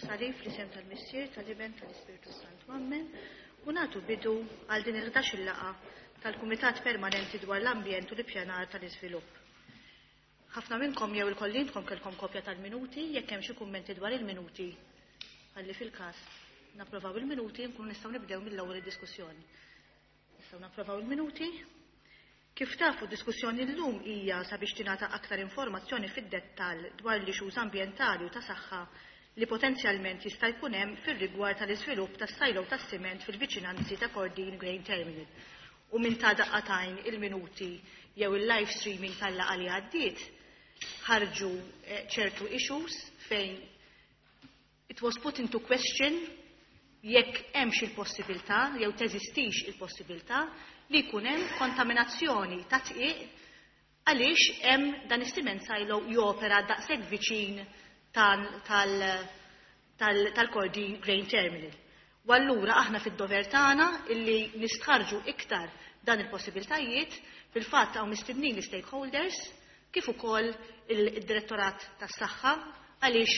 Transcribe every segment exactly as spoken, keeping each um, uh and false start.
Is-salib fl-isem tal-Missier, tal-Iben, tal-Ispirtu Santu. Amen. U nagħtu bidu għal din il-ħdax-il laqgħa tal-Kumitat Permanenti dwar l-Ambjent u l-Ippjanar tal-Iżvilupp. Ħafna minnkom jew il-kollintkom kellkom kopja tal-minuti, jekk hemm xi kummenti dwar il-minuti, ħalli fil-każ napprovaw il-minuti nkunu nistgħu nibdew mill-ewwel id-diskussjoni. Nistgħu napprovaw il-minuti. Kif tafu, diskussjoni llum hija sabiex tingħata aktar informazzjoni fid-dettall dwar l-issues ambjentali u ta' saħħa li potenzjalment jista' jkun hemm fir-rigward tal-iżvilupp tas-silo tas-siment fil-viċinanzi ta' Kordin Grain Terminal. U minn ta' daqqa t'għajn il-minuti jew il-live streaming tal-laqgħa li għaddiet ħarġu ċertu issues fejn it was put into question jekk hemmx il-possibilità jew teżistix il-possibilità li jkun hemm kontaminazzjoni ta' tqiq għaliex hemm dan is-cement silo jopera daqshekk viċin tal-Kordin Grain Terminal. U allura aħna fid-dover tagħna illi nistħarġu iktar dan il-possibiltajiet. Fil-fatt hawn mistednin l-stakeholders kif ukoll il-Direttorat tas-Saħħa, għaliex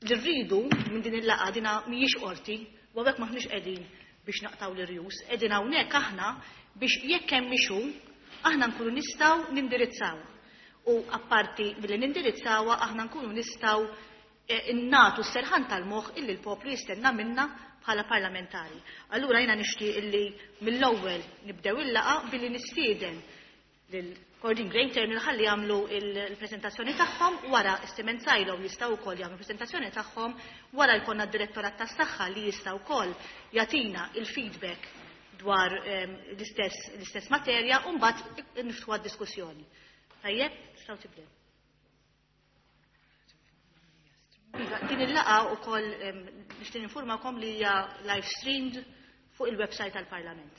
li rridu minn din il-laqgħa dina mhijiex qorti u hawnhekk m'aħniex qegħdin biex naqtaw l-irjus, qegħdin hawnhekk aħna biex jekk hemm issue aħna nkunu nistgħu nindirizzawha. U apparti billi nindirizzawha aħna nkunu nistgħu nagħtu s-serħan tal-moħħ illi l-poplu jistenna minna bħala parlamentari. Allura jiena nixtieq illi mill-ewwel nibdew il-laqgħa billi nistieden lil Kordin Grain Terminal ħalli jagħmlu il-preżentazzjoni tagħhom, wara s-cement silo jistgħu wkoll jagħmlu preżentazzjoni tagħhom, wara jkollna d-Direttorat tas-Saħħa li jista' wkoll jagħtina il-feedback dwar l-istess l-istess materja u mbagħad niftħu għad-diskussjoni. Tajjeb, tistgħu tibdew. Iva, din il-laqgħa wkoll nixtieq ninformakom li hija live streamed fuq il-website tal-Parlament.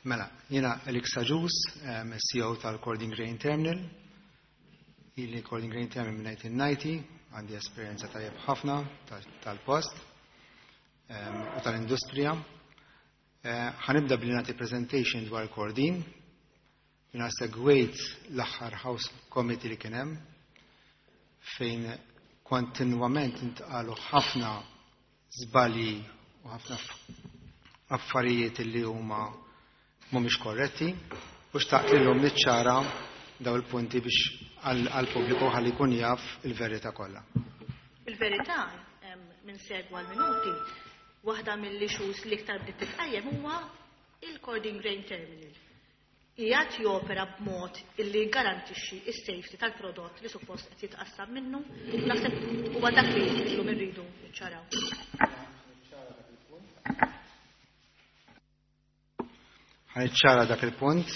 Mela, jiena Alex Agius, C E O tal-Kordin Grain Terminal. Ili Kordin Grain Terminal minn nineteen ninety, għandi esperjenza tajjeb ħafna tal-post u tal-industrija. Ħanibda billi nagħti presentation dwar Kordin. Jiena segwejt l-aħħar House Committee li kien hemm, fejn kontinwament intqalu ħafna żbalji u ħafna affarijiet li huma mhumiex korretti, u xtaqt lilhom niċċara daw il-punti biex għall-pubbliku ħalli jkun jaf il-verità kollha. Il-verità minn segwa l-minuti, waħda mill-issues li iktar bdiet titqajjem huwa il-Kordin Grain Terminal. Qiegħed jopera b'mod illi jgarantixxi s-safety tal-prodott li suppost qed jitqassam minnu, naħseb huwa dak li llum irridu niċċaraw. Ħaniċċara dak il-punt,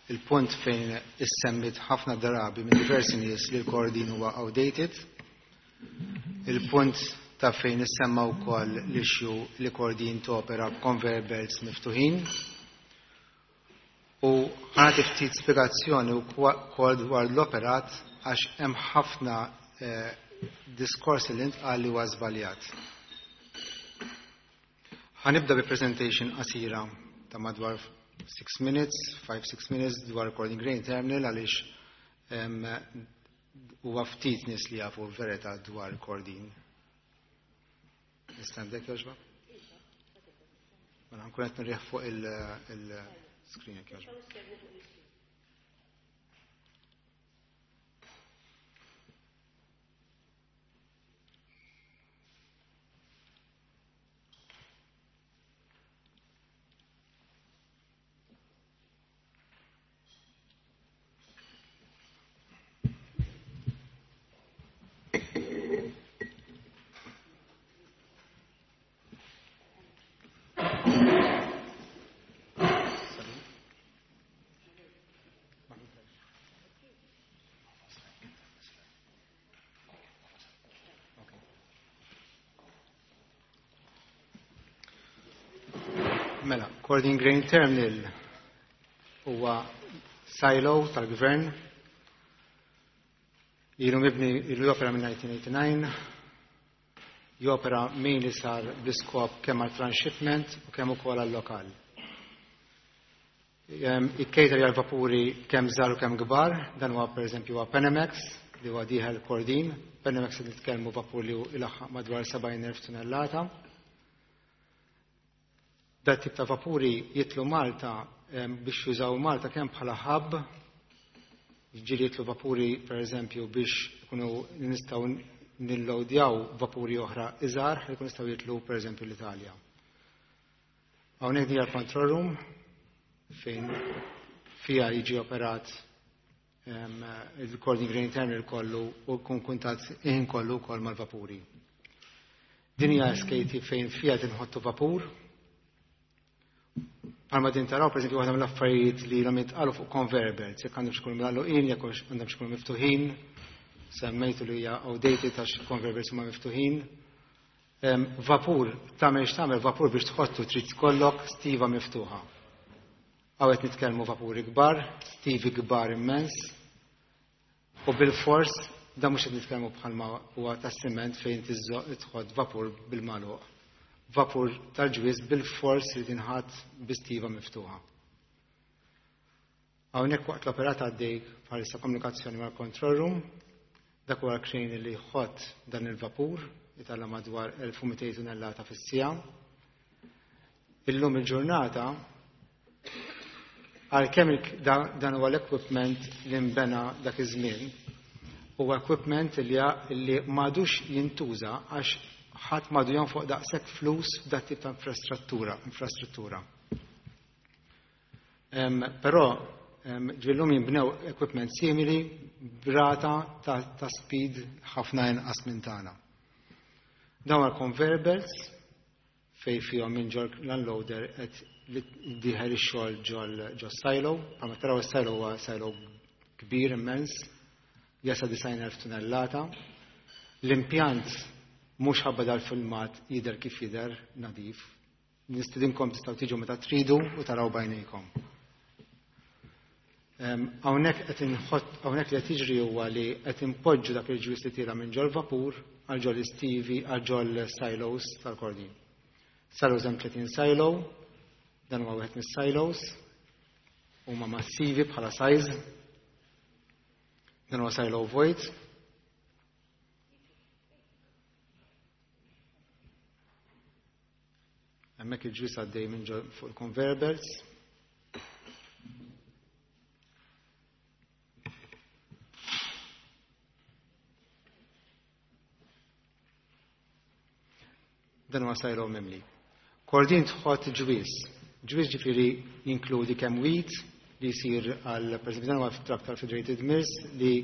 il-punt fejn issemmit ħafna drabi minn diversi nies li l-Kordin huwa outdated, il-punt ta' fejn issemma wkoll l-issue li Kordin topera b'conveyor belts miftuħin, u ħanati ftit spjegazzjoni wkoll dwar l-operat għax hemm ħafna diskorsi li ntqal li huwa żbaljat. Ħanibda bi presentation qasira ta' madwar six minutes, five, six minutes dwar Kordin Grain Terminal għaliex huwa ftit nies li jafu l-verità dwar Kordin. Nista' nibdek jogħġbok? Mela nkun qed nirrieħ fuq il-screen jekk jogħġbok. Mela, Kordin Grain Terminal huwa silo tal-gvern. Ilu mibni, ilu jopera minn nineteen eighty-nine, jopera mainly sar bl-iskop kemm għal transshipment u kemm ukoll għal lokal. Ikkejter għal vapuri kemm żgħar u kemm kbar, dan huwa pereżempju huwa Panamax li huwa dieħel Kordin. Panamax qed nitkellmu vapur li ilaħħaq madwar sebgħin elf tunnellata. Dat tip ta' vapuri jitlu Malta biex jużaw Malta kemm bħala hub, ġieli jitlu vapuri pereżempju biex ikunu nistgħu nillowdjaw vapuri oħra iżgħar li jkunu nistgħu jitlu pereżempju l-Italja. Hawnhekk hija l-control room fejn fiha jiġi operat il-Kordin Grain Terminal kollu u jkun kuntatt ħin kollu wkoll mal-vapuri. Din hija S K T fejn fiha tinħottu vapur. Bħalma din taraw, pereżempju, waħda mill-affarijiet li ilhom jitqalu fuq conveyor belts, jekk għandhom x'ikunu mgħalluqin, jekk għandhom x'ikunu miftuħin, semmejtu li hija outdated għax conveyor belts huma miftuħin. Vapur, tagħmel x'tagħmel vapur biex tħottu trid tkollok stiva miftuħa. Hawn qed nitkellmu vapuri kbar, stivi kbar immens, u bil-fors dan mhux qed nitkellmu bħalma huwa tas-siment fejn tiżżoq tħodd vapur bil-magħluq. Vapur tal-ġwiż bil-fors li tinħadd bi stiva miftuħa. Hawnhekk waqt l-operat għaddej bħalissa komunikazzjoni mal-control room, dak huwa l-crane li jħodd dan il-vapur, jitalla madwar elf u mitejn tunnellata fis-siegħa. Illum il-ġurnata għalkemm il-, da-, dan huwa l-equipment li nbena dak iż-żmien, huwa equipment li ja-, li m'għadux jintuża għax ħadd m'għadu jonfoq daqshekk flus f'dat tip ta' infrastruttura, infrastruttura. Em, però, em, ġillum jinbnew equipment simili brata ta', ta' speed ħafna inqas minn tagħna. Dawn għal conveyor belts fej fihom minn ġol l-unloader qed dieħel ix-xogħol ġol, ġol silo, bħalma taraw is-silo huwa silo kbir immens, jasa disgħin elf tunnellata. L-impjant mhux ħabba dal-filmat jidher kif jidher nadif. Nistidinkom tistgħu tiġu meta tridu u taraw bajnejkom. Em, hawnhekk qed inħott, hawnhekk li qed jiġri huwa li qed inpoġġu dak il-ġwis li tira minn ġol vapur għal ġol istivi għal ġol silos tal-Kordin. Silos hemm tletin silo, dan huwa wieħed mis-silos, huma massivi bħala size. Dan huwa silo vojt. Hemmhekk il-ġwis għaddej minn ġol fuq il-conveyor belts. Dan huwa silo mimli. Kordin tħodd ġwis. Ġwis ġifieri jinkludi kemm wheat li jsir għal, pereżempju, dan huwa truck tal-Federated Mills li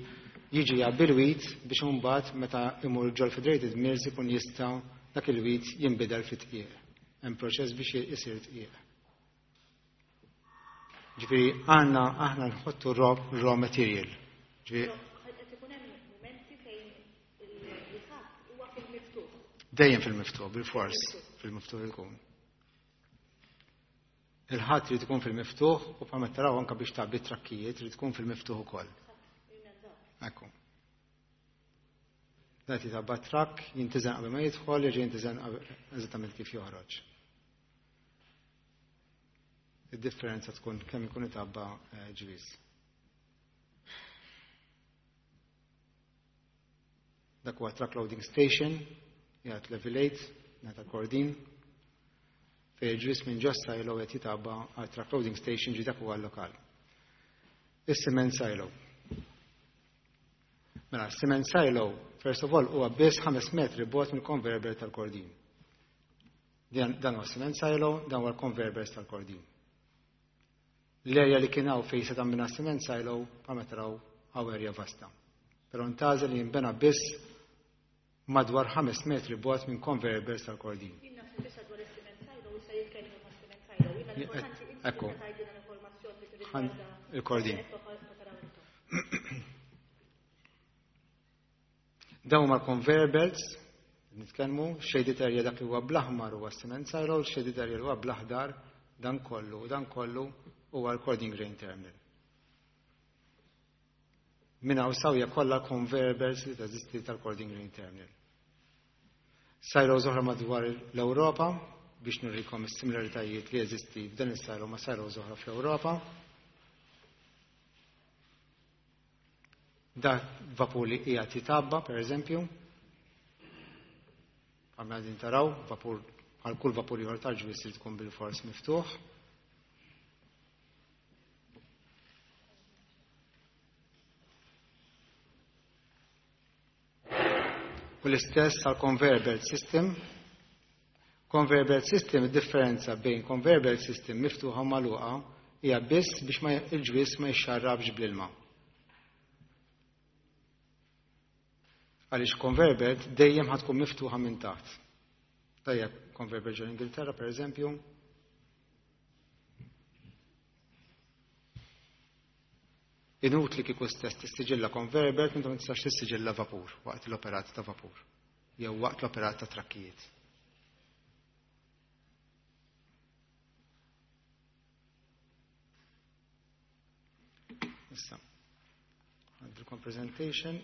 jiġi jgħabbi l-wheat biex imbagħad meta imur ġol Federated Mills ikun jista' dak il-wheat jinbidel fi tqiegħ. Hemm proċess biex isir tqiegħ. Ġifieri għandna aħna nħottu raw, raw material. Ġifieri Qed ikun hemm mumenti fejn il-ħadd huwa fil-miftuħ. Dejjem fil-miftuħ, bil-fors fil-miftuħ ikun. Il-ħadd trid ikun fil-miftuħ u bħalma taraw anke biex tgħabbi trakkijiet trid tkun fil-miftuħ ukoll. Ekku. Dak jitgħabba trakk, jintiżen qabel ma jidħol, jerġa' jintiżen qabel eżattament kif joħroġ. Id-differenza tkun kemm ikun itabba, eh, ġwis. Dak huwa truck loading station, jgħid level eight, ngħid Kordin, fejn ġwis minn ġo silo qed jitabba għal truck loading station ġi dak huwa l-lokal. Is-cement silo. Mela, cement silo, first of all, huwa biss ħames metri bogħod mill-conveyor belt tal-Kordin. Dan, dan huwa cement silo, dan huwa l-conveyor belt tal-Kordin. L-erja li kien hawn fejn se tagħmilna cement silo, bħalma taraw hawn erja vasta. Però ntgħażel li jinbena biss madwar ħames metri bogħod minn conveyor belts tal-Kordin. Jien naħseb issa dwar is-cement silo, issa jitkellmu ma' cement silo. Jiena Jien qed- l-importanti inti ekku. tista' tgħidilna l-informazzjoni li Ħan tirrigwarda il-Kordin. qed taraw. Dawn huma l-conveyor belts, nitkellmu, shaded area dak li huwa bl-aħmar huwa cement silo, shaded area li huwa bl-aħdar Dan kollu, dan kollu huwa l-Kordin Grain Terminal. Minn hawn sawja kollha conveyor belts li teżisti tal-Kordin Grain Terminal. Silos oħra madwar l-Ewropa biex nurikom is-similaritajiet li jeżisti f'dan is-silo ma' silos oħra fl-Ewropa. Da vapur li qiegħed jitabba, per eżempju. Għamna din taraw, vapur għal kull vapur ieħor tal-ġwis li tkun bil-fors miftuħ. U l-istess għal conveyor belt system. Conveyor belt system, id-differenza bejn conveyor belt system miftuħa u magħluqa hija biss biex ma il-ġwis ma jxarrabx bl-ilma. Għaliex conveyor belt dejjem ħa tkun miftuħa minn taħt. Tajjeb, conveyor belt ġol Ingilterra, per eżempju. Inutli kieku stess tissiġilla conveyor belt meta ma tistax tissiġilla vapur waqt l-operat ta' vapur jew waqt l-operat ta' trakkijiet. Issa, għandilkom presentation.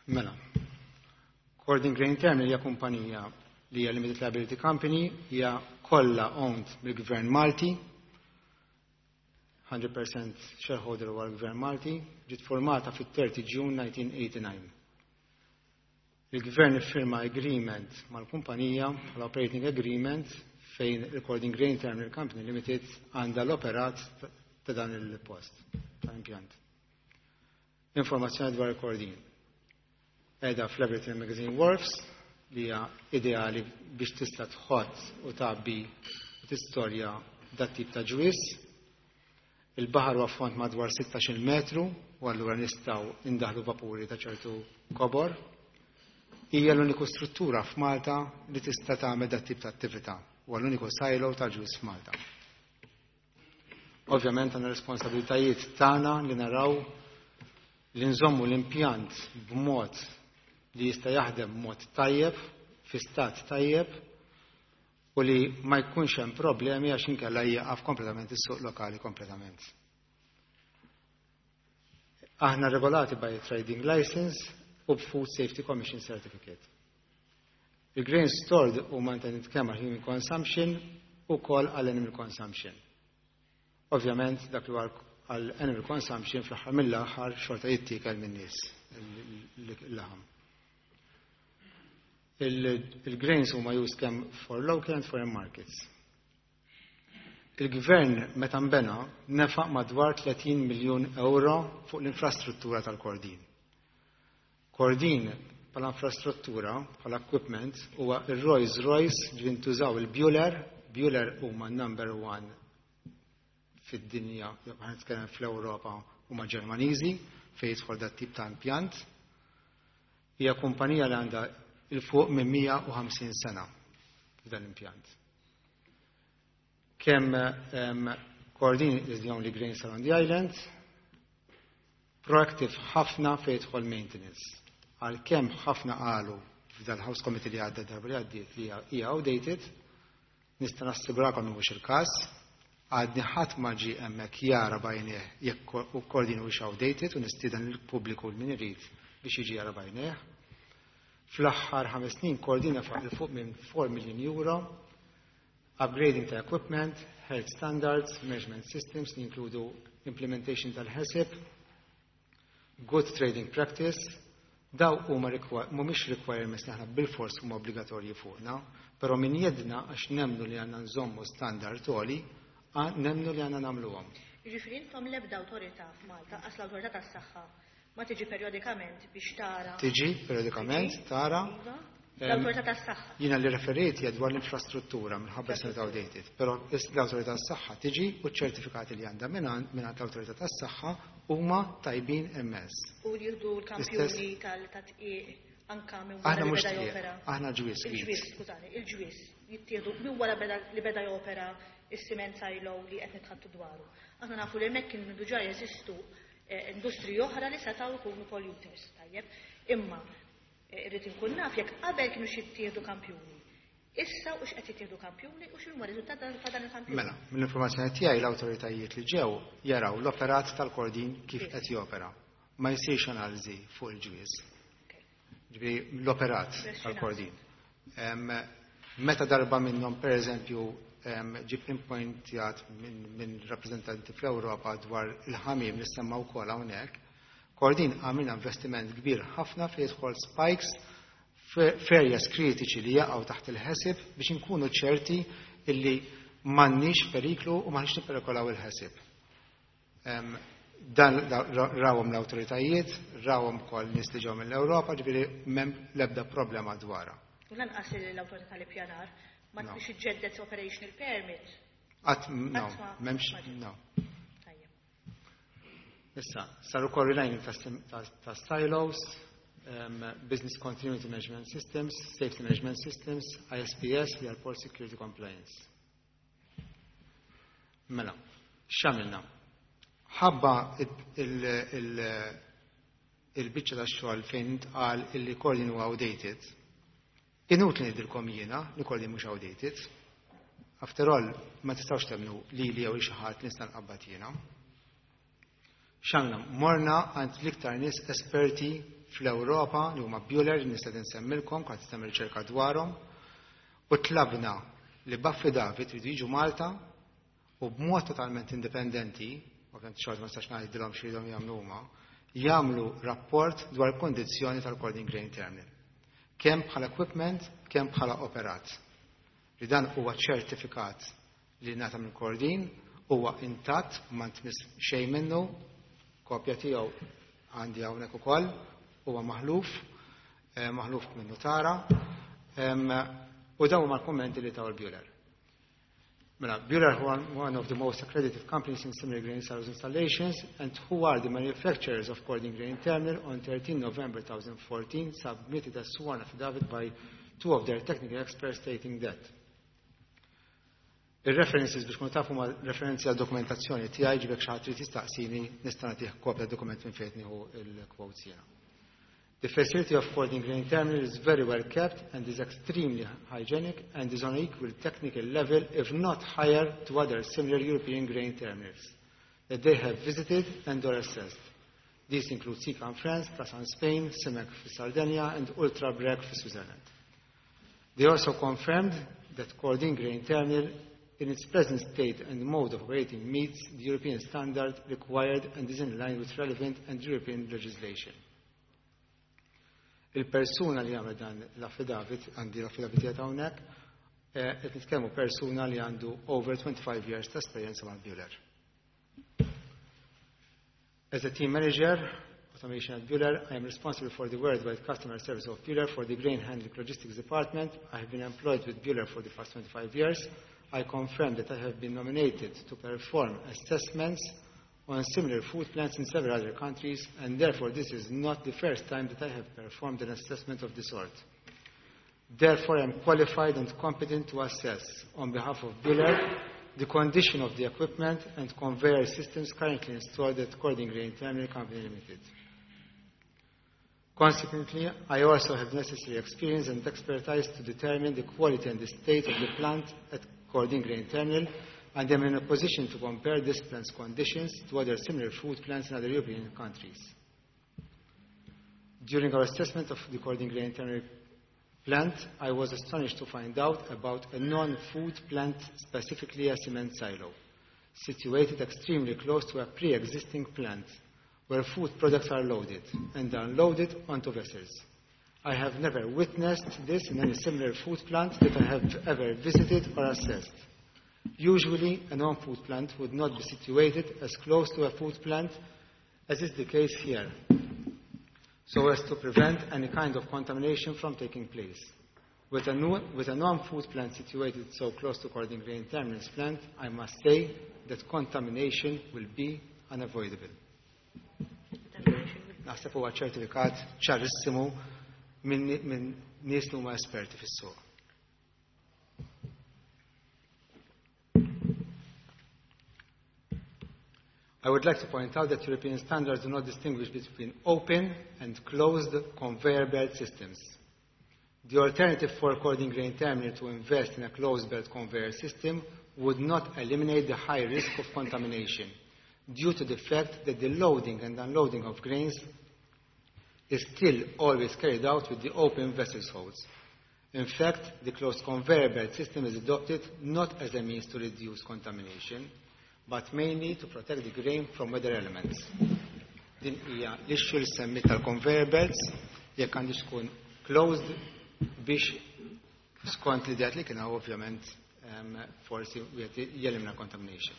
Mela, Kordin Grain Terminal hija kumpanija li hija Limited Liability Company, hija kollha owned mill-Gvern Malti, hundred percent shareholder huwa l-Gvern Malti, ġiet formata fit-thirty June nineteen eighty-nine. Il-Gvern iffirma agreement mal-kumpanija, l-operating agreement, fejn il-Kordin Grain Terminal Company Limited għandha l-operat ta' dan il-post, tal-impjant. Informazzjoni dwar il-Kordin. Edha fl-Everton Magazine Wharfs, li hija ideali biex tista' tħodd u tgħabbi u tistorja dat tip ta' ġwis. Il-baħar huwa fond madwar sittax-il metru u allura nistgħu indaħlu vapuri ta' ċertu kobor. Hija l-uniku struttura f'Malta li tista' tagħmel dat tip ta' attività u l-uniku silo ta' ġwis f'Malta. Ovvjament għandna responsabilitajiet tagħna li naraw li nżommu l-impjant b'mod li jista' jaħdem b'mod tajjeb, fi stat tajjeb, u li ma jkunx hemm problemi għax inkella jieqaf kompletament is-suq lokali kompletament. Aħna regolati by trading license u b'Food Safety Commission Certificate. Il-grain stored huma intended kemm għal human consumption u wkoll għal animal consumption. Ovvjament dak li huwa għal animal consumption fl-aħħar mill-aħħar xorta jittiekel min-nies il-laħam. Il-grains huma used kemm for local and foreign markets. Il-gvern meta nbena nefaq madwar tletin miljun euro fuq l-infrastruttura tal-Kordin. Kordin bħala infrastruttura, bħala equipment, huwa il-Rolls Royce li ntużaw il-Buehler. Buehler huma number one fid-dinja, ħa nitkellem fl-Ewropa, huma Ġermaniżi fejn jidħol dat tip ta' impjant. Hija kumpanija li għandha il-fuq minn mija u ħamsin sena f'dan l-impjant. Kemm, em, Kordin is the only grain silo on the island, proactive ħafna fejn jidħol maintenance. Għalkemm ħafna qalu f'dal-House Committee li għadda darba li għaddiet li hija outdated, nista' nassigurakom li mhux il-każ, għadni ħadd ma ġie hemmhekk jara bajnieh jekk u Kordin mhuwiex outdated u nistieden lill-pubbliku min irid biex jiġi jara bajnieh. Fl-aħħar ħames snin Kordin nefaq il fuq minn four million euro upgrading ta' equipment, health standards, measurement systems li jinkludu implementation tal-HACCP, good trading practice. Daw huma requi-, mhumiex requirements li aħna bil-fors huma obbligatorji fuqna, però min jedna għax nemmnu li għandna nżommu standard għoli, għa-, nemmnu li għandna nagħmluhom. Jiġifieri intom l-ebda awtorità f'Malta, qas l-awtorità tas-saħħa ma tiġi periodikament biex tara. Tiġi periodikament Tiġi? tara. Iva. Em, L-awtorità tas-saħħa. Jiena li referejt hija dwar l-infrastruttura minħabba s outdated, però l-awtorità tas-saħħa tiġi u ċ-ċertifikati li għandha minn minn l-awtorità tas-saħħa huma tajbin immens. U jieħdu l-kampjuni L-istess tal-tadqiq anka minn wara Aħna li mhux beda tqiegħ, jopera. aħna ġwis Il-ġwis, wheat. skużani, il-ġwis jittieħdu minn wara beda, li beda jopera is-cement silo li qed nitħattu dwaru. Aħna nafu li hemmhekk kienu diġà jeżistu industriji oħra li setgħu jkunu polluters, tajjeb. Imma irrid inkun naf jekk qabel kienu jittieħdu kampjuni. Issa u x'qed jittieħdu kampjuni u x'inhuma riżultat ta' dan il-kampjuni. Mela, mill-informazzjoni tiegħi l-awtoritajiet li ġew jaraw l-operat tal-Kordin kif qed jopera. Ma jsirx analiżi fuq il-ġwież. Ġifieri l-operat tal-Kordin. Meta darba minnhom pereżempju ġie pinpointjat minn rappreżentanti fl-Ewropa dwar il-ħamiem li semma wkoll hawnhekk, Kordin għamilna investiment kbir ħafna fi jidħol spikes f'areas kritiċi li jaqgħu taħt il-HACCP biex inkunu ċerti illi m'għandniex periklu u m'aħniex nipperikolaw il-HACCP. Dan rawhom l-awtoritajiet, rawhom ukoll nies li ġew mill-Ewropa, ġifieri m'hemm l-ebda problema dwarha. U lanqas l-awtorità li pjanar ma biex iġġedded operational permit. Qatt no, m'hemmx no. Issa, saru relining ta' silos, um, Business Continuity Management Systems, Safety Management Systems, I S P S, li għal Port Security Compliance. Mela, x'għamilna? Ħabba il-biċċa ta' xogħol fejn intqal illi Kordin huwa outdated. Inutli ngħidilkom jiena li Kordin mhux outdated. After all, ma tistgħux temmnu li li jew xi ħadd nista' nqabbad jiena. X'għamilna? Morna għand l-iktar nies esperti fl-Ewropa li huma Buehler, nista' nsemmilkom, kont tagħmel riċerka dwarhom, u tlabna li b'affidavit ridu jiġu Malta u b'mod totalment indipendenti, ovvjament xorta ma nistax ngħidilhom x'iridu jagħmlu huma, jagħmlu rapport dwar kondizzjoni tal-Kordin Grain Terminal. Kemm bħala equipment, kemm bħala operat. Li dan huwa ċertifikat li ngħata minn Kordin, huwa intatt, ma ntmiss xejn minnu, kopja tiegħu għandi hawnhekk ukoll, huwa maħluf, eh, maħluf minn notara, u dawn huma l-kummenti li taw il-Buehler. Mela, Buehler one, one of the most accredited companies in similar grain silos installations and who are the manufacturers of Kordin Grain Terminal on thirteen November twenty fourteen submitted a sworn affidavit by two of their technical experts stating that. Il-references biex kun tafu ma referenzi għal dokumentazzjoni tiegħi, ġibek xi ħadd trid jistaqsini nista' nagħtih kopja dokument minn fejn nieħu il-quotes jiena. The facility of Kordin Grain Terminal is very well kept and is extremely hygienic and is on equal technical level, if not higher, to other similar European grain terminals that they have visited and or assessed. These include Sicam France, Plasan Spain, Simec for Sardinia, and Ultra Breg for Switzerland. They also confirmed that Kordin Grain Terminal in its present state and mode of operating meets the European standard required and is in line with relevant and European legislation. Il-persuna li għamel dan l-affidavit, għandi l-affidavit jgħat hawnhekk, eh, qed nitkellmu persuna li għandu over twenty-five years ta' esperjenza ma' Buehler. As a team manager, automation at Buehler, I am responsible for the worldwide customer service of Buehler for the grain handling logistics department. I have been employed with Buehler for the past twenty-five years. I confirm that I have been nominated to perform assessments on similar food plants in several other countries, and therefore this is not the first time that I have performed an assessment of this sort. Therefore, I am qualified and competent to assess, on behalf of Buehler, the condition of the equipment and conveyor systems currently installed at Kordin Grain Terminal Company Limited. Consequently, I also have necessary experience and expertise to determine the quality and the state of the plant at Kordin Grain Terminal and am in a position to compare this plant's conditions to other similar food plants in other European countries. During our assessment of the Kordin Grain Terminal plant, I was astonished to find out about a non-food plant, specifically a cement silo, situated extremely close to a pre-existing plant where food products are loaded and unloaded onto vessels. I have never witnessed this in any similar food plant that I have ever visited or assessed. Usually, a non-food plant would not be situated as close to a food plant as is the case here, so as to prevent any kind of contamination from taking place. With a, no, with a non-food plant situated so close to Kordin Grain Terminals plant, I must say that contamination will be unavoidable. Naħseb huwa ċertifikat ċarissimu minn min nies li huma esperti fis-suq. I would like to point out that European standards do not distinguish between open and closed conveyor belt systems. The alternative for Kordin Grain Terminal to invest in a closed belt conveyor system would not eliminate the high risk of contamination due to the fact that the loading and unloading of grains is still always carried out with the open vessel holds. In fact, the closed conveyor belt system is adopted not as a means to reduce contamination, but mainly to protect the grain from weather elements. Din hija l-issue li semmit tal-conveyor belts jekk għandix tkun closed biex skont l-idea li kien ovvjament um, forsi wieħed jelimina contamination.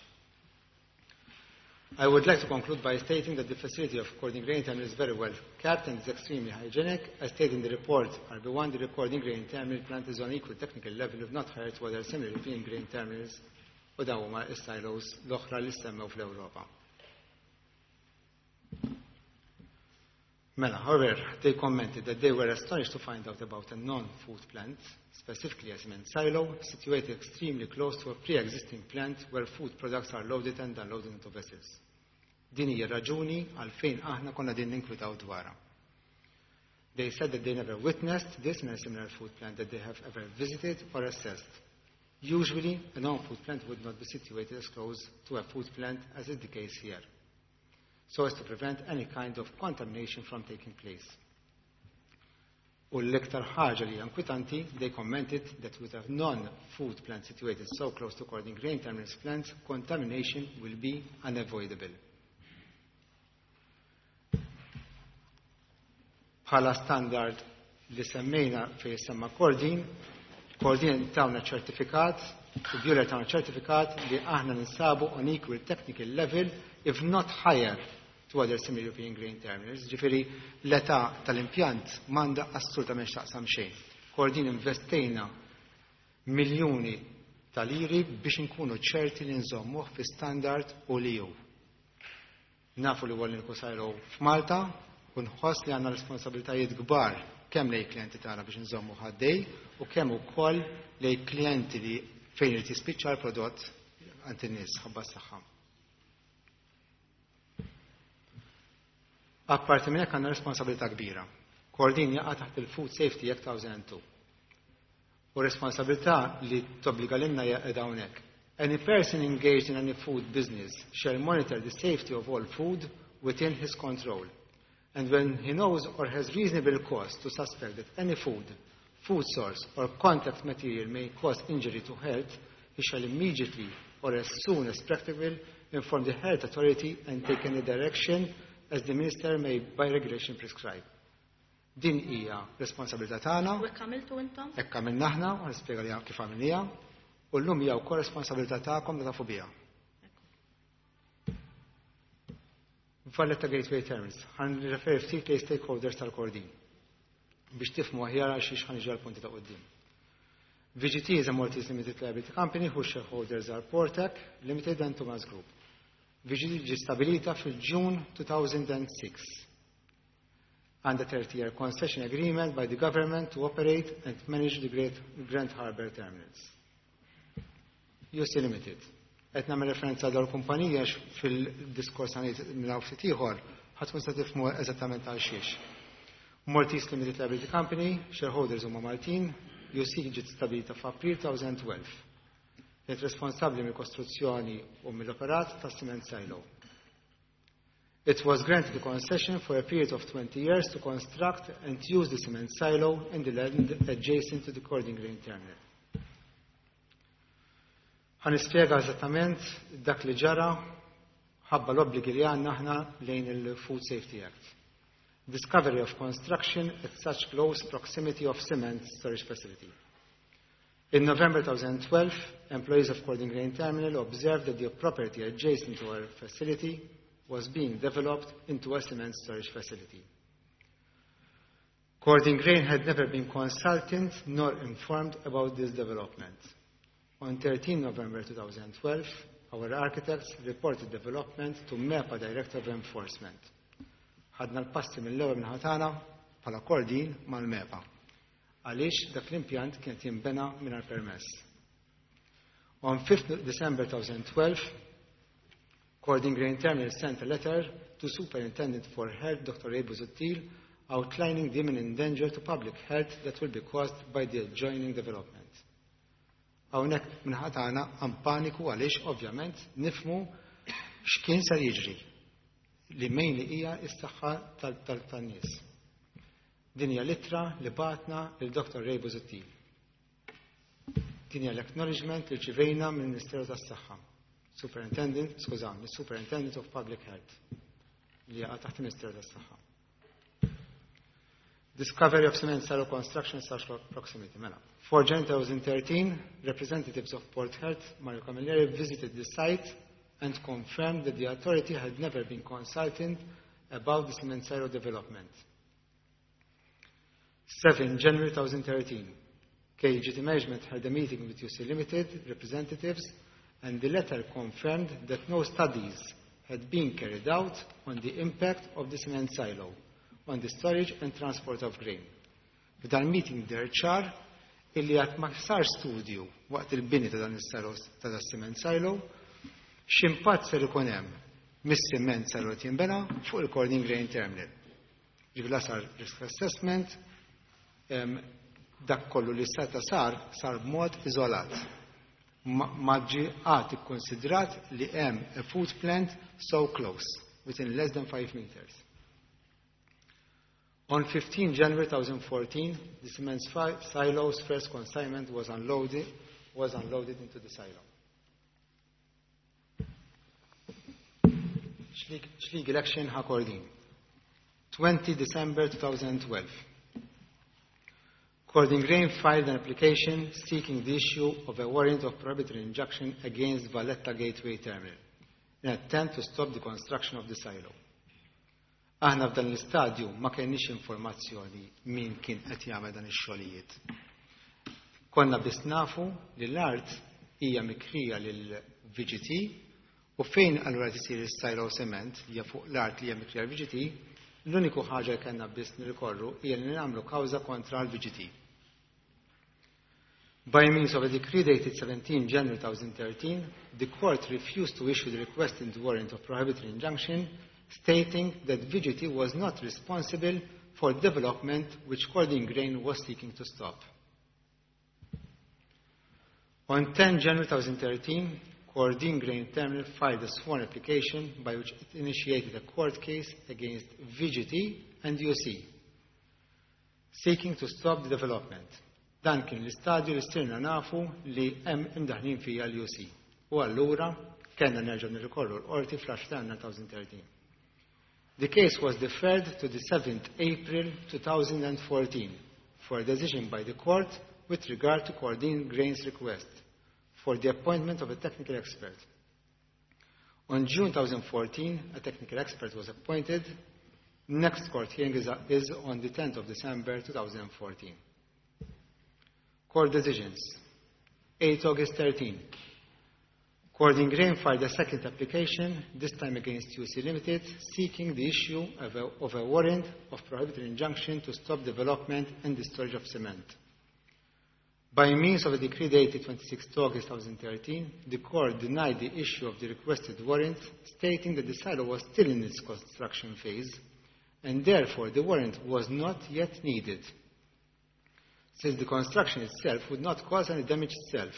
I would like to conclude by stating that the facility of Kordin Grain Terminal is very well kept and is extremely hygienic. As stated in the report R B one, the Kordin Grain Terminal plant is on equal technical level, if not higher, to other similar European grain terminals, u dawn huma s-silos l-oħra li semmew fl-Ewropa. Mela, however, they commented that they were astonished to find out about a non-food plant, specifically a cement silo, situated extremely close to a pre-existing plant where food products are loaded and unloaded into vessels. Din hija raġuni għalfejn aħna konna din ninkwitaw dwarha. They said that they never witnessed this in a similar food plant that they have ever visited or assessed. Usually, a non-food plant would not be situated as close to a food plant as is the case here, so as to prevent any kind of contamination from taking place. U l-iktar ħaġa li inkwetanti, they commented that with a non-food plant situated so close to Kordin Grain Terminals plants, contamination will be unavoidable. Bħala standard li semmejna fej semma Kordin, Kordin tawna ċertifikat, u Buehler tawna ċertifikat li aħna ninsabu on equal technical level, if not higher, to other similar European grain terminals. Ġifieri l-età tal-impjant m'għandha assolutament x'taqsam xejn. Kordin investejna miljuni tal-liri biex nkunu ċerti li nżommuh fi standard u li ju. Nafu li għallin silo f'Malta, u nħoss li għandna responsabilitajiet kbar kemm lejn klijenti tagħna biex nżommu ħaddej u kemm ukoll lejn klijenti li fejn irid jispiċċa l-prodott għand in-nies ħabba s-saħħa. Apparti minn hekk għandna responsabilità kbira. Kordin jaqa' taħt il-Food Safety Act two thousand two. U responsabilità li tobbliga lilna hija qiegħda hawnhekk. Any person engaged in any food business shall monitor the safety of all food within his control. And when he knows or has reasonable cause to suspect that any food, food source, or contact material may cause injury to health, he shall immediately or as soon as practicable inform the health authority and take any direction as the minister may by regulation prescribe. Din hija responsabilità tagħna. U hekk għamiltu intom? Hekk għamilna aħna, u nispjega li kif għamilniha, u llum hija wkoll responsabilità tagħkom li tafu biha. Valletta Gateway Terminals, ħa nirreferi ftit li stakeholders tal-Kordin biex tifhmu aħjar għal xiex ħa niġi għal punti ta' quddiem. V G T is a Maltese Limited Liability Company whose shareholders are Portec Limited and Thomas Group. V G T ġi stabilita fil-June two thousand six under thirty-year concession agreement by the government to operate and manage the Great Grand Harbour Terminals. U C Limited. Qed nagħmel referenza għal kumpanija fil-diskors għanit minn hawn ftit ieħor ħadd tkun se tifhmu eżattament għal xiex. Maltese Limited Liability Company, shareholders huma Maltin, U C ġiet stabilita f'April twenty twelve. Kienet responsabbli mill-kostruzzjoni u mill-operat ta' cement silo. It was granted a concession for a period of twenty years to construct and use the cement silo in the land adjacent to the Kordin Grain Terminal. Ħa nispjega eżattament dak li ġara ħabba l-obbligi li għandna aħna lejn il-Food Safety Act. Discovery of construction at such close proximity of cement storage facility. In November twenty twelve, employees of Kordin Grain Terminal observed that the property adjacent to our facility was being developed into a cement storage facility. Kordin Grain had never been consulted nor informed about this development. On thirteen November twenty twelve, our architects reported development to MEPA Director of Enforcement. Ħadna l-passi mill-ewwel minn ħatana bħala Kordin mal-MEPA. Għaliex dak l-impjant kien jinbena mingħajr permess. On fifth December twenty twelve, Kordin Grain Terminal sent a letter to Superintendent for Health, Doctor Ray Busuttil, outlining the imminent danger to public health that will be caused by the adjoining development. Hawnhekk min-naħa tagħna għam paniku għaliex ovvjament nifhmu x'kien ser jiġri li mainly hija s-saħħa tan-nies. Din hija l-ittra li bagħatna lil Doctor Ray Busuttil. Din hija l-acknowledgement li rċivejna mill-Ministeru tas-Saħħa. Superintendent, skużawni, Superintendent of Public Health li jaqa' taħt il-Ministeru tas-Saħħa. Discovery of cement silo construction slash proximity. Mela. For January twenty thirteen, representatives of Port Health, Mario Camilleri, visited the site and confirmed that the authority had never been consulted about the cement silo development. seven January twenty thirteen, K G T Management had a meeting with U C Limited representatives, and the letter confirmed that no studies had been carried out on the impact of the cement silo on the storage and transport of grain. F'dan meeting der ċar illi għad ma sar studju waqt il-bini ta' dan is-silo ta' dan cement silo, x'impatt ser ikun hemm mis-cement silo qed jinbena fuq il-Kordin Grain Terminal. Ġifieri la sar risk assessment, em, dak kollu li seta sar, sar b'mod iżolat. Ma ġie qatt ikkonsidrat li hemm a food plant so close, within less than five meters. On fifteen January twenty fourteen, the cement silo's first consignment was unloaded, was unloaded into the silo. X'legal action ħa Kordin? twenty December two thousand twelve. Kordin Grain filed an application seeking the issue of a warrant of prohibitory injunction against Valletta Gateway Terminal in an attempt to stop the construction of the silo. Aħna f'dan l-istadju ma kenniex informazzjoni min kien qed jagħmel dan ix-xogħlijiet. Konna biss nafu li l-art hija mikrija lil V G T u fejn allura tisir is-silo cement li hija fuq l-art li hija mikrija l-V G T, l-uniku ħaġa li kellna biss nirrikorru hija li nagħmlu kawża kontra l-V G T. By means of a decree dated seventeen January twenty thirteen, the court refused to issue the requested warrant of prohibitory injunction, stating that V G T was not responsible for development which Kordin Grain was seeking to stop. On ten January twenty thirteen, Kordin Grain Terminal filed a sworn application by which it initiated a court case against V G T and U C, seeking to stop the development. Dan kien l-istadju li sirna nafu li hemm imdaħlin fija l-U C. U allura kellna nerġgħu nirrikorru l-qorti fl-għaxra ta' twenty thirteen. The case was deferred to the seventh April two thousand fourteen for a decision by the court with regard to Kordin Grain's request for the appointment of a technical expert. On June twenty fourteen, a technical expert was appointed. Next court hearing is, is on the tenth of December two thousand fourteen. Court decisions. eighth August thirteen. Kordin Grain filed a second application, this time against U C Limited, seeking the issue of a, of a warrant of prohibitory injunction to stop development and the storage of cement. By means of a decree dated twenty-sixth August twenty thirteen, the court denied the issue of the requested warrant, stating that the silo was still in its construction phase, and therefore the warrant was not yet needed, since the construction itself would not cause any damage itself.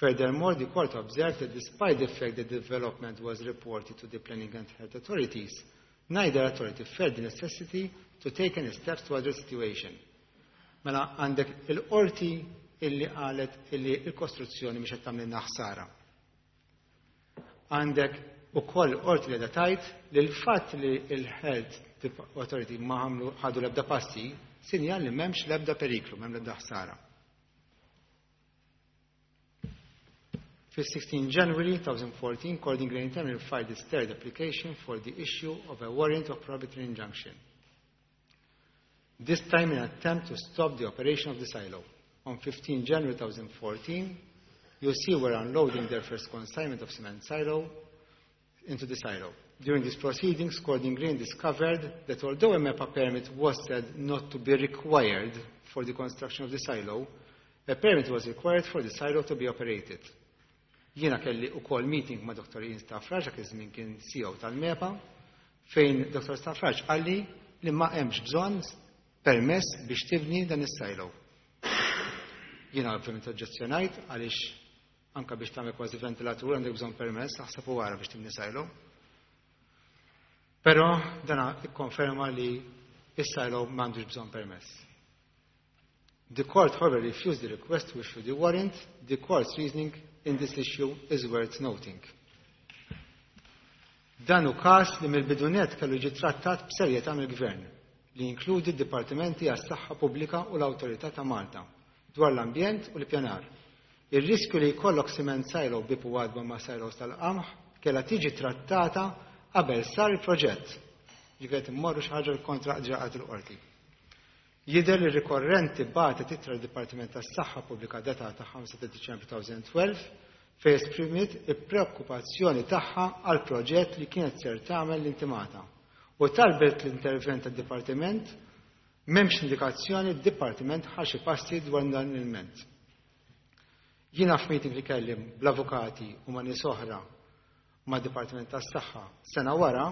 Furthermore, the court observed that despite the fact that the development was reported to the planning and health authorities, neither authority felt the necessity to take any steps to address the situation. Mela għandek il-qorti illi qalet illi il-kostruzzjoni mhix qed tagħmlilna ħsara. Għandek ukoll qorti li tgħid li l-fatt li l-health authority ma għamlu ħadu l-ebda passi sinjal li m'hemmx l-ebda periklu, m'hemm l-ebda ħsara. Fis-sixteen January twenty fourteen, Kordin Grain Terminal filed its third application for the issue of a warrant of prohibitory injunction. This time in an attempt to stop the operation of the silo. On fifteen January twenty fourteen, U C were unloading their first consignment of cement silo into the silo. During these proceedings, Kordin Grain discovered that although a MEPA permit was said not to be required for the construction of the silo, a permit was required for the silo to be operated. Jiena kelli ukoll meeting ma' Doctor Ian Stafrace, dak iż-żmien kien C E O tal-MEPA, fejn Doctor Stafrace qalli li ma hemmx bżonn permess biex tibni dan is-silo. Jiena ovvjament oġġezzjonajt, għaliex anka biex tagħmel kważi ventilatur għandek bżonn permess, aħseb u ara biex tibni silo. Però dana ikkonferma li is-silo m'għandux bżonn permess. The court, however, refused the request to issue the warrant. The court's reasoning in this issue is worth noting. Dan hu każ li mill-bidu nett kellu jiġi trattat b'serjetà mill-Gvern, li jinkludi d-Dipartimenti għas-Saħħa Pubblika u l-Awtorità ta' Malta dwar l-ambjent u l-pjanar. Ir-riskju li jkollok cement silo bieb u għatba ma' silos tal-qamħ kellha tiġi trattata qabel sar il-proġett. Ġifieri immorru xi ħaġa kontra ġaqat il-qorti. Jidher li rikorrenti bagħtet ittra d-Dipartiment tas-Saħħa Pubblika datata ħamsa ta' Diċembru elfejn u tnax fejn esprimiet il-preokkupazzjoni tagħha għal proġett li kienet ser tagħmel l-intimata u talbet l-intervent tad-Dipartiment. M'hemmx indikazzjoni d-Dipartiment ħa xi passi dwar dan il-ment. Jiena f'meeting li kelli bl-avukati u ma' nies oħra ma' Dipartiment tas-Saħħa sena wara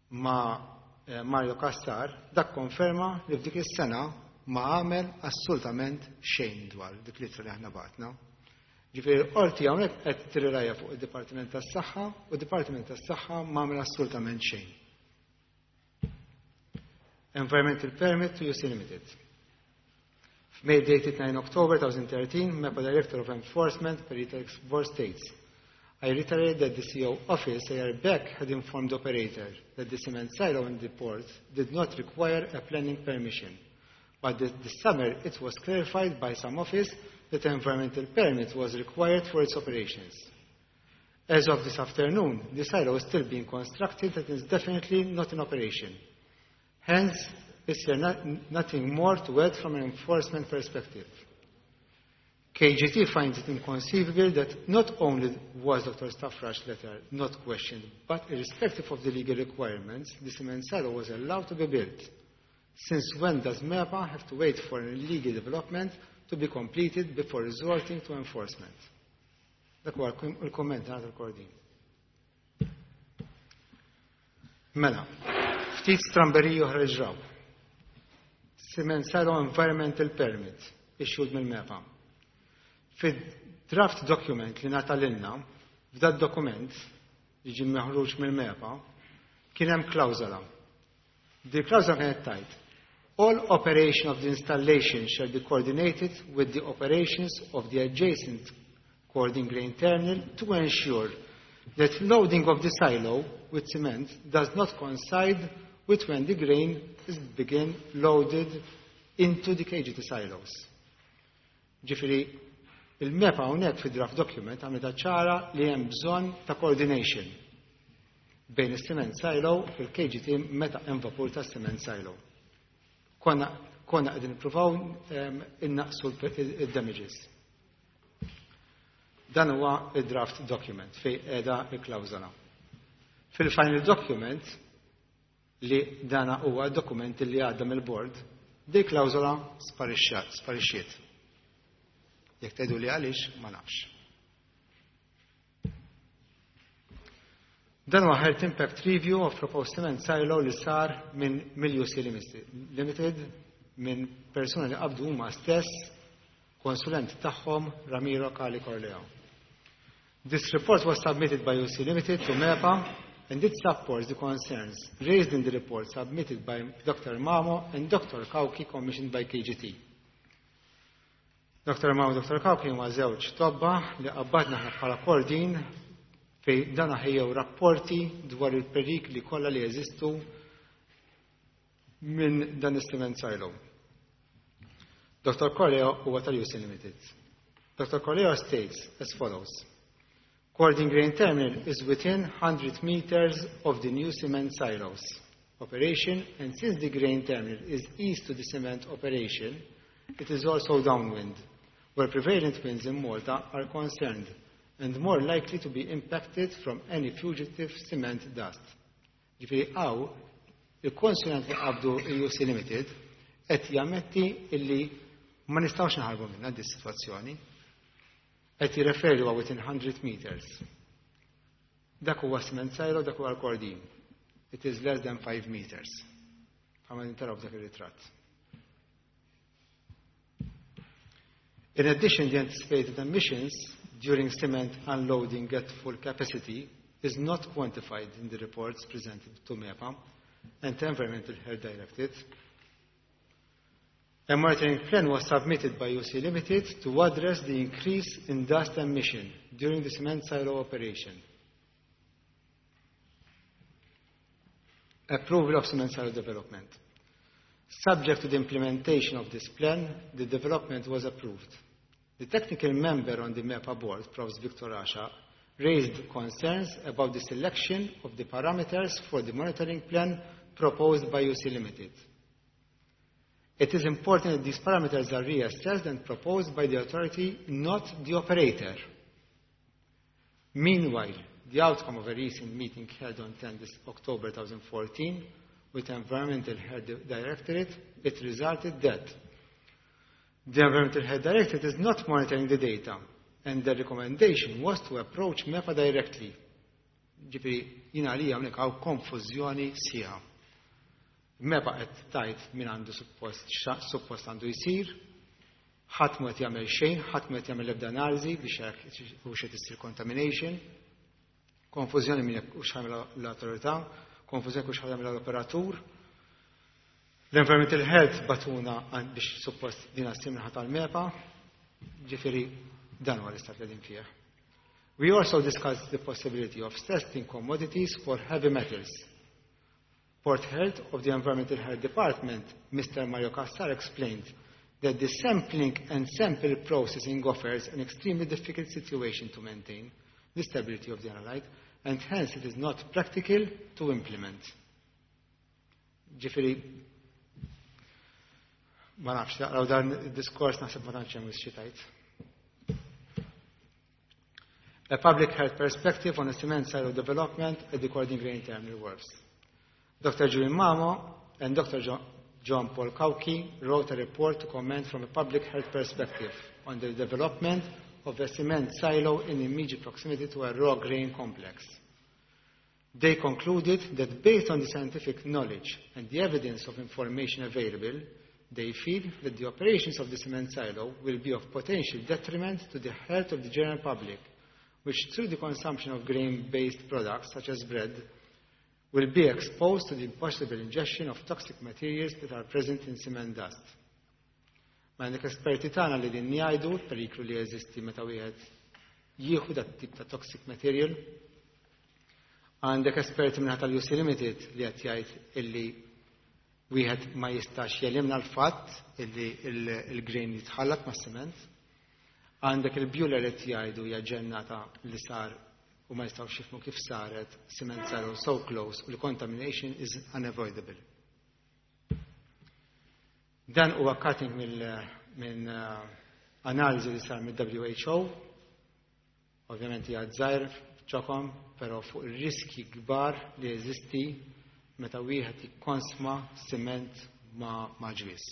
ma' eh, Mario Cassar, dak konferma li f'dik is-sena ma għamel assolutament xejn dwar dik l-ittra li aħna bagħatna. Ġifieri l-qorti hawnhekk qed tirrilaja fuq id-Dipartiment tas-Saħħa u d-Dipartiment tas-Saħħa ma għamel assolutament xejn. Environmental Permit to U C Limited. Mail dated nine October twenty thirteen, MEPA Director of Enforcement, Perita Export states, "I reiterate that the C E O office a year back had informed the operator that the cement silo in the port did not require a planning permission. But this, this summer it was clarified by some office that an environmental permit was required for its operations. As of this afternoon, the silo is still being constructed and is definitely not in operation. Hence, is there not, nothing more to add from an enforcement perspective. K G T finds it inconceivable that not only was Doctor Stafrace's letter not questioned, but irrespective of the legal requirements, the cement silo was allowed to be built. Since when does MEPA have to wait for an illegal development to be completed before resorting to enforcement?" Dak huwa il-komment ta' il-Kordin. Mela, ftit stramberiji oħra ġraw. Cement silo environmental permit issued mill-MEPA. Fid-draft document li ngħata lilna, f'dad dokument li ġie meħruġ mill-MEPA, kien hemm klawżola. Di klawżola kienet tgħid: "All operation of the installation shall be coordinated with the operations of the adjacent Kordin Grain Terminal to ensure that loading of the silo with cement does not coincide with when the grain is begin loaded into the K G T silos." Ġifieri, il-MEPA hawnhekk fi draft document għamlet ċara li hemm bżonn ta' coordination bejn is-cement silo u l-K G T meta hemm vapur ta' cement silo. Konna konna qegħdin nippruvaw innaqsu il-damages. Dan huwa il-draft document fej qiegħda il-klawżola. Fil-final document, li dana huwa dokument li għadda mill-board, di klawżola sparixxiet. Jekk tgħidu li għaliex, ma nafx. Dan huwa Health Impact Review of Proposed Cement Silo li sar minn mill-U C Limited, minn persuna li qabdu huma stess, konsulent tagħhom, Ramiro Cali Corleo. This report was submitted by U C Limited to MEPA and it supports the concerns raised in the report submitted by Doctor Mamo and Doctor Kauki, commissioned by K G T. Doctor Mamo u Doctor Kauki huma żewġ tobba li qabbadna aħna bħala Kordin, fej dan ħejjew rapporti dwar il-perikli kollha li jeżistu minn dan is-cement silo. Doctor Corleo huwa tal-U C Limited. Doctor Corleo states as follows. "Kordin Grain Terminal is within one hundred meters of the new cement silos operation, and since the grain terminal is east to the cement operation, it is also downwind, where prevalent winds in Malta are concerned and more likely to be impacted from any fugitive cement dust." Ġifieri hawn, il-konsulent li qabdu U C Limited qed jammetti illi ma nistgħux naħarbu minna di situazzjoni. Qed jirreferi huwa within one hundred meters. Dak huwa cement silo, dak huwa l-Kordin. It is less than five meters. Għamma taraw dak ir-ritratt. In addition, the anticipated emissions during cement unloading at full capacity is not quantified in the reports presented to MEPA and the Environmental Health Directorate. A monitoring plan was submitted by U C Limited to address the increase in dust emission during the cement silo operation. Approval of cement silo development. Subject to the implementation of this plan, the development was approved. The technical member on the MEPA board, Professor Victor Asha, raised concerns about the selection of the parameters for the monitoring plan proposed by U C Limited. It is important that these parameters are reassessed and proposed by the authority, not the operator. Meanwhile, the outcome of a recent meeting held on tenth October twenty fourteen with Environmental Health Directorate, it resulted that the Environmental Health Directorate is not monitoring the data, and the recommendation was to approach MEPA directly. Ġifieri, jiena li hawnhekk hawn konfużjoni sħiħa. MEPA qed tgħid min għandu suppost suppost għandu jsir, ħadd ma qed jagħmel xejn, ħadd ma qed jagħmel ebda analiżi biex jekk hux qed issir contamination. Konfużjoni min jekk hux jagħmel l-awtorità, konfużjoni hux jagħmel l-operatur. L-Environmental Health bagħtuna biex suppost din ssir min-naħa tal-MEPA, ġifieri dan huwa l-istat li qegħdin fih. We also discussed the possibility of testing commodities for heavy metals. Port Health of the Environmental Health Department, Mister Mario Cassar, explained that the sampling and sample processing offers an extremely difficult situation to maintain the stability of the analyte, and hence it is not practical to implement. Ġifieri, ma nafx, taqraw dan id-diskors, naħseb ma tantx hemm xi tgħid. A public health perspective on a cement silo development at the Kordin Grain Terminal Works. Doctor Julian Mamo and Doctor Jo John Paul Cauchi wrote a report to comment from a public health perspective on the development of a cement silo in immediate proximity to a raw grain complex. They concluded that based on the scientific knowledge and the evidence of information available, they feel that the operations of the cement silo will be of potential detriment to the health of the general public, which through the consumption of grain-based products such as bread, will be exposed to the possible ingestion of toxic materials that are present in cement dust. Ma għandek esperti tagħna li din jgħidu l-periklu li jeżisti meta wieħed jieħu dat tip ta' toxic material. Għandek esperti minn tal-U C Limited li qed jgħid illi wieħed ma jistax jelimna l-fatt illi il-grain jitħallat ma' sement. Għandek il-Buehler qed jgħidu hija ġennata li sar u ma jistgħux jifhmu kif saret cement silo so close u l-contamination is unavoidable. Dan huwa cutting minn uh, analiżi li sar mill-W H O, ovvjament hija żgħir ċokom, però fuq ir-riski kbar li jeżisti meta wieħed jikkonsma siment ma' ma' ġwież.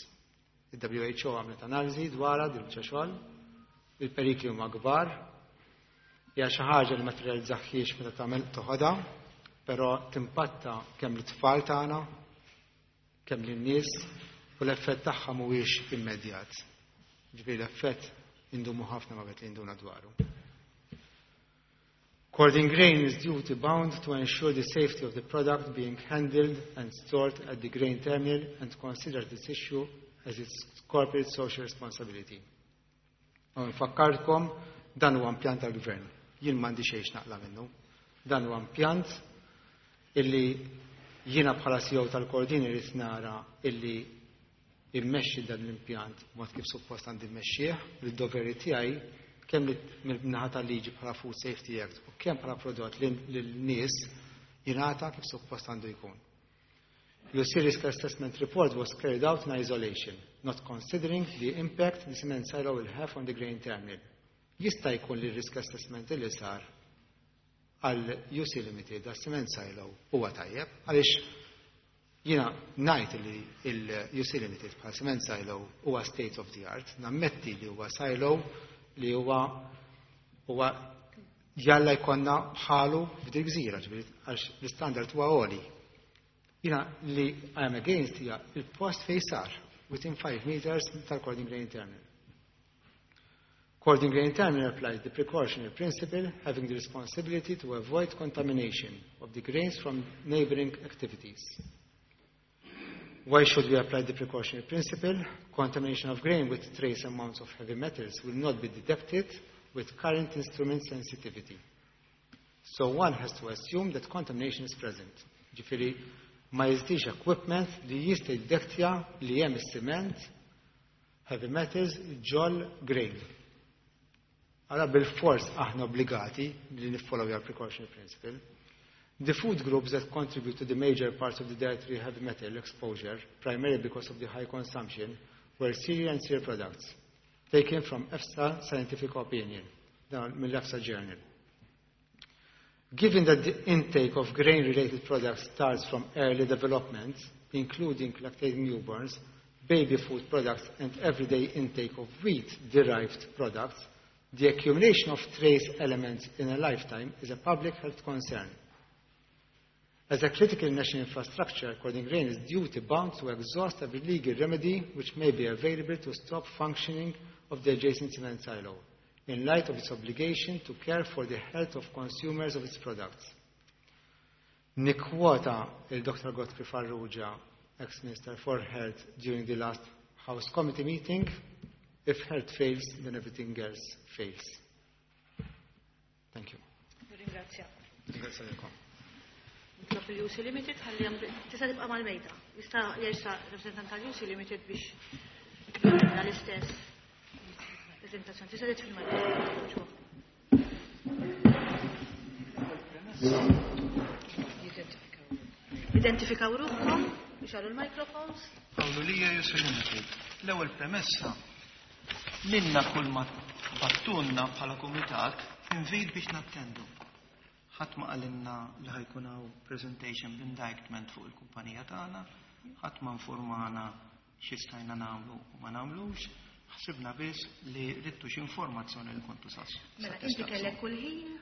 Il-W H O għamlet analiżi dwarha din xogħol, il-perikli huma kbar, hija xi ħaġa li ma tirrealizzaħiex meta tagħmel toħodha, però timpatta kemm l-tfal tagħna, kemm lin-nies, u l-effett tagħha mhuwiex immedjat. Ġifieri l-effett indumu ħafna ma bet li induna dwaru. Kordin Grain is duty bound to ensure the safety of the product being handled and stored at the grain terminal and consider this issue as its corporate social responsibility. U nfakkarkom, dan huwa impjant tal-gvern. Jien m'għandi xejn naqla minnu. Dan huwa impjant illi jiena bħala C E O tal-Kordin irrid nara illi immexxi dan l-impjant mod kif suppost għandi mmexxih, l-doveri tiegħi kemm mill-naħa tal-liġi bħala Food Safety Act u kemm bħala prodott lin-nies jingħata kif suppost għandu jkun. U C risk assessment report was carried out in isolation, not considering the impact the cement silo will have on the grain terminal. Jista' jkun li risk assessment li sar għal U C Limited għal cement silo huwa tajjeb, għaliex jiena ngħid li il-U C Limited bħal cement silo huwa state of the art, nammetti li huwa silo li huwa Huwa jalla jkollna bħalu f'dik gżira, ġifieri għax l-istandard huwa għoli. Jiena li I am against hija il-post fejn sar within five meters tal-Kordin Grain Terminal. Kordin Grain Terminal applies the precautionary principle, having the responsibility to avoid contamination of the grains from neighboring activities. Why should we apply the precautionary principle? Contamination of grain with trace amounts of heavy metals will not be detected with current instrument sensitivity. So one has to assume that contamination is present. Ġifieri, ma jeżistix equipment li jista' jiddetektja li hemm is-cement, heavy metals, ġol grain. Allura bil-fors aħna obbligati li niffollow your precautionary principle. The food groups that contribute to the major parts of the dietary heavy metal exposure, primarily because of the high consumption, were cereal and cereal products, taken from EFSA Scientific Opinion, dan mill-EFSA Journal. Given that the intake of grain-related products starts from early development, including lactating newborns, baby food products, and everyday intake of wheat-derived products, the accumulation of trace elements in a lifetime is a public health concern. As a critical national infrastructure, Kordin Grain is duty bound to exhaust every legal remedy which may be available to stop functioning of the adjacent cement silo, in light of its obligation to care for the health of consumers of its products. Nikkwota il-Dr. Godfrey Farrugia, ex-Minister for Health, during the last House Committee meeting, if health fails, then everything else fails. Thank you. Ringrazzja. Ringrazzja lilkom. Nitlob il-UC Limited ħalli jagħmlu- tista' tibqa' mal-mejda. Jista' jersaq rappresentant tal-UC Limited biex jagħmilna l-istess prezentazzjoni. Tista' titfi l-mikrofon. Identifikaw ruħkom biex għallu l-microphones. Paolo Lija, UC Limited. L-ewwel premessa, lilna kull ma bagħtulna bħala kumitat invit biex nattendu. Ħadd ma qalilna li ħa jkun hawn presentation b'indictment fuq il-kumpanija tagħna, ħadd ma informana xi stajna nagħmlu u ma nagħmlux, ħsibna biss li ridtu xi informazzjoni li kontu sas. Mela, inti kellek kull ħin.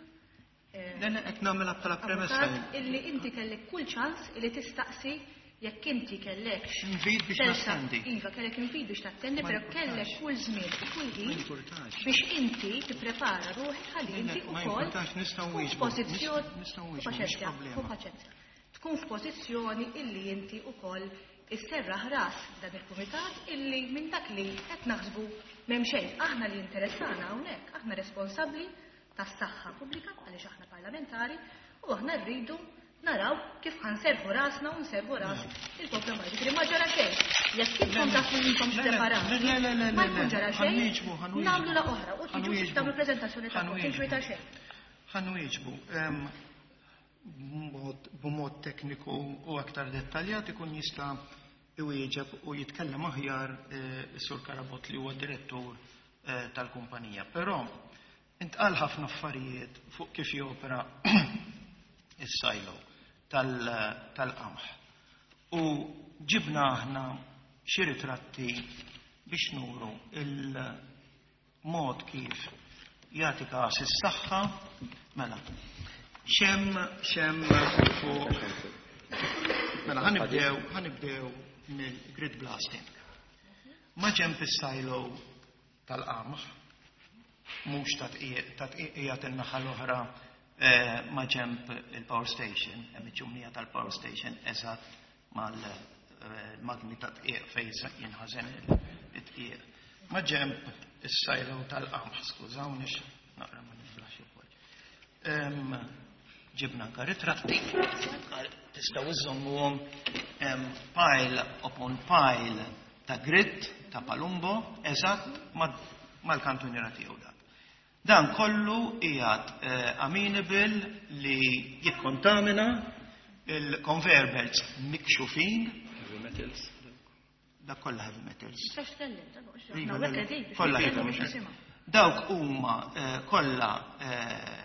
eh, Le, le, qed nagħmilha bħala premessa. Avukat, illi inti kellek kull ċans illi tistaqsi jekk inti kellekx. Invit biex tersa- nattendi. Iva, kellek invit biex tattendi, Ma però jimpurtax. kellek kull żmien u kull Ma ħin jimpurtax. biex inti tipprepara ruħek ħalli inti Ma ukoll jimpurtax, nistgħu tkun nwieġbu. f'pożizzjoni Nistgħu nwieġbu, mhix paċenzja, problema. hu paċenzja. Tkun f'pożizzjoni illi inti ukoll isserraħ ras dan il-kumitat illi minn dak li qed naħsbu m'hemm xejn. Aħna li interessana hawnhekk, aħna responsabbli tas-saħħa pubblika għaliex aħna parlamentari u aħna rridu naraw kif ħa nserrħu rasna u nserrħu ras il-poplu Malti. Ġifieri ma ġara xejn. Jekk intom tafu li intom Le, le, preparati, le, le, le, ma le, jkun le. ġara xejn, Ħa nwieġbu, ħa nwieġbu. nagħmlu la oħra u tiġu Ħa nwieġbu. tagħmlu preżentazzjoni tagħkom, Ħa nwieġbu. tinkwita xejn. Ħa nwieġbu. Em, b'mod- B'mod tekniku u aktar dettaljat ikun jista' iwieġeb u jitkellem aħjar eh, is-Sur Karabot li huwa direttur eh, tal-kumpanija. Però intqal ħafna affarijiet fuq kif jopera is-silo tal- tal-qamħ. U ġibna aħna xi ritratti biex nuru il-mod kif jagħti każ is-saħħa mela. Xem xem fuq mela ħa nibdew ħa nibdew mill-grit blasting. Ma ġenb is-silo tal-qamħ, mhux ta' tqiegħ ta' tqiegħ in-naħa l-oħra eh, ma ġenb il-power station, hemm iċ-ċumnija tal-power station eżatt mal-magni ta' tqiegħ fejn jinħażen it-tqiegħ. Ma ġenb is-silo tal-qamħ, skużawni naqra ma niflax ukoll. Em, Ġibna anka ritratti, tistgħu iżommuhom em, pile upon pile ta' grit ta' palumbo eżatt ma- mal-kantuniera tiegħu dak. Dan kollu qiegħed eh, amenable li jikkontamina il-conveyor belts mikxufin. Heavy metals. Dak kollha heavy metals. Tistax tkellem, dan mhux Iva, aħna le, hawnhekk qegħdin biex kollha nitkellmu heavy biex metals. nisimgħu. Dawk huma eh, kollha eh,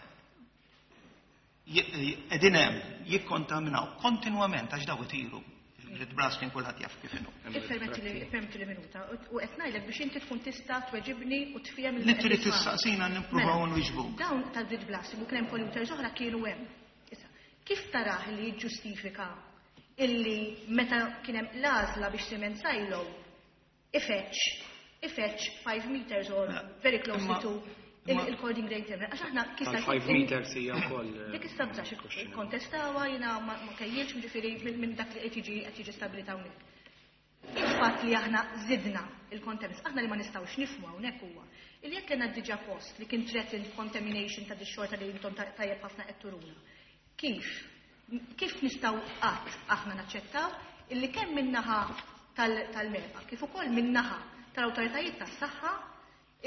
qegħdin hemm jikkontaminaw kontinwament għax daw itiru. Grid blasting kulħadd jaf kif inhu. Ippermetti li minuta u qed ngħidlek biex inti tkun tista' tweġibni u tfiem Li trid tistaqsina nippruvaw Mela, nwieġbu. Dawn tal-grid blasting u kien hemm polluters oħra kienu hemm. Issa, kif tarah li jiġġustifika illi meta kien hemm l-għażla biex cement silo ifetx ifetx five meters or Mela, very close imma- to imma- il-cording grain terminal. Għax aħna kif Tal-five meters hija wkoll. Dik issa bżax kontestawa jiena ma ma kejjilx, ġifieri minn minn dak li qed jiġi qed jiġi stabilita hawnhekk. Il-fatt li aħna zidna il-contaminants, aħna li ma nistgħux nifhmu hawnhekk huwa illi jekk kellna diġà post li kien threatened contamination ta' dix-xorta li intom ta- tajjeb ħafna qed turuna. Kif? Kif nistgħu qatt aħna naċċettaw illi kemm min-naħa tal- tal-MEPA, kif ukoll min-naħa tal-awtoritajiet tas-saħħa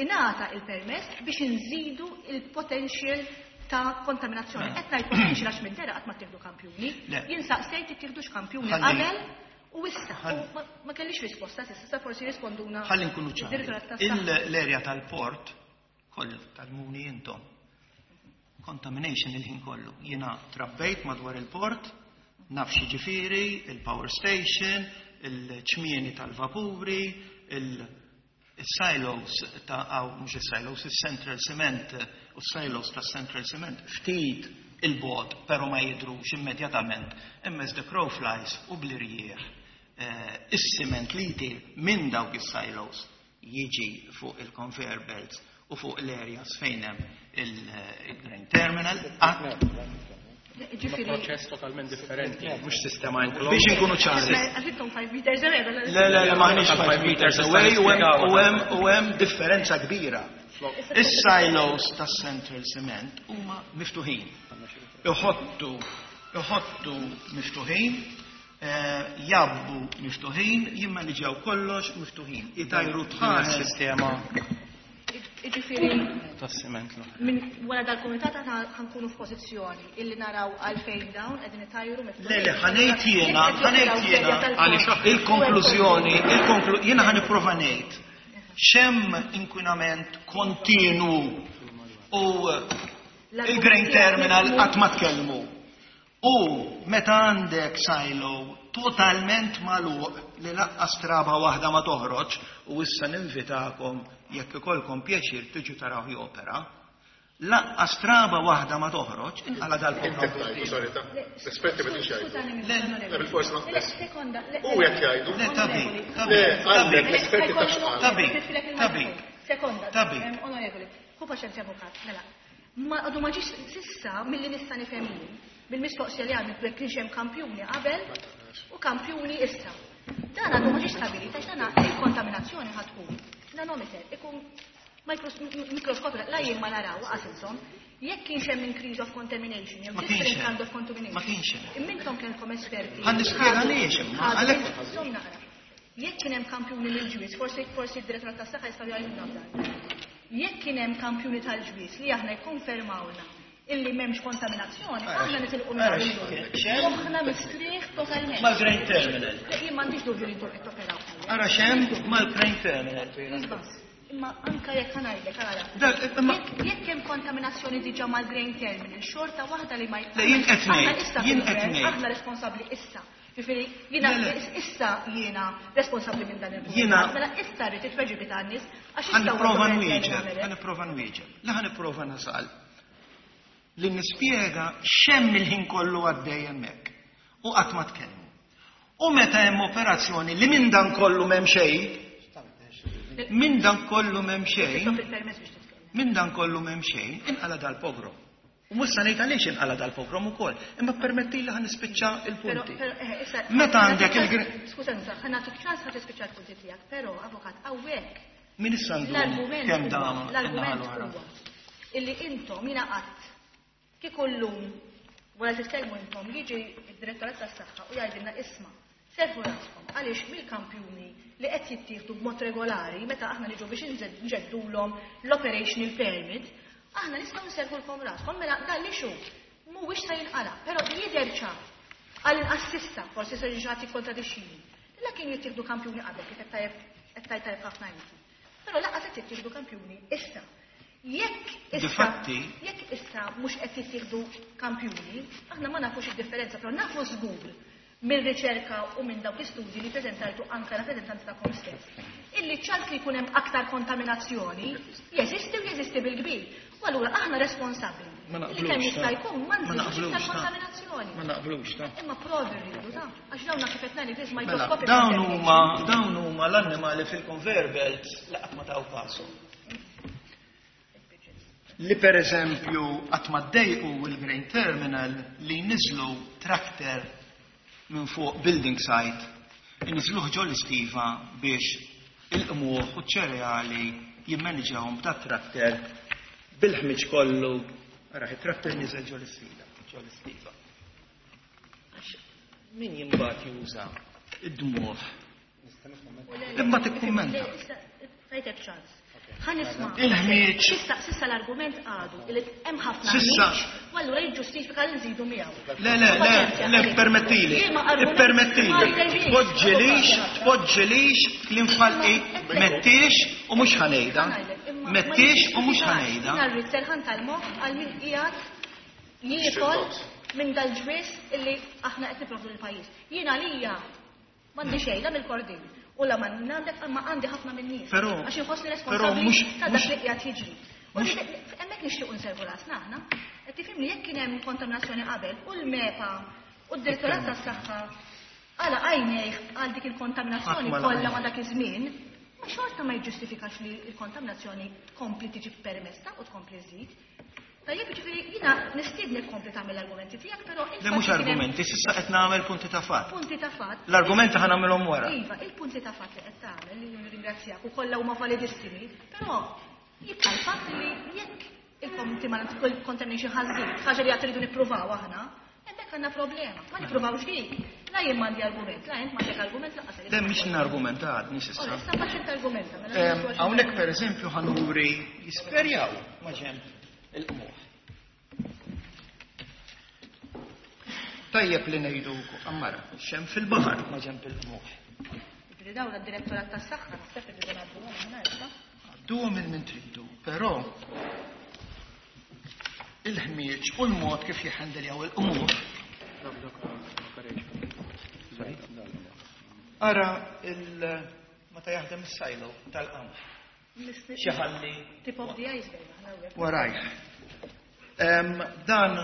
ingħata il-permess biex inżidu il-potential ta' kontaminazzjoni? Mela. Qed ngħid potential għax minn dera qatt ma tieħdu kampjuni. Le. Jien saqsejt ittieħdux kampjuni Ħalli- qabel u issa. Ħalli- U ma- Ma kellix risposta s'issa, sa forsi risponduna. Ħalli nkunu ċari. Id-direttorat tas-saħħa. L-erja tal-port, kollu tal-muni intom. Contamination il-ħin kollu. Jiena trabbejt madwar il-port, naf ġifieri, il-power station, il-ċmieni tal-vapuri, il-silos ta' aw, mhux il-silos, il-Central Cement u silos ta' Central Cement ftit il-bogħod, pero ma jidrux immedjatament, imma as the crow flies u bl-irjieħ eh, is-siment li jtir minn dawk is-silos jiġi fuq il-conveyor belts u fuq l-areas fejn hemm il-grain terminal. Qatt- Ġifieri. Proċess totalment differenti, mhux sistema enclosed. Biex inkunu ċari. Għax intom five meters away. Le, le, le, maħniex Tal five five meters meters away u hemm- nispjegaw. u hemm u hemm differenza kbira. Is-silos tas Central Cement huma miftuħin. Iħottu, iħottu miftuħin, eh, jabbu miftuħin, jimmaniġjaw kollox miftuħin. Itajru tħares. Sistema Ġifieri tas-siment l-oħra. minn wara dal-kumitat aħna ħa nkunu f'pożizzjoni illi naraw għalfejn dawn qegħdin itajru miftuħin. Le, le, ħa ngħid jiena, Jekk qed ħa ngħid joperaw jiena, f'erja tal-port. għaliex aħna- il-konklużjoni, il-konklu, jiena ħa nipprova ngħid x'hemm inkwinament kontinu u il-grain terminal qatt ma tkellmu. U meta għandek silo totalment magħluq li laqqas traba waħda ma toħroġ, u issa ninvitakom jekk ikollkom pjaċir tiġu taraw jopera, laqqas traba waħda ma toħroġ, inqala Inti dal-pogrom. tgħidu, sorry, ta' l-esperti ma tix jgħidu. Skużani, Le, onorevoli. le, bil-fors ma- Le, sekonda. le- U jekk jgħidu. Le, tabi, tabi, Le, għandek tabi. l-esperti ta' xqal. Tabi, tabi. Sekonda, Tabi. em, onorevoli, hu paċenzja, avukat, mela. Ma għadu ma ġiex s'issa milli nista' nifhem jien, bil-mistoqsija li għamil jekk kienx hemm kampjuni qabel u kampjuni issa. Dan għadu ma ġiex stabilita għax dan il-kontaminazzjoni ħa tkun. Nanometer, ikun mikros- mikroskopju, la jien ma naraw għas intom, jekk kienx hemm increase of contamination, jew Ma kienx different hemm. kind of contamination. Ma kienx hemm. Immintom kellkom esperti. Ħa nispjega għaliex, imma, Ħadu- għalhekk- Żomm naqra. Jekk kien hemm kampjuni mill-ġwiż, forsi forsi d-direttorat tas-saħħa jistgħu jgħidulna f'dan. Jekk kien hemm kampjuni tal-ġwiż li aħna jikkonfermawna illi m'hemmx kontaminazzjoni, aħna nitilqu minn Ara, hawn. x'hemm? Moħħna mistrieħ totalment. Mal-grain terminal. Le, jien m'għandix dubju li intom qed toperaw. Ara x'hemm mal-grain terminal. Iva, imma anka jekk ħa ngħidlek, ara. Dak, imma- Jekk jekk hemm kontaminazzjoni diġà mal-grain terminal, xorta waħda li ma Le, jien qed Aħna ngħid, issa jien fil-gvern, qed ngħid. Aħna responsabbli issa. Ġifieri, jiena Le, le. issa jiena responsabbli minn dan il-punt. Jiena- Mela issa rrid it-tweġibi tan-nies għax issa Ħa nipprova huwa nwieġeb, terminal. ħa nipprova nwieġeb. La ħa nipprova nasal li nispjega x'hemm il-ħin kollu għaddej hemmhekk. U qatt ma tkellmu. U meta hemm operazzjoni li minn dan kollu m'hemm xejn, minn dan kollu m'hemm xejn, Titlob il-permess biex titkellem. minn dan kollu m'hemm xejn, inqala dal-pogrom. U mhux se ngħid għaliex inqala dal-pogrom ukoll, imma permetti li ħa nispiċċa Però, il-punti. però, eh, issa. Meta għandek il- Skuża, ħa nagħtik ċans ħa tispiċċa l-punti tiegħek, però avukat hawnhekk Min issa ndum l-argument kemm huwa- dam l-argument in-naħa l-oħra. huwa illi intom jiena qatt kieku llum wara titkellmu intom jiġi id-direttorat tas-saħħa u jgħidilna, "Isma', serħu raskom għaliex mill-kampjuni li qed jittieħdu b'mod regolari meta aħna niġu biex inżed- nġeddulhom l-operational permit, aħna nistgħu nserħulkom raskom, mela dan li xu mhuwiex se jinqala'." Però jidher ċar għall-inqas s'issa, forsi se jiġi ħadd jikkontradixxini. La kienu jittieħdu kampjuni qabel kif qed tajjeb qed tajt tajjeb ħafna inti. Però lanqas qed jittieħdu kampjuni issa. Jekk issa Difatti- jekk issa mhux qed jittieħdu kampjuni, aħna ma nafux id-differenza, però nafu żgur Mir-riċerka u minn dawk l-istudji li preżentajtu anke rappreżentanti tagħkom stess. Illi ċans li jkun hemm aktar kontaminazzjoni jeżisti u jeżisti bil-kbir. U allura aħna responsabbli. Ma Li naqblux, kemm jista' ta. jkun ma Ma nżidux naqblux, iktar ta. kontaminazzjoni. Ma naqblux, ta. Imma provi rridu ta' għax dawn kif qed ngħid Mela, microscopic dawn huma dawn huma l-annimali fil-conveyor belt li qatt ma taw kasu. Li per eżempju qatt ma ddejqu il-Grain Terminal li jniżlu tractor minn fuq building site, iniżluh ġol istiva biex il-qmuħ u ċ-ċereali jimmaniġawhom b'dat tractor bil-ħmiġ kollu. Ara, it-tractor niżel ġol istiva, ġol istiva. Għax min jimbat juża id-dmuħ? Imma tikkummenta. Tajtek ċans. Ħa nisma'. Il-ħmieġ. Sissa, sissa l-argument għadu li hemm ħafna Sissa. ħmieġ, u allura jiġġustifika li nżidu miegħu. Le, le, le, le, permettili, Liema argument permettili, ma jservix. tpoġġilix, tpoġġilix l-infalqi, mettix u mhux ħa ngħidha. Imma ma Mettix u mhux jiġġustifikax. ħa ngħidha. Jiena rrid serħan tal-moħħ għal min qiegħed jiekol minn dal-ġwis illi aħna qed nipprovdu lill-pajjiż. Jiena għalija m'għandi xejn la mill-Kordin u la ma għandek ma għandi ħafna minn nies. Però- Għax inħossni però responsabbli mhux- ta' dak mhux- li qiegħed jiġri. U mhux- li- hemmhekk nixtiequ nservu rasna aħna. Qed tifhimni jekk kien hemm kontaminazzjoni qabel u l-MEPA u d-Direttorat tas-Saħħa għala għajnejh għal dik il-kontaminazzjoni Ħadd ma kollha laqgħa. ma dak iż-żmien, ma xorta ma jiġġustifikax li l-kontaminazzjoni tkompli tiġi permessa u tkompli żżid. Tajjeb, jiġifieri jiena nistiednek tkompli tagħmel l-argumenti tiegħek, però Le il-fatt mhux li kien hemm argumenti, sissa qed nagħmel punti ta' fatt. Punti ta' fatt. L-argumenti ħa nagħmilhom wara. Iva, il-punti ta' fatt li qed tagħmel li nirringrazzjak u kollha huma validissimi, però jibqa' l-fatt li jekk il-contamination ħażin, ħaġa li qed tridu nippruvaw aħna, hemmhekk għandna problema. Ma nippruvawx dik. La jien m'għandi argument, la int m'għandek argument lanqas. Le mhix nargumenta għadni sissa. Ora, issa faċil argumenta. Mela Em, nistgħu għax- Hawnhekk per eżempju ħa nuri jisperjaw ma ġenb il-qmuħ. Tajjeb li ngħidu ammara, xem fil-baħar ma ġenb il-qmuħ. Jiġifieri dawn id-direttorat tas-saħħa naħseb irridu ngħadduhom aħna issa. Għadduhom il min tridu, però il-ħmieġ u l-mod kif jħendeljaw il-qmuħ. Ara il meta jaħdem is-silo tal-qamħ. Xi ħalli Tip of the iceberg aħna hawnhekk. warajh. Em, Dan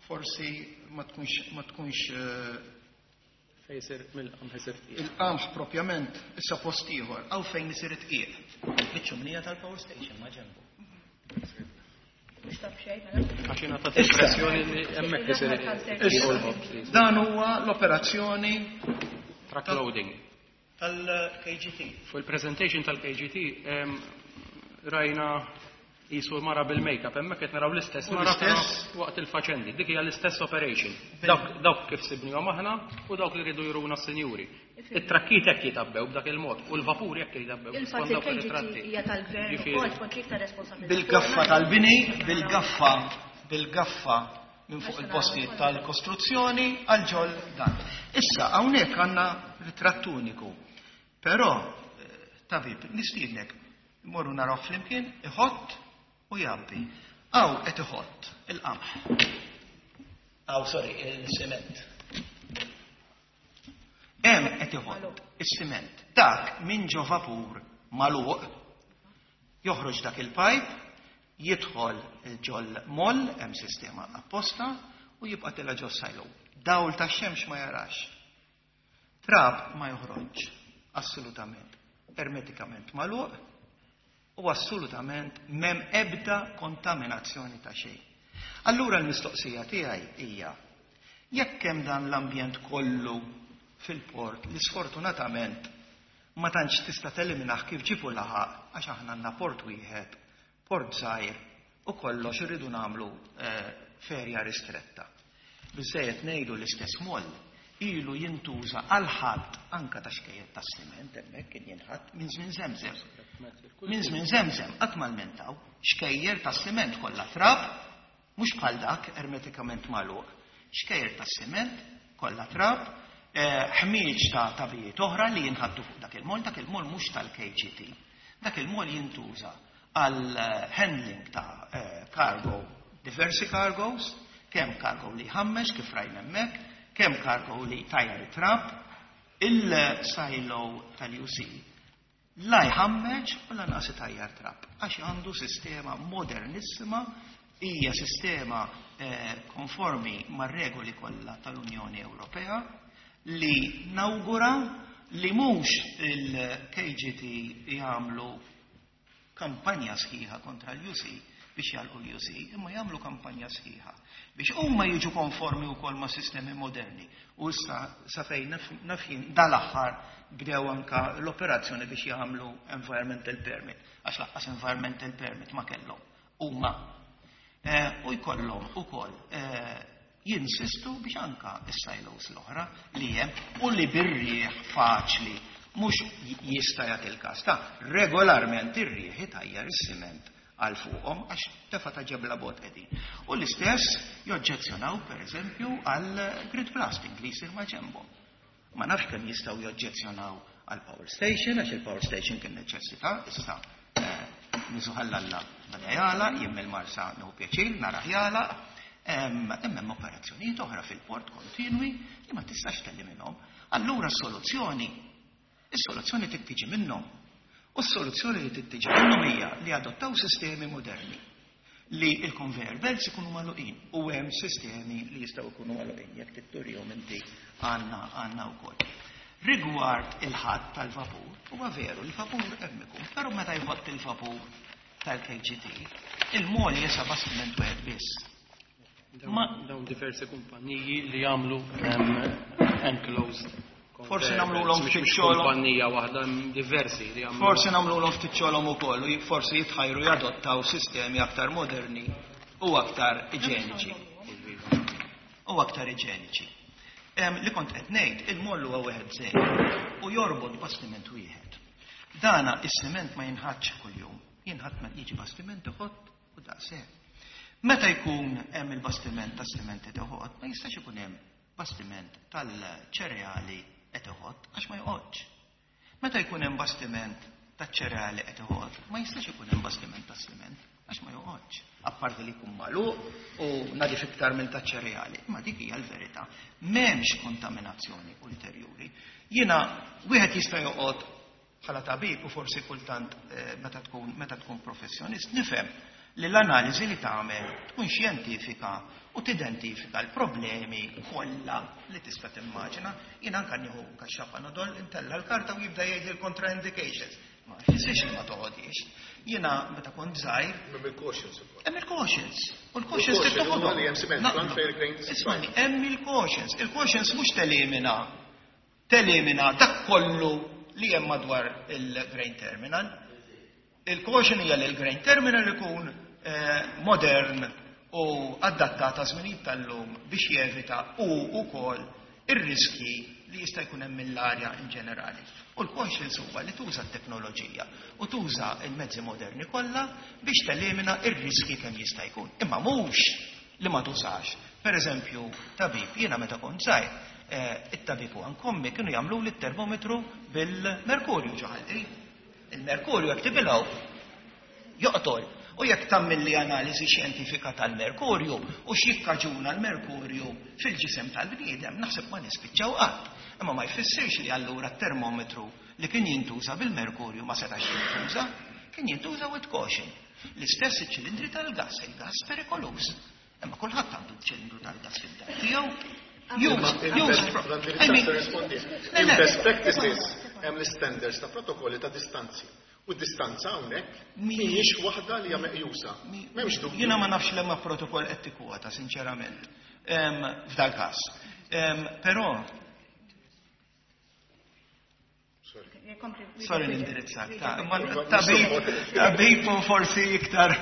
forsi ma tkunx ma tkunx eh, Fejn isir mill-qamħ isir tqiegħ. il-qamħ propjament issa post ieħor għaw fejn isir it-tqiegħ. Biċ-ċumnija tal-power station ma ġenbu. Mhux taf xejn, mela. Għax jiena tat Issa. impressjoni li hemmhekk isir Issa, u l-ħobż. Dan huwa l-operazzjoni Truck loading. tal-K G T. Fuq il-presentation tal-K G T em, rajna jisu mara bil-makeup, hemmhekk qed naraw l-istess U mara però l-istess? waqt il-faċendi. Dik hija l-istess operation. Dawk dawk kif sibnihom aħna u dawk li rridu juruna s-sinjuri. It-trakkiet hekk jitabbew b'dak il-mod u l-vapur hekk jitabbew Il-fatt skont dawk il-K G T ir-ritratti. hija tal-gvern Ġifieri- ukoll tpoġġi iktar responsabilità. Bil-gaffa tal-bini, bil-gaffa, bil-gaffa minn fuq il-postijiet tal-kostruzzjoni għal ġol dan. Issa, hawnhekk għandna ritratt uniku. Però, eh, tabib, nistiednek, morru naraw flimkien, iħott u jabbi. Aw qed iħott il-qamħ. Aw, sorry, il-siment. Hemm qed iħott is-siment. Dak minn ġo vapur magħluq joħroġ dak il-pajp, jidħol ġol moll, hemm sistema apposta, u jibqa' tela ġo silo. Dawl tax-xemx ma jarax. Trab ma joħroġ, assolutament. Ermetikament magħluq u assolutament m'hemm ebda kontaminazzjoni ta' xejn. Allura l-mistoqsija tiegħi hija jekk hemm dan l-ambjent kollu fil-port li sfortunatament ma tantx tista' teliminah kif ġibu laħaq għax aħna għandna port wieħed, port żgħir u kollox irridu nagħmlu eh, ferja ristretta. Biżejjed ngħidu l-istess moll ilu jintuża għal ħadd anka ta' xkejjed ta' siment hemmhekk kien jinħadd minn żmien Żemżem. Minn żmien Żemżem qatt ma lmentaw xkejjer ta' siment kollha trab, mhux bħal dak ermetikament magħluq. Xkejjer ta' siment kollha trab, eh, ħmieġ ta' tabijiet oħra li jinħaddu fuq dak il-mol, dak il-mol mhux tal-K G T. Dak il-mol jintuża għal eh, handling ta' eh, cargo, diversi cargos, kemm cargo li jħammex kif rajna hemmhekk, Kemm kargo li tajjar it-trab, il-silo tal-U C la jħammeġ u lanqas itajjar trab, għax għandu sistema modernissima, hija sistema eh, konformi mar-regoli kollha tal-Unjoni Ewropea li nawgura li mhux il-K G T jagħmlu kampanja sħiħa kontra l-U C biex jagħlqu l-U C, imma jagħmlu kampanja sħiħa biex huma jiġu konformi wkoll ma' sistemi moderni. U issa sa fejn naf jien dal-aħħar bdew anka l-operazzjoni biex jagħmlu environmental permit, għax lanqas environmental permit ma kellhom. Huma eh, u jkollhom ukoll eh, jinsistu biex anka is-silos l-oħra li hemm u li bir-rieħ faċli, mhux jista' jagħti il-każ ta' regolarment ir-rieħ itajjar is-siment għal fuqhom għax tefa ta' ġebla bot qegħdin. U l-istess joġġezzjonaw, pereżempju, għal grit blasting li jsir ma' ġenbhom. Ma nafx kemm jistgħu joġġezzjonaw għal power station, għax il-power station kien neċessità, issa eh, nisuħallalla bada jala, jien il-Marsa nieħu pjaċir narah jala, imma hemm operazzjonijiet oħra fil-port kontinwi li ma tistax telliminhom. Allura s-soluzzjoni, is-soluzzjoni trid tiġi minnhom. U s-soluzzjoni li trid tiġi minnhom hija li adottaw sistemi moderni li il-conveyor belts ikunu magħluqin, u hemm sistemi li jistgħu jkunu magħluqin, jekk titturihom inti għandna għandna wkoll. Rigward il-ħatt tal-vapur, huwa veru, il-vapur hemm ikun, però meta jħott il-vapur tal-K G T, il-mol jesa bastiment wieħed biss. Dawn diversi kumpaniji li jagħmlu enclosed. Forsi nagħmluhom ftit xogħolhom. Kumpanija waħda, diversi li jagħmlu. Forsi nagħmluhom ftit xogħolhom ukoll u forsi jitħajru jadottaw sistemi aktar moderni u aktar iġeniċi. U aktar iġeniċi. Li kont qed ngħid, il-mollu huwa wieħed żejr u jorbot bastiment wieħed. Dana is-siment ma jinħattx kuljum, jinħatt meta jiġi bastiment iħott u daqshekk. Meta jkun hemm il-bastiment ta' siment qed iħott, ma jistax ikun hemm bastiment tal-ċereali qed iħott għax ma joqgħodx. Meta jkun hemm bastiment taċ-ċereali qed iħott, ma jistax ikun hemm bastiment tas-siment għax ma joqgħodx. Apparti li jkun magħluq u nadif iktar minn taċ-ċereali, imma dik hija l-verità. M'hemmx kontaminazzjoni ulterjuri. Jiena wieħed jista' joqgħod bħala tabib u forsi kultant eh, meta tkun meta tkun professjonist nifhem li l-analiżi li tagħmel tkun xjentifika u tidentifika l-problemi kollha li tista' timmaġina. Jien anke nieħu kaxxa Panadol, intella l-karta u jibda jgħid il-contraindications. Ma jfissirx li ma toħodix. Jiena meta kont żgħir Hemm il-cautions ukoll. Hemm il-cautions. U l-cautions Il-caution trid toħodhom. huwa li hemm cement plant fejn il-grain Ismani, hemm il-cautions. Il-cautions mhux telimina telimina dak kollu li hemm madwar il-grain terminal. Il-caution hija li l-grain terminal ikun eh, modern u adattat għaż żminijiet tal-lum biex jevita u wkoll ir-riski li jista' jkun hemm mill-arja in ġenerali. U l-cautions huwa li tuża t-teknoloġija u tuża il-mezzi moderni kollha biex telimina ir-riski kemm jista' jkun. Imma mhux li ma tużax. Per eżempju, tabib, jiena meta kont żgħir, eh, it-tabib u ankommi kienu jagħmlu li termometru bil-merkurju ġo ħalqi. Il-merkurju jekk tibilgħu joqtol. U jekk tagħmilli analiżi xjentifika tal-merkurju u x'jikkaġuna l-merkurju fil-ġisem tal-bniedem, naħseb ma nispiċċaw qatt. Imma ma jfissirx li allura t-termometru li kien jintuża bil-merkurju ma setax jintuża, kien jintuża with caution. L-istess iċ-ċilindri tal-gas, il-gas perikoluż. Imma kulħadd għandu ċilindru tal-gas fid-dar tiegħu. Use, use, I mean, le, le. Il-best practices, hemm l-standards ta' protokolli ta' distanzi. U d-distanza hawnhekk mhijiex waħda li hija meqjusa. M'hemmx dubju. Jiena ma nafx lemma protokoll qed tikkwota, sinċerament, Em, f'dal każ. Em, Però, sorry l-indirizzat, ta' imma tabib, tabib u forsi iktar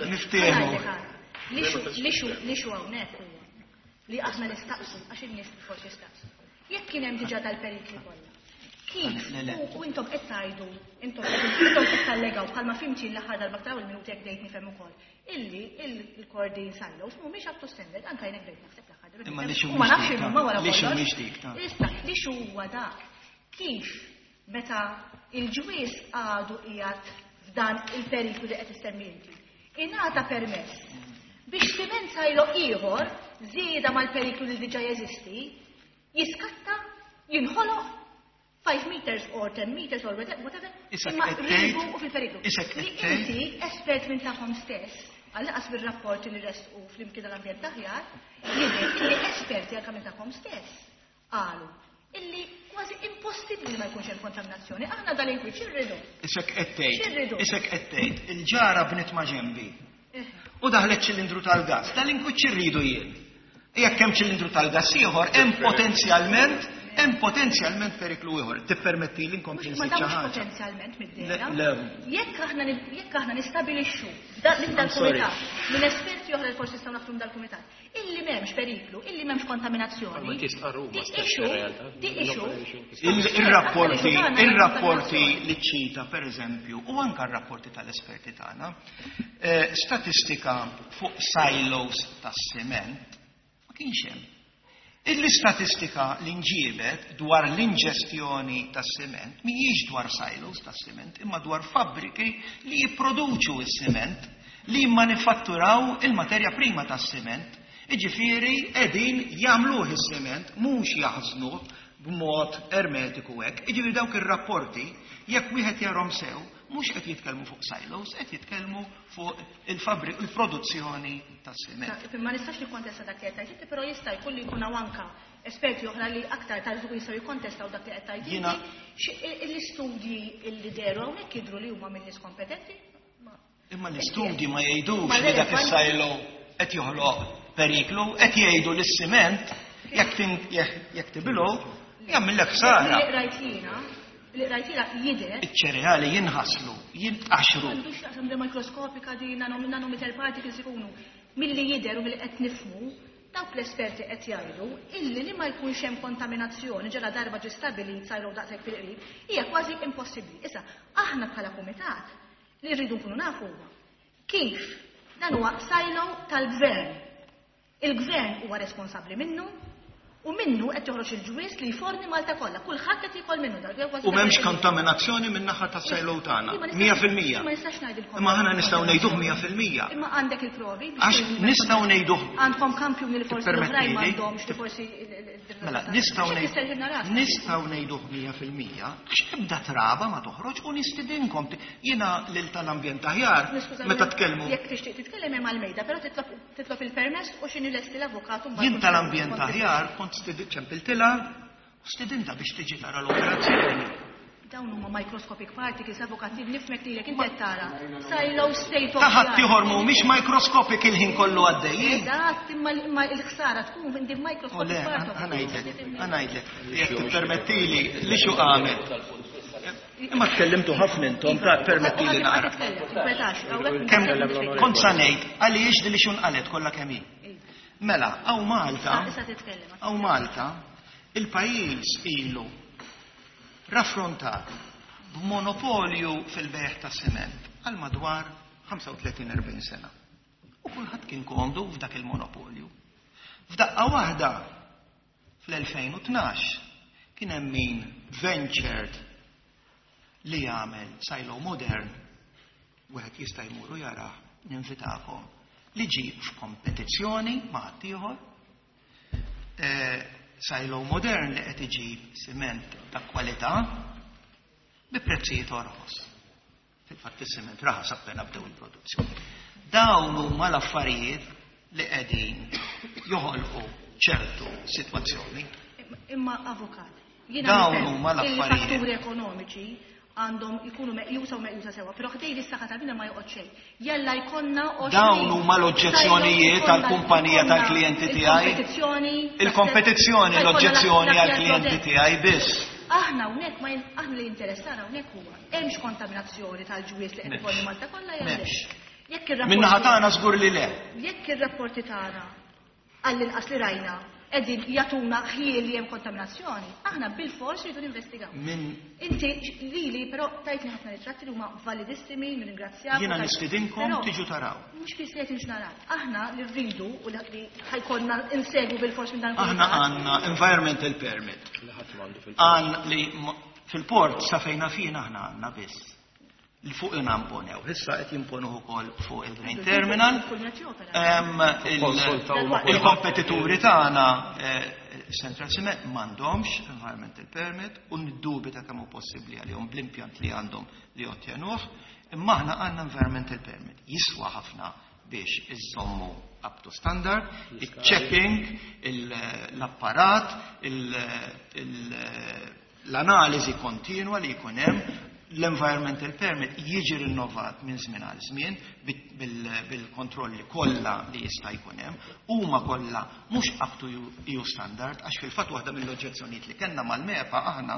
niftehmu. L-issue hawnhekk huwa li aħna nistaqsu, għax in-nies forsi jistaqsu. Jekk kien hemm diġà dal-perikli kollha. Kif? Le, le. U u intom qed tgħidu, intom intom qed tallegaw bħalma fimti l-aħħar darba taw il-minuti jekk bdejt nifhem ukoll. Illi il-Kordin silos mhumiex up to standard, anke jien bdejt naħseb l-aħħar darba. Imma l-issue U ma mhix nafx dik, ta' imma wara l-issue kollox. mhix dik, ta' Issa, l-issue huwa dak. Kif meta il-ġwies għadu qiegħed f'dan il-periklu li qed issemmi inti, ingħata permess biex siment silo ieħor żieda mal-periklu li diġà jeżisti, Jiskatta, jinħoloq five meters or ten meters or whatever, imma ribu u fil-periklu. Li inti espert minn tagħhom stess, għall-inqas bir-rapporti li ressqu flimkien tal-ambjent aħjar, jidher li esperti anke minn tagħhom stess qalu illi kważi impossibbli ma jkunx hemm kontaminazzjoni. Aħna dal-inkwiet x'irridu? Isek qed tgħid, isek qed tgħid, il-ġara bniet ma' ġenbi. U daħlet ċilindru tal-gas, dal-inkwiet x'irridu jien? Jekk hemm ċilindru tal-gas ieħor, hemm potenzjalment hemm potenzjalment periklu ieħor. Tippermetti li nkompli nżid xi ħaġa. Potenzjalment mid-dehra. Jekk aħna jekk aħna nistabilixxu minn dal-kumitat, minn esperti oħra li forsi nistgħu naħdmu dal-kumitat, illi m'hemmx periklu, illi m'hemmx kontaminazzjoni. Ma tistqarru ma stess Ir-rapporti, ir-rapporti li ċita pereżempju, u anke r-rapporti tal-esperti tagħna, statistika fuq silos tas-siment ma kienx hemm. Il-istatistika li nġiebet dwar l-inġestjoni tas-siment mhijiex dwar silos tas-siment, imma dwar fabbriki li jipproduċu s-siment, li jimmanifatturaw il-materja prima tas-siment. Jiġifieri qegħdin jagħmluh is-siment, mhux jaħżnuh b'mod ermetiku hekk. Jiġifieri dawk ir-rapporti jekk wieħed jarhom sew, mhux qed jitkellmu fuq silos, qed jitkellmu fuq il-fabrik, il-produzzjoni tas-siment. Ma nistax nikkontesta dak li qed tgħid, però jista' jkun li jkun hawn anke esperti oħra li aktar tard żgur jistgħu jikkontestaw dak li qed tgħid. L-istudji li dehru hawnhekk jidhru li huma minn nies kompetenti. Imma l-istudji ma jgħidux li dak is-silo qed joħloq periklu, qed jgħidu li s-siment jekk tibilgħu jagħmillek ħsara. Li rajtila jidher. Iċ-ċereali jinħaslu, jintqaxru. Għandu x'jaqsam mikroskopika di nanometer particles ikunu. Milli jidher u milli qed nifhmu, dawk l-esperti qed jgħidu illi li ma jkunx hemm kontaminazzjoni ġara darba ġi stabbilit sajru daqshekk fil-qrib hija kważi impossibbli. Issa aħna bħala kumitat li rridu nkunu nafu huwa kif dan huwa silo tal-gvern. Il-gvern huwa responsabbli minnu u minnu qed joħroġ il-ġwies li jforni Malta kollha. Kulħadd qed jiekol minnu dak. U m'hemmx kontaminazzjoni min-naħa tas-silo tagħna. mija fil-mija. Ma nistax ngħidilkom. Imma aħna nistgħu ngħiduh mija fil-mija. Imma għandek il-provi. Għax nistgħu ngħiduh. Għandkom kampjuni li forsi l-oħrajn m'għandhomx li forsi. Mela nistgħu nistgħu ngħiduh mija fil-mija għax ebda traba ma toħroġ u nistidinkom. Jiena lil tal-ambjent aħjar meta tkellmu. Jekk tixtieq titkellem hemm għall-mejda, però titlob il-permess u x'inhi lesti l-avukat u Jien tal-ambjent aħjar kont ċempiltilha u stidinta biex tiġi tara l-operazzjoni. Dawn huma microscopic particles, avukati, nifmek lilek inti qed tara. Silo state of Ta' ħadd ieħor mhumiex microscopic il-ħin kollu għaddejjin. Eżatt, imma l-ħsara tkun indi microscopic particles. Ħa ngħidlek, ħa ngħidlek, jekk tippermettili li xu qamet. Imma tkellimtu ħafna intom, ta' permettili naqra. Kont sa ngħid għaliex li xu nqalet kollha kemm hi. Mela, għaw Malta, għaw Malta, il-pajjiż ilu raffrontat b'monopolju fil-bejgħ ta' siment għal madwar ħamsa u tletin erbgħin sena. U kulħadd kien komdu f'dak il-monopolju. F'daqqa waħda fl-elfejn u tnax kien hemm min ventured li jagħmel silo modern, wieħed jista' jmur u jarah, ninvitakom, li ġie f'kompetizzjoni ma' ħaddieħor, silo modern li qed iġib siment ta' kwalità bi prezzijiet orħos. Fil-fatt is-siment raħas appena bdew il-produzzjoni. Dawn huma l-affarijiet li qegħdin joħolqu ċertu sitwazzjoni. Imma avukat, jiena dawn huma l-affarijiet. Il-fatturi ekonomiċi għandhom ikunu meqjusa u meqjusa sewa, però ħdej l-saħħa tal-bniedem ma joqgħod xejn. Jalla jkollna Dawn huma l-oġġezzjonijiet tal-kumpanija tal-klijenti tiegħi. Il-kompetizzjoni l-oġġezzjoni għall-klijenti tiegħi biss. Aħna hawnhekk ma aħna li interessana hawnhekk huwa hemmx kontaminazzjoni tal-ġwies li qed ikolli Malta kollha jew le. Jekk ir-rapporti Min-naħa tagħna żgur li le. Jekk ir-rapporti tagħna għall-inqas li rajna qegħdin jagħtuna ħjiel li hemm kontaminazzjoni, aħna bil-fors rridu ninvestigaw. Inti lili però tajtni ħafna ritratti li huma validissimi, nirringrazzjak. Jiena nistidinkom tiġu taraw. Mhux biss qed naraw. Aħna li rridu u li ħajkollna insegwu bil-fors minn dan. Aħna għandna environmental permit. Għan li fil-port sa fejna fina aħna għandna biss. Li fuq imponew. Issa qed jimponuh ukoll fuq il-Grain Terminal. Il-kompetituri tagħna Central Cement m'għandhomx environmental permit u niddubita kemm hu possibbli għalihom bl-impjant li għandhom li ottjenuh, imma aħna għandna environmental permit. Jiswa ħafna biex iżommu up to standard, il-checking, l-apparat, l-analiżi kontinwa li jkun hemm, l-environmental permit jiġi rinnovat minn żmien għal żmien bil-kontrolli kollha li jista' jkun hemm, huma kollha mhux up to E U standard, għax fil-fatt waħda mill-oġġezzjonijiet li kellna mal-MEPA aħna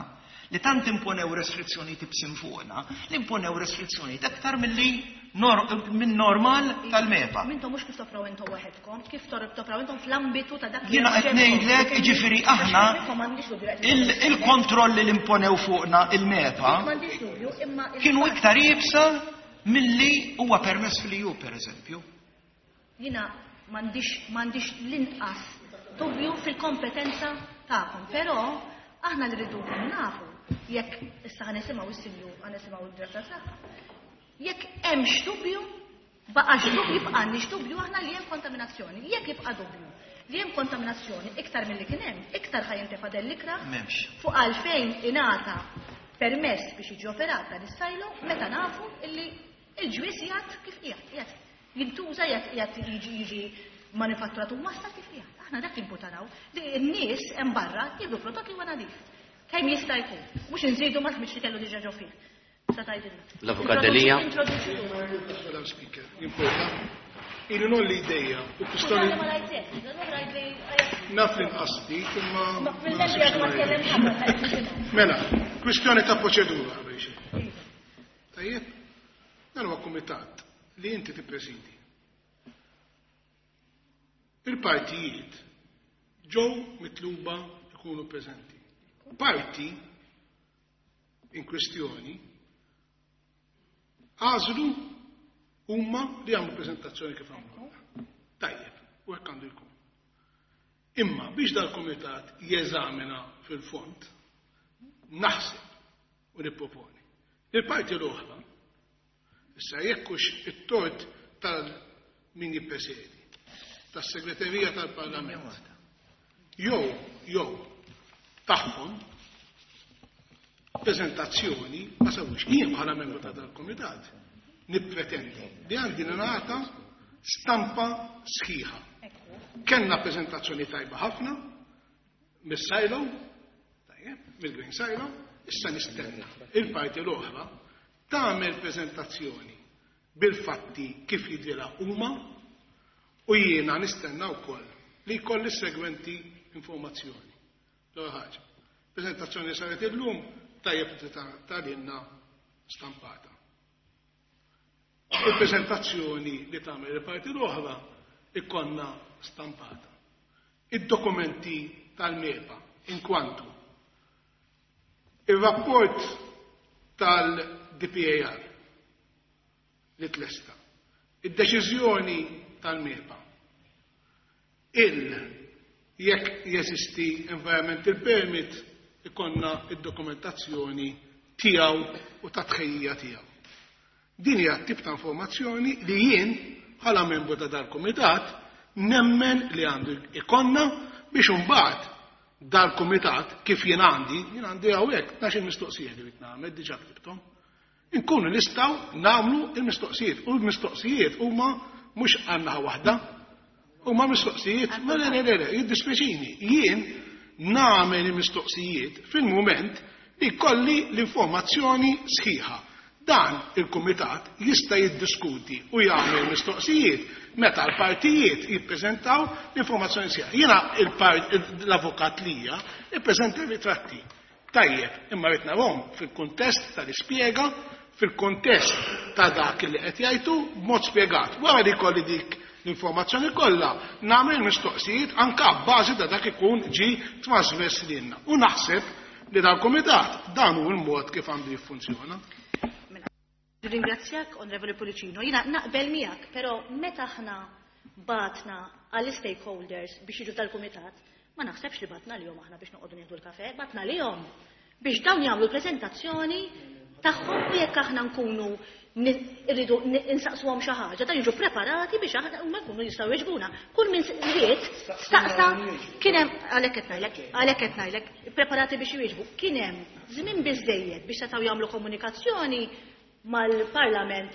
li tant imponew restrizzjonijiet ibsin fuqna, li imponew restrizzjonijiet aktar milli minn normal tal-MEPA. Mintom mhux kif topraw intom waħedkom, kif topraw intom fl-ambitu ta' dak li Jiena qed ngħidlek, jiġifieri aħna il-kontrolli li imponew fuqna il-MEPA kienu iktar iebsa milli huwa permess fil-E U, per eżempju. Jiena m'għandix l-inqas dubju fil-kompetenza tagħkom, però aħna li rridu nafu jekk issa ħa nisimgħu s-sinjur, ħa nisimgħu d-direttur saħħa. Jekk hemmx dubju, baqax dubju, jibqa' għandix dubju aħna li hemm kontaminazzjoni. Jekk jibqa' dubju li hemm kontaminazzjoni iktar milli kien hemm, iktar ħa jintefa' dell-ikra fuq għalfejn ingħata permess biex jiġi operat dan is-sajlo meta nafu illi il-ġwies jgħid kif qiegħed, qiegħed jintuża, qiegħed jiġi jiġi manifatturat u massa kif qiegħed. Aħna dak imputaraw li n-nies hemm barra jieħdu prodott li huwa nadif. Kemm jista' jkun, mhux inżidu ma tmitx li kellu diġà ġo fih. L-Avukat Delia. Madam Speaker, jimporta. Ilu nolli ideja u kwistjoni. Naf li nqasdi, imma. Mela, kwistjoni ta' proċedura qabel xejn. Tajjeb, dan huwa kumitat li inti tippresidi. Il-partijiet ġew mitluba jkunu preżenti. Parti in kwestjoni għażlu huma li għamlu prezentazzjoni kif għamlu. Tajjeb, u hekk għandu jkun. Imma biex dal-komitat jeżamina fil-fond, naħseb u nipproponi. Il-parti l-oħra, issa jekkux it-tort tal-min jippresedi, tas-segreterija tal-Parlament, jew jew tagħhom prezentazzjoni ma sawux. Jien bħala membru ta' dal-komitat nippretendi li għandi nagħta stampa sħiħa. Kellna prezentazzjoni tajba ħafna mis-silo, tajjeb, mill-Green Silo, issa nistenna il-parti l-oħra tagħmel prezentazzjoni bil-fatti kif jidhirha huma u jiena nistenna wkoll li jkolli s-segwenti informazzjoni. L-ewwel ħaġa. Prezentazzjoni saret illum tajjeb tal-inna stampata. Il-prezentazzjoni li tagħmel il-parti l-oħra ikkonna stampata. Id-dokumenti tal-MEPA in kwantu il-rapport tal-D P A R li tlesta, id-deċiżjoni tal-MEPA, il jekk jeżisti environmental permit ikonna id-dokumentazzjoni tiegħu u ta' tħejjija tiegħu. Din hija tip ta' informazzjoni li jien bħala membru ta' dal-kumitat nemmen li għandu ikonna biex imbagħad dal-kumitat kif jien għandi, jien għandi hawnhekk tnax-il mistoqsija li rid nagħmel diġà ktibthom. Inkunu nistgħu nagħmlu l-mistoqsijiet u l-mistoqsijiet huma mhux għandna waħda, huma mistoqsijiet, ma le le le, jiddispjaċini, jien nagħmel il-mistoqsijiet fil-mument li kolli l-informazzjoni sħiħa. Dan il-kumitat jista' jiddiskuti u jagħmel mistoqsijiet meta l-partijiet jippreżentaw l-informazzjoni sħiħa. Jiena l-avukat lija ippreżenta ritratti. Tajjeb, imma rrid narhom fil-kuntest tal-ispjega, fil-kuntest ta' dak li qed jgħidu b'mod spjegat. Wara li jkolli dik l-informazzjoni kollha, nagħmel mistoqsijiet anke bbażi ta' dak ikun ġi trasmess lilna. U naħseb li dal-kumitat dan hu l-mod kif għandu jiffunzjona. Ringrazzjak, Onorevoli Pullicino. Jiena naqbel miegħek, però meta aħna batna għall-stakeholders biex jiġu tal-kumitat, ma naħsebx li batna lihom aħna biex noqogħdu nieħdu l-kafe, batna lihom biex dawn jagħmlu preżentazzjoni tagħhom u jekk aħna nkunu irridu insaqsuhom xi ħaġa, dan jiġu preparati biex aħna huma jkunu jistgħu jweġbuna. Kull min ried staqsa kien hemm għalhekk qed ngħidlek, għalhekk qed ngħidlek, preparati biex jwieġbu. Kien hemm żmien biżejjed biex setgħu jagħmlu komunikazzjoni mal-Parlament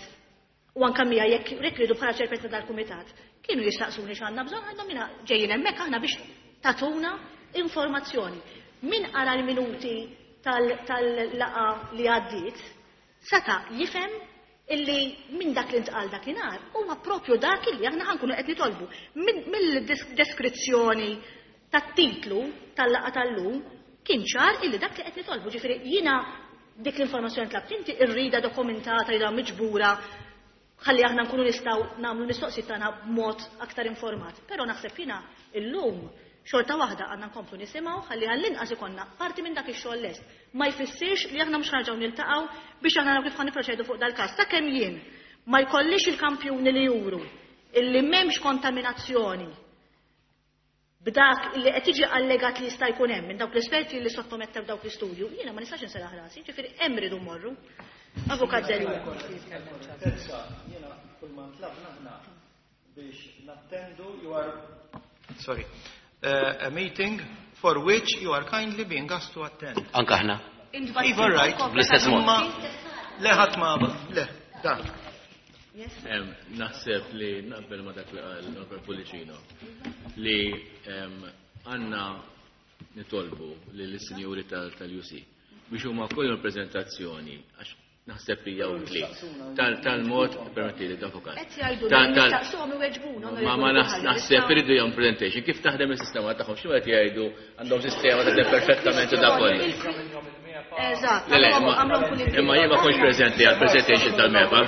u anke mija jekk rridu bħala ċerpezza tal-kumitat. Kienu jistaqsuni x'għandna bżonn, għandhom jiena ġejjin hemmhekk aħna biex tatuna informazzjoni. Min qara l-minuti tal-laqa li għaddiet seta' jifhem illi minn dak li ntqal dakinhar huwa propju dak illi aħna ħankunu qed nitolbu. Mill-deskrizzjoni tat-titlu tal-laqa tal-lum kien ċar illi dak li qed nitolbu. Ġifieri jiena dik l-informazzjoni tlabt inti rrida dokumentata, rida miġbura, ħalli aħna nkunu nistgħu nagħmlu mistoqsijiet tagħna b'mod aktar informat. Però naħseb jiena illum xorta waħda għandna nkomplu nisimgħu ħalli għall-inqas ikollna parti minn dak ix-xogħol lest. Ma jfissirx li aħna mhux ħarġgħu niltaqgħu biex aħna naraw kif ħa nipproċedu fuq dal-każ. Sakemm jien ma jkollix il-kampjuni li juru illi m'hemmx kontaminazzjoni b'dak li qed jiġi allegat li jista' jkun hemm minn dawk l-esperti li sottomettew dawk l-istudju, jiena ma nistax inseraħ rasi, ġifieri hemm ridu mmorru. Avukat Delia. Jiena kull ma ntlabna aħna biex nattendu you are sorry. Uh, a meeting for which you are kindly being asked to attend. Anka aħna. Iva, right. Bl-istess mod. Le ħadd ma le, dan. Naħseb li naqbel ma dak li qal l-Onorevole Pullicino li għandna nitolbu lill-sinjuri tal-U C biex huma kollhom prezentazzjoni għax naħseb li hija utli tal-mod permetti li avukat. Ma ma naħseb iridu jagħmlu presentation kif taħdem is-sistema tagħhom x'inhu qed jgħidu għandhom sistema taħdem perfettament u dak kollu. Eżatt. Imma jien ma kontx preżenti għal presentation tal-MEPA.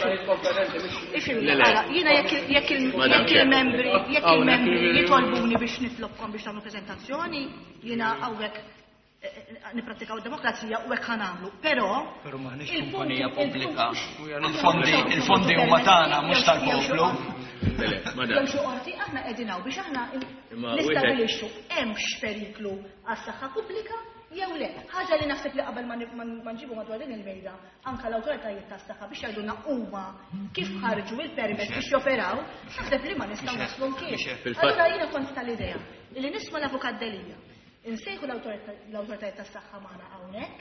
Jiena jekk il-membri jekk il-membri jitolbuni biex nitlobkom biex tagħmlu preżentazzjoni, jiena hawnhekk nipprattikaw demokrazija u hekk ħanamlu. Però Però m'aħniex kumpanija pubblika. Il-fondi il-fondi huma tagħna mhux tal-poplu. Jew xi qorti aħna qegħdin hawn biex aħna nistabilixxu hemmx periklu għas-saħħa pubblika jew le. Ħaġa li naħseb li qabel ma nġibu madwar din il-mejda anke l-awtoritajiet tas-saħħa biex jgħidulna huma kif ħarġu il-permess biex joperaw, naħseb li ma nistgħu naslu mkien. Allura jiena kont tal-idea li nisma' l-Avukat Delia. Insejħu l-awtoritajiet tas-saħħa magħna hawnhekk,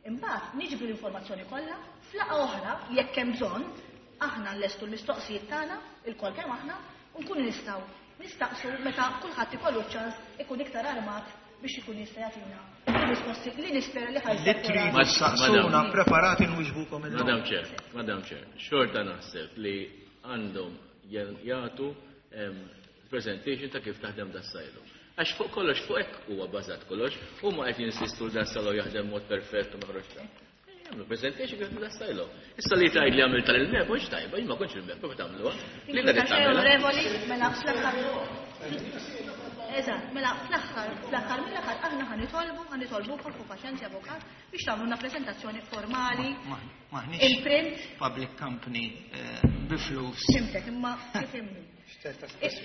imbagħad niġbru l-informazzjoni kollha, f'laqgħa oħra jekk hemm bżonn, aħna nlestu l-mistoqsijiet tagħna, ilkoll kemm aħna, u nkunu nistgħu nistaqsu meta kulħadd ikollu ċ-ċans ikun iktar armat biex ikun jista' jagħtina risposti li nispera li ħajja. Li tridu saqsuna preparati nwiġbukom illum. Madam Chair, Madam Chair, xorta naħseb li għandhom jagħtu presentation ta' kif taħdem das-sajlu. Għax fuq kollox, fuq hekk huwa bażat kollox, huma qed jinsistu dan salo jaħdem mod perfett u ma ħroġ ta'. Jagħmlu presentation kif dan silo. Issa li tgħid li għamil tal-il-mep mhux tajba, jien ma kontx il-mep, kif tagħmluha? Li qed tagħmel. Mela fl-aħħar. Eżatt, mela fl-aħħar, fl-aħħar mill-aħħar aħna ħa nitolbu, ħa nitolbukom fuq paċenzja avukat biex tagħmluna preżentazzjoni formali. Maħniex public company bi flus. Simtek, imma kif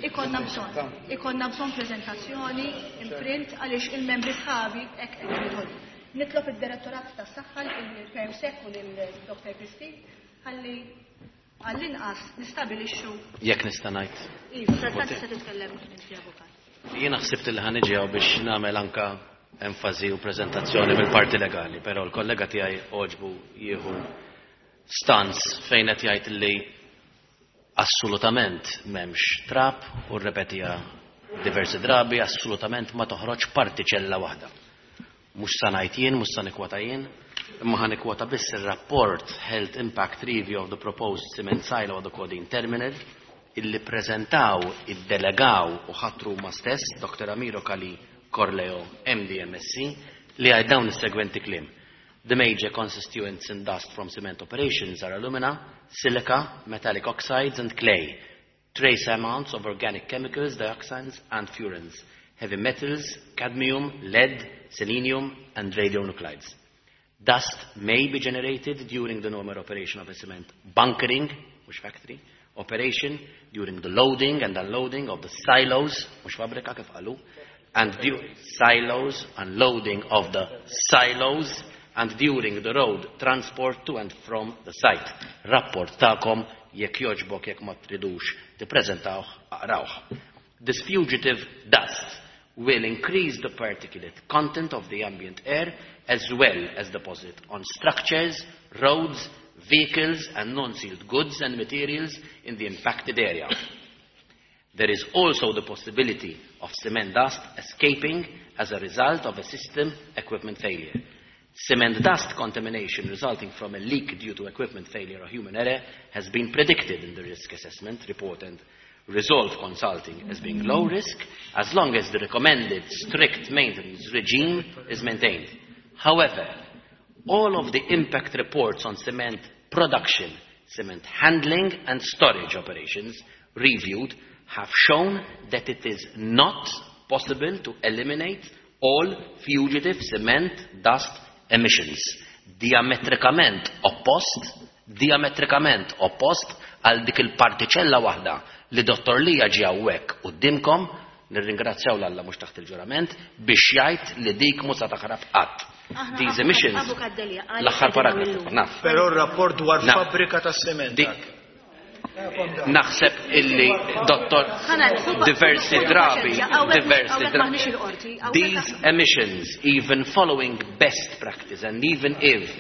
Ikonna bżonn, ikonna bżonn prezentazzjoni, imprint għaliex il-membri sħabi hekk qed nitolbu. Nitlob id-Direttorat tas-Saħħa lill-Permsec u lil Doctor Christine ħalli għall-inqas nistabilixxu. Jekk nista' ngħid. Iva, tista' titkellem inti avukat. Jiena ħsibt li ħa niġi hawn biex nagħmel anka enfasi u preżentazzjoni mill-parti legali, però l-kollega tiegħi għoġbu jieħu stance fejn qed jgħid li assolutament m'hemmx trap u rrepetija diversi drabi, assolutament ma toħroġ partiċella waħda. Mhux sa ngħid jien, mhux sa nikkwota jien, imma ħa nikkwota biss ir-rapport Health Impact Review of the Proposed Cement Silo of the Kordin Terminal illi preżentaw, iddelegaw u ħatru huma stess Doctor Amiro Kali Corleo M D M S C li għaj dawn is-segwenti kliem. The major constituents in dust from cement operations are alumina, silica, metallic oxides and clay, trace amounts of organic chemicals, dioxins and furans, heavy metals, cadmium, lead, selenium and radionuclides. Dust may be generated during the normal operation of a cement bunkering, which factory, operation, during the loading and unloading of the silos, mhux fabbrika kif qalu, and silos, unloading of the silos, and during the road transport to and from the site. Rapport tagħkom, jekk jogħġbok, jekk ma tridux tippreżentawh, aqrawh. This fugitive dust will increase the particulate content of the ambient air as well as deposit on structures, roads, vehicles and non-sealed goods and materials in the impacted area. There is also the possibility of cement dust escaping as a result of a system equipment failure. Cement dust contamination resulting from a leak due to equipment failure or human error has been predicted in the risk assessment report and Resolve Consulting as being low risk as long as the recommended strict maintenance regime is maintained. However, all of the impact reports on cement production, cement handling and storage operations reviewed have shown that it is not possible to eliminate all fugitive cement dust emissions. Diametrikament oppost, diametrikament oppost għal dik il-partiċella waħda li Dottor Lija ġie hawnhekk quddiemkom, nirringrazzjaw 'l Alla mhux taħt il-ġurament, biex jgħid li dik mhux se taħrab qatt. These emissions, l-aħħar paragrafu, naf. Però r-rapport dwar Naf. Fabbrika ta' sement. Dik naħseb illi dottor diversi drabi, diversi drabi. These emissions, even following best practice and even if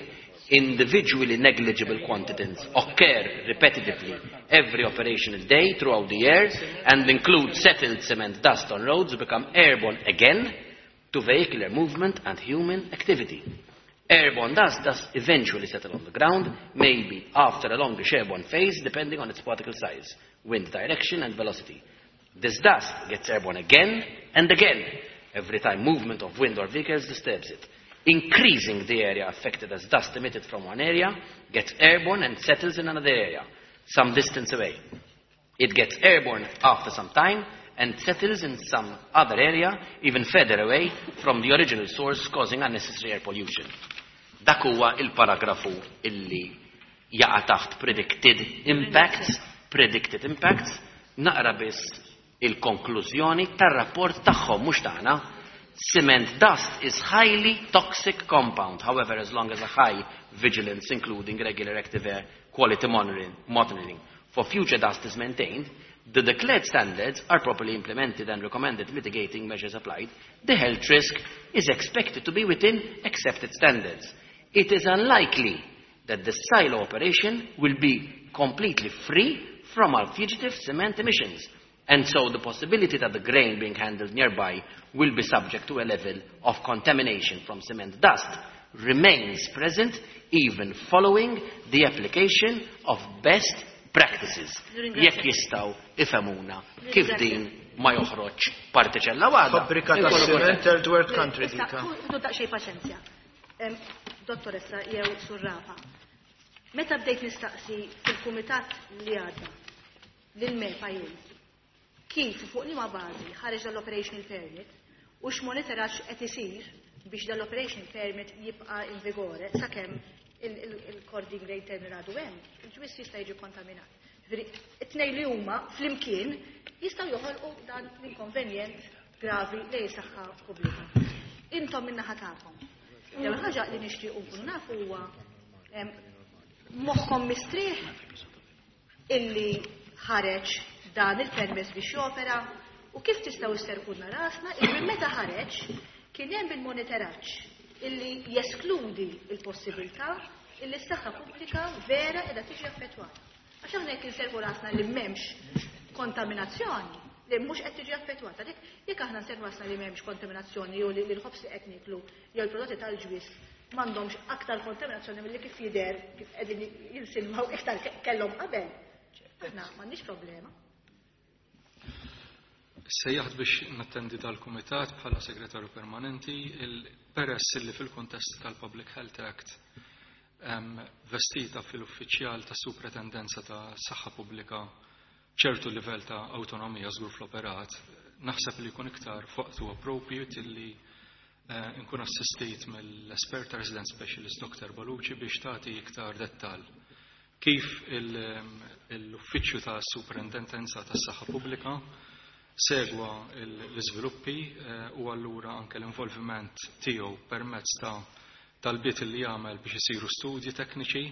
individually negligible quantities, occur repetitively every operational day throughout the year and include settled cement dust on roads, become airborne again to vehicular movement and human activity. Airborne dust does eventually settle on the ground, maybe after a longish airborne phase, depending on its particle size, wind direction and velocity. This dust gets airborne again and again, every time movement of wind or vehicles disturbs it, increasing the area affected as dust emitted from one area gets airborne and settles in another area, some distance away. It gets airborne after some time and settles in some other area, even further away from the original source, causing unnecessary air pollution. Dak huwa il-paragrafu illi jaqa' taħt predicted impacts, predicted impacts, naqra biss il-konklużjoni tar-rapport tagħhom, mhux tagħna. Cement dust is highly toxic compound. However, as long as a high vigilance, including regular active air quality monitoring, monitoring for future dust is maintained, the declared standards are properly implemented and recommended mitigating measures applied, the health risk is expected to be within accepted standards. It is unlikely that the silo operation will be completely free from our fugitive cement emissions, and so the possibility that the grain being handled nearby will be subject to a level of contamination from cement dust remains present even following the application of best practices. Jekk jistgħu ifhmuna kif din ma joħroġ partiċella waħda. Fabbrika ta' Inkunu cement kontenti. Third world country Issa, dika. ħudu daqsxejn paċenzja. Em, Dottoressa jew Surrafa, meta bdejt nistaqsi fil-kumitat li għadda lil-MEPA jien, kif u fuq liema bażi ħareġ dal-operational permit u x'monitoraġġ qed isir biex dal-operational permit jibqa' in vigore sakemm il-Kordin Grain Terminal għadu hemm, il-ġwis jista' jiġi kontaminat. Ġifieri, it-tnejn li huma flimkien jistgħu joħolqu dan l-inkonvenjent gravi lejn saħħa pubblika. Intom min-naħa tagħkom. L-ewwel ħaġa li nixtiequ nkunu nafu huwa em, moħħkom mistrieħ illi ħareġ dan il-permess biex jopera u kif tistgħu sserrħulna rasna illi minn meta ħareġ kien hemm il-monitoraġġ illi jeskludi il-possibilità illi s-saħħa pubblika vera qiegħda tiġi affettwata. Għax aħna jekk inserrħu rasna li m'hemmx kontaminazzjoni, li mhux qed tiġi affettwata. Dik jekk aħna nserrħu rasna li m'hemmx kontaminazzjoni jew li l-ħobż li qed nieklu jew l-prodotti tal-ġwis m'għandhomx aktar kontaminazzjoni milli kif jidher kif qegħdin jinsilmaw iktar kellhom qabel. Aħna m'għandniex problema. Sejjaħt biex nattendi dal-kumitat bħala segretarju permanenti, il peress li fil-kontest tal-Public Health Act em, vestita fil-uffiċjal ta' superintendenza ta' saħħa pubblika ċertu livell ta' autonomija żgur fl-operat, naħseb li jkun iktar f'waqtu appropriate li eh, nkun assistit mill-espert resident specialist Doctor Balucci biex tagħti iktar dettal kif il- l-uffiċċju ta' superintendenza ta' saħħa pubblika segwa l-iżviluppi eh, u allura anke l-involviment tiegħu permezz ta' talbiet li jagħmel biex isiru studji tekniċi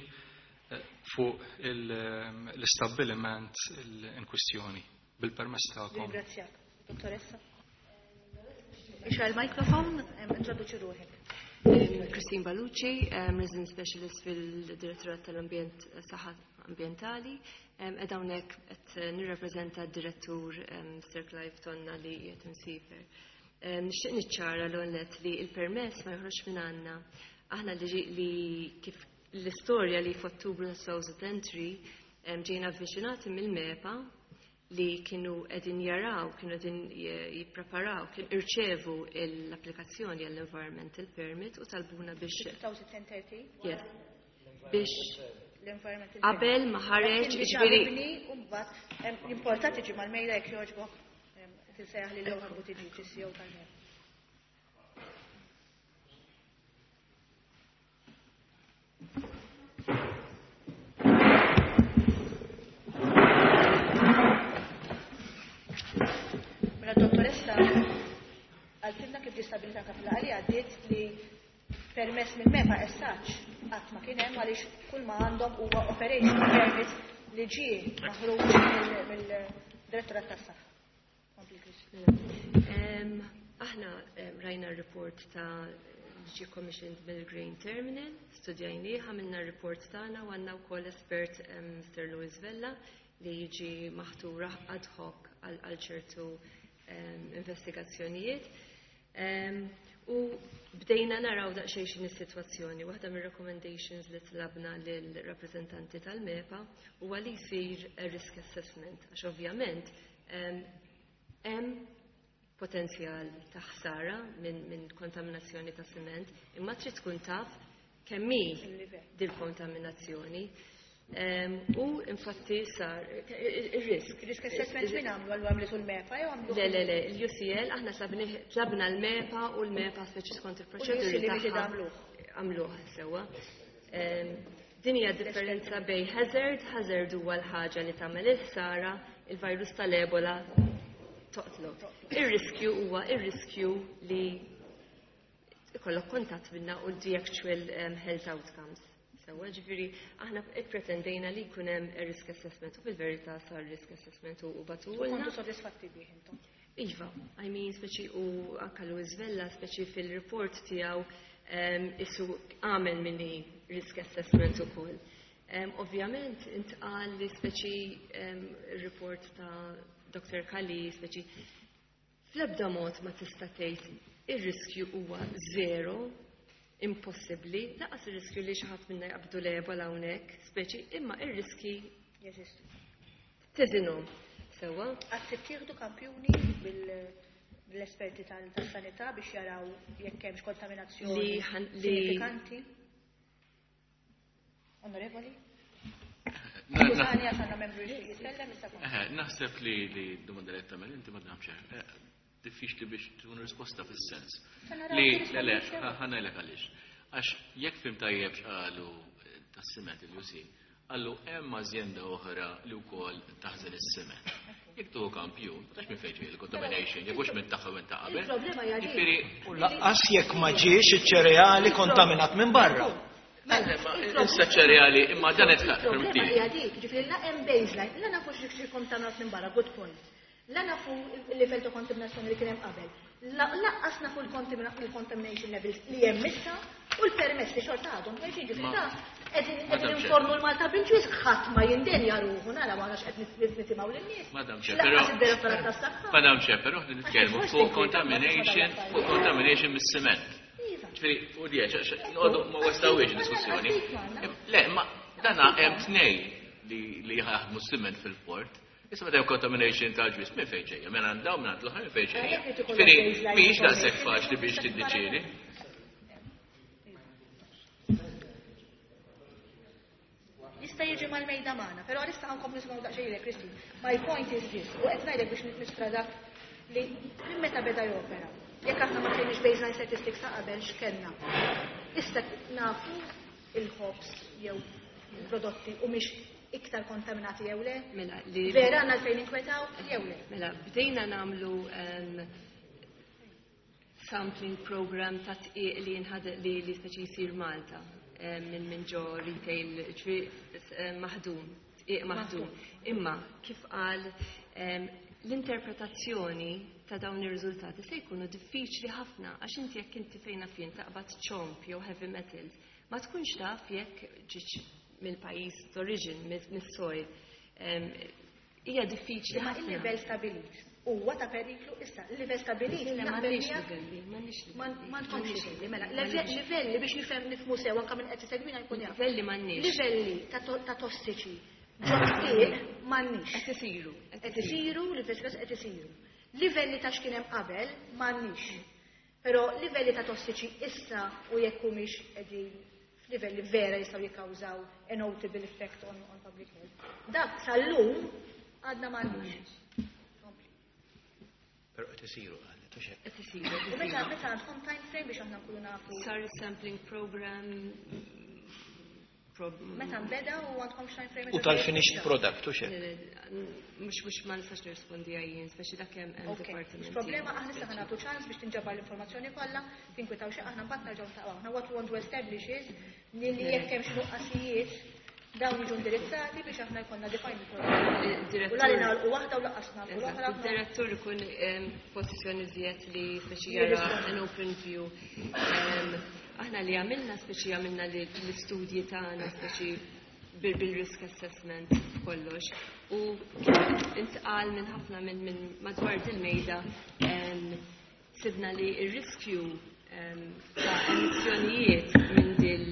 fuq l-istabbiliment in kwistjoni. Bil-permess tagħkom. Ringrazzjak, dottoressa. Ixra l-mikrofon, introduċi ruħek. Christine Balucci, Resident Specialist fil-Direttorat tal-Ambjent Saħħa Ambjentali. Ed hawnhekk qed nirrappreżenta d-direttur Sir Clive Tonna li qiegħed imsiefer. Nixtieq niċċara l-għonet li l-permess ma joħroġ minn għandna. Aħna li kif l-istorja li f'Ottubru ta' duemilatwenty three ġejna avviċinati mill-MEPA li kienu qegħdin jaraw, kienu qegħdin jippreparaw, kien irċevu l-applikazzjoni għall-environmental permit u talbuna biex twenty thirty? Yes. Biex qabel ma ħareġ, ġifieri importanti ġi mal-mejda jekk jogħġbok tinsejjaħ li l-ewwel Buttigieg, is-C E O tal-MEPA. Mela dottoressa għaltilna kif disabilità kapilari għaddiet li permess mill-MEPA essaċ qatt ma kien hemm għaliex kull ma għandhom huwa operation permit li ġie maħruġ mill-Direttorat tas-Saħħa. Aħna rajna r-report ta' ġie commissioned mill-Grain Terminal, studjajnieh, għamilna r-report tagħna u għandna wkoll espert Mister Louis Vella li jiġi maħtura ad hoc għal ċertu investigazzjonijiet. U bdejna naraw daqsxejn x'inhi s-sitwazzjoni. Waħda mir-recommendations li tlabna lill-rappreżentanti tal-MEPA huwa li jsir risk assessment, għax ovvjament hemm potenzjal ta' ħsara minn min kontaminazzjoni ta' siment, imma trid tkun taf kemm hi dil-kontaminazzjoni. U infatti sar ir-risk. Risk assessment min għamlu, għallu għamlitu l-MEPA jew għamlu? Le, le, le, l-U C L, aħna tlabna l-MEPA u l-MEPA speċi skont il-proċeduri tagħha. Għamluh sewwa. Din hija differenza bejn hazard, hazard huwa l-ħaġa li tagħmel il-ħsara, il-virus tal-Ebola toqtlok. Ir-riskju huwa ir-riskju li ikollok kontatt minna u the actual um, health outcomes. Sewwa, ġifieri aħna ippretendejna li jkun hemm risk assessment u fil-verità sar risk assessment u bagħtulna. Kontu sodisfatti bih intom? Iva, I mean, speċi u anka Louis Vella, speċi fil-report tiegħu um, isu għamel minni risk assessment ukoll. Um, ovvjament, intqal li speċi um, report ta' Doctor Kali, speċi fl-ebda mod ma tista' tgħid ir-riskju huwa zero, impossibbli, lanqas ir-riskju li xi ħadd minna jaqbdu l-Ebola hawnhekk, speċi, imma ir-riski jeżistu. Teżinhom. Sewwa? Qatt tittieħdu kampjuni bil-esperti tas-sanità biex jaraw jekk hemmx kontaminazzjoni sinifikanti? Onorevoli? Skużani għax għandna membru jitkellem issa. Naħseb li li domanda li tagħmel inti ma nafx diffiċli biex tkun risposta fis-sens. Li le le ħa ngħidlek għaliex. Għax jekk fhimt tajjeb x'qalu tas-siment il-U C, qallu hemm ażjenda oħra li wkoll taħżen is-siment. Jekk tuħu kampjun, ma tafx minn fejn ġej il-contamination, jekk hux minn tagħha minn ta' qabel. Il-problema hija Ġifieri U lanqas jekk ma ġiex iċ-ċereali kontaminat minn barra. Issa ċereali, imma dan qed Il-problema hija dik, ġifieri la hemm baseline, la nafu xi kontaminat minn barra, good point. La nafu il-livell ta' kontaminazzjoni li kien hemm qabel. Lanqas nafu l-contamination levels li hemm issa u l-permess li xorta għadhom ħerġin, ġifieri ta' qegħdin informu l-Malta bil-ġwis ħadd ma jindenja ruħu nara ma nafx qed nitimgħu lin-nies. Madam Chair, però Lanqas id-direttorat tas-saħħa. Madam Chair, però nitkellmu fuq contamination, fuq contamination mis-siment. Ġifieri, u di noqogħdu ma westawiex diskussjoni. Le, ma dana hemm tnej li li jaħdmu s-siment fil-port. Issa meta hemm contamination tal-ġwis minn fejn ġejja, minn għand dawn minn għand l-oħra minn fejn ġejja. Ġifieri, mhijiex daqshekk faċli biex tiddeċiedi. Jista' jiġi mal-mejda magħna, però għalissa ħa nkomplu nisimgħu daqsxejn lilek, Christine. My point is this, u qed ngħidlek biex nistra dak li minn meta beda jopera. Jekk aħna ma kienx baseline statistics ta' qabel x'kellna. Issa nafu il-ħobż jew prodotti u mhix iktar kontaminati jew le? Mela, li Vera għandna fejn inkwetaw jew le? Mela, bdejna nagħmlu um, sampling program ta' tqiq li jinħad li li speċi jsir Malta minn minn ġo retail, ġifieri maħdum, tqiq maħdum. Imma kif qal, l-interpretazzjoni ta' dawn ir-riżultati se jkunu diffiċli ħafna, għax inti jekk inti fejna fien taqbad ċomp jew heavy metals, ma tkunx taf jekk ġietx mill-pajjiż d'origin, mis-soil. Hija diffiċli Imma ħafna. Il-livell stabilit huwa ta' periklu issa, il-livell stabilit. Le, naqbel m'għandniex miegħek. livelli, m'għandniex livelli. Ma għandkomx M'għandniex livelli, mela, m'għandniex. Livelli biex nifhem, nifhmu sew, anke minn qed isegwina jkun jaf. Livelli m'għandniex. Livelli ta' to- ta' tossiċi ġo tqiq m'għandniex. Qed isiru. Qed isiru, l-investigazzjoni qed isiru. Livelli ta' x'kien hemm qabel m'għandniex. Però livelli ta' tossiċi issa u jekk humiex qegħdin f'livelli vera jistgħu jikkawżaw a notable effect on, on public health. Dak sal-lum għadna m'għandniex. Però qed isiru, qalet, u xejn. Qed isiru, qed U meta isiru. Meta għandkom time frame biex aħna nkunu nafu? Sar sampling program prob- Meta nbeda u għandkom time frame? U tal-finished product, u xejn. Le, le, Mhux mhux ma nistax nirrispondi għajjin, speċi dak hemm hemm Ok, departiment. Problema, aħna issa ħa nagħtu ċans biex tinġabar l-informazzjoni kollha, tinkwitaw xi aħna mbagħad nerġgħu ntaqgħu. Aħna what we want to establish is li li jekk hemm xi nuqqasijiet, dawn jiġu indirizzati biex aħna jkollna define il-problema. U la li nagħlqu waħda u lanqas nagħlqu l-oħra. Il-direttur ikun em, pożizzjoni żjed li speċi jara an open view. Em, Aħna li għamilna, speċi għamilna li l-istudji tagħna speċi bil- bil-risk assessment kollox, u kif intqal minn ħafna minn minn madwar dil-mejda, em, sibna li il-riskju em, ta' emissjonijiet minn dil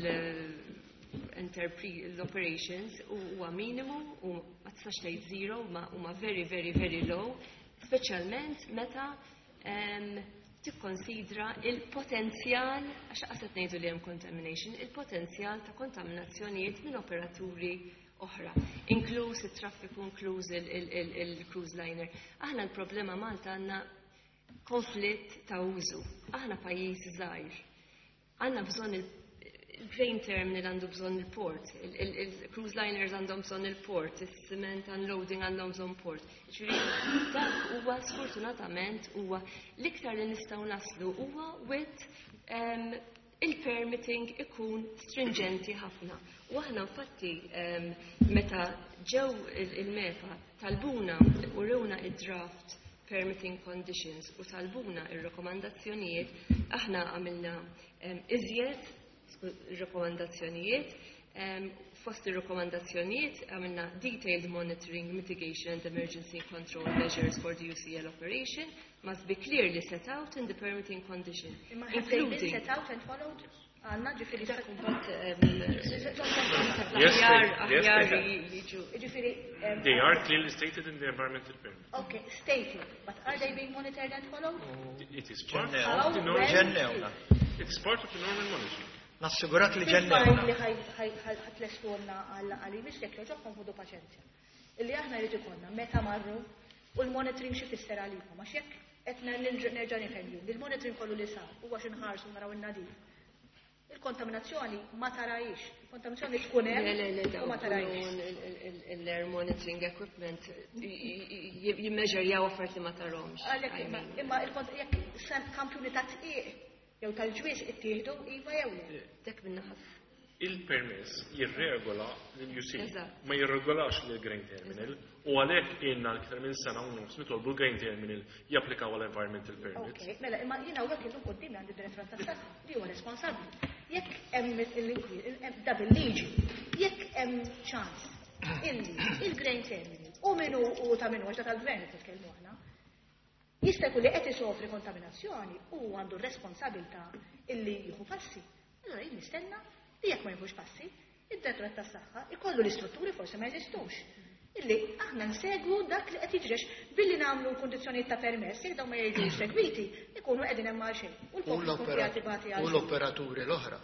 l-operations huwa minimu u ma tistax tgħid zero, ma huma very, very, very low, speċjalment meta em, tikkonsidra il-potenzjal, għax qasat ngħidu li hemm contamination, il-potenzjal ta' kontaminazzjonijiet minn operaturi oħra, inkluż it-traffiku, inkluż il-cruise liner. Aħna l-problema Malta għandna konflitt ta' użu. Aħna pajjiż żgħir. Għandna bżonn il- il-grain terminal, għandu bżonn il-port, il-cruise liners għandhom bżonn il-port, il-cement unloading għandhom bżonn port. Ġifieri, dak huwa sfortunatament huwa l-iktar li nistgħu naslu huwa with um, il-permitting ikun stringenti ħafna. U aħna infatti um, meta ġew il-MEPA talbuna u rewna id-draft permitting conditions u talbuna ir-rekomandazzjonijiet, aħna għamilna um, iżjed rekomandazzjonijiet. Um, fost ir-rekomandazzjonijiet għamilna detailed monitoring, mitigation and emergency control measures for the U C L operation must be clearly set out in the permitting condition. Imma have they been Including set out and followed? Għandna ġifieri Dak imbagħad, Yes, aħjar they- yes, aħjar they have. jiġu. Ġifieri, um, They are clearly stated in the environmental permit. Okay, stated, but are they being monitored and followed? It is part How, of the normal. when? Ġennewna. It is part of the normal monitoring. Nassigurak li Fil-fajl ġennewna. li ħa tlestulna għal-għalimis, jekk jogħġobkom ħudu paċenzja. Illi aħna rrid ikollna meta marru u l-monitoring xi fisser għalikom, għax jekk qed nerġa' nifhem li l-monitoring kollu li sar huwa xi nħarsu naraw in-nadif. Il-kontaminazzjoni ma tarajx. Il-kontaminazzjoni tkun Le, le, le, hemm u ma tarajx. L-air monitoring equipment jimmeġerjaw affarijiet li ma tarahomx. Għalhekk imma imma il-kont jekk sem kampjuni ta' tqiq jew tal-ġwież ittieħdu, iva jew le? Dak minna Il-permess jirregola l-U C, Eżatt. ma jirregolax l-Grain Terminal, u għalhekk ilna l-iktar minn sena u nofs nitolbu l-Grain Terminal japplikaw għal-environmental permit. Ok, mela, imma jiena hawnhekk illum qudiemi għandi direttorat tas-saħħa li huwa responsabbli. Jekk hemm il- da bil-liġi, jekk hemm ċans illi il-Grain Terminal u minu u ta' minu, għax da tal-gvern qed nitkellmu aħna, jista' jkun li qed isofri kontaminazzjoni u għandu r-responsabilità illi jieħu passi. Allora jien nistenna li jekk ma jieħux passi, id-direttorat tas-saħħa ikollu l-istrutturi, forsi ma jeżistux, illi aħna nsegwu dak li qed jiġrex billi nagħmlu l-kundizzjonijiet ta' permess, jekk dawn ma jiġux segwiti, ikunu qegħdin hemm għal xejn. U U l-poplu jkun qiegħed ibati l-opera- għal u xejn. l-operaturi l-oħra.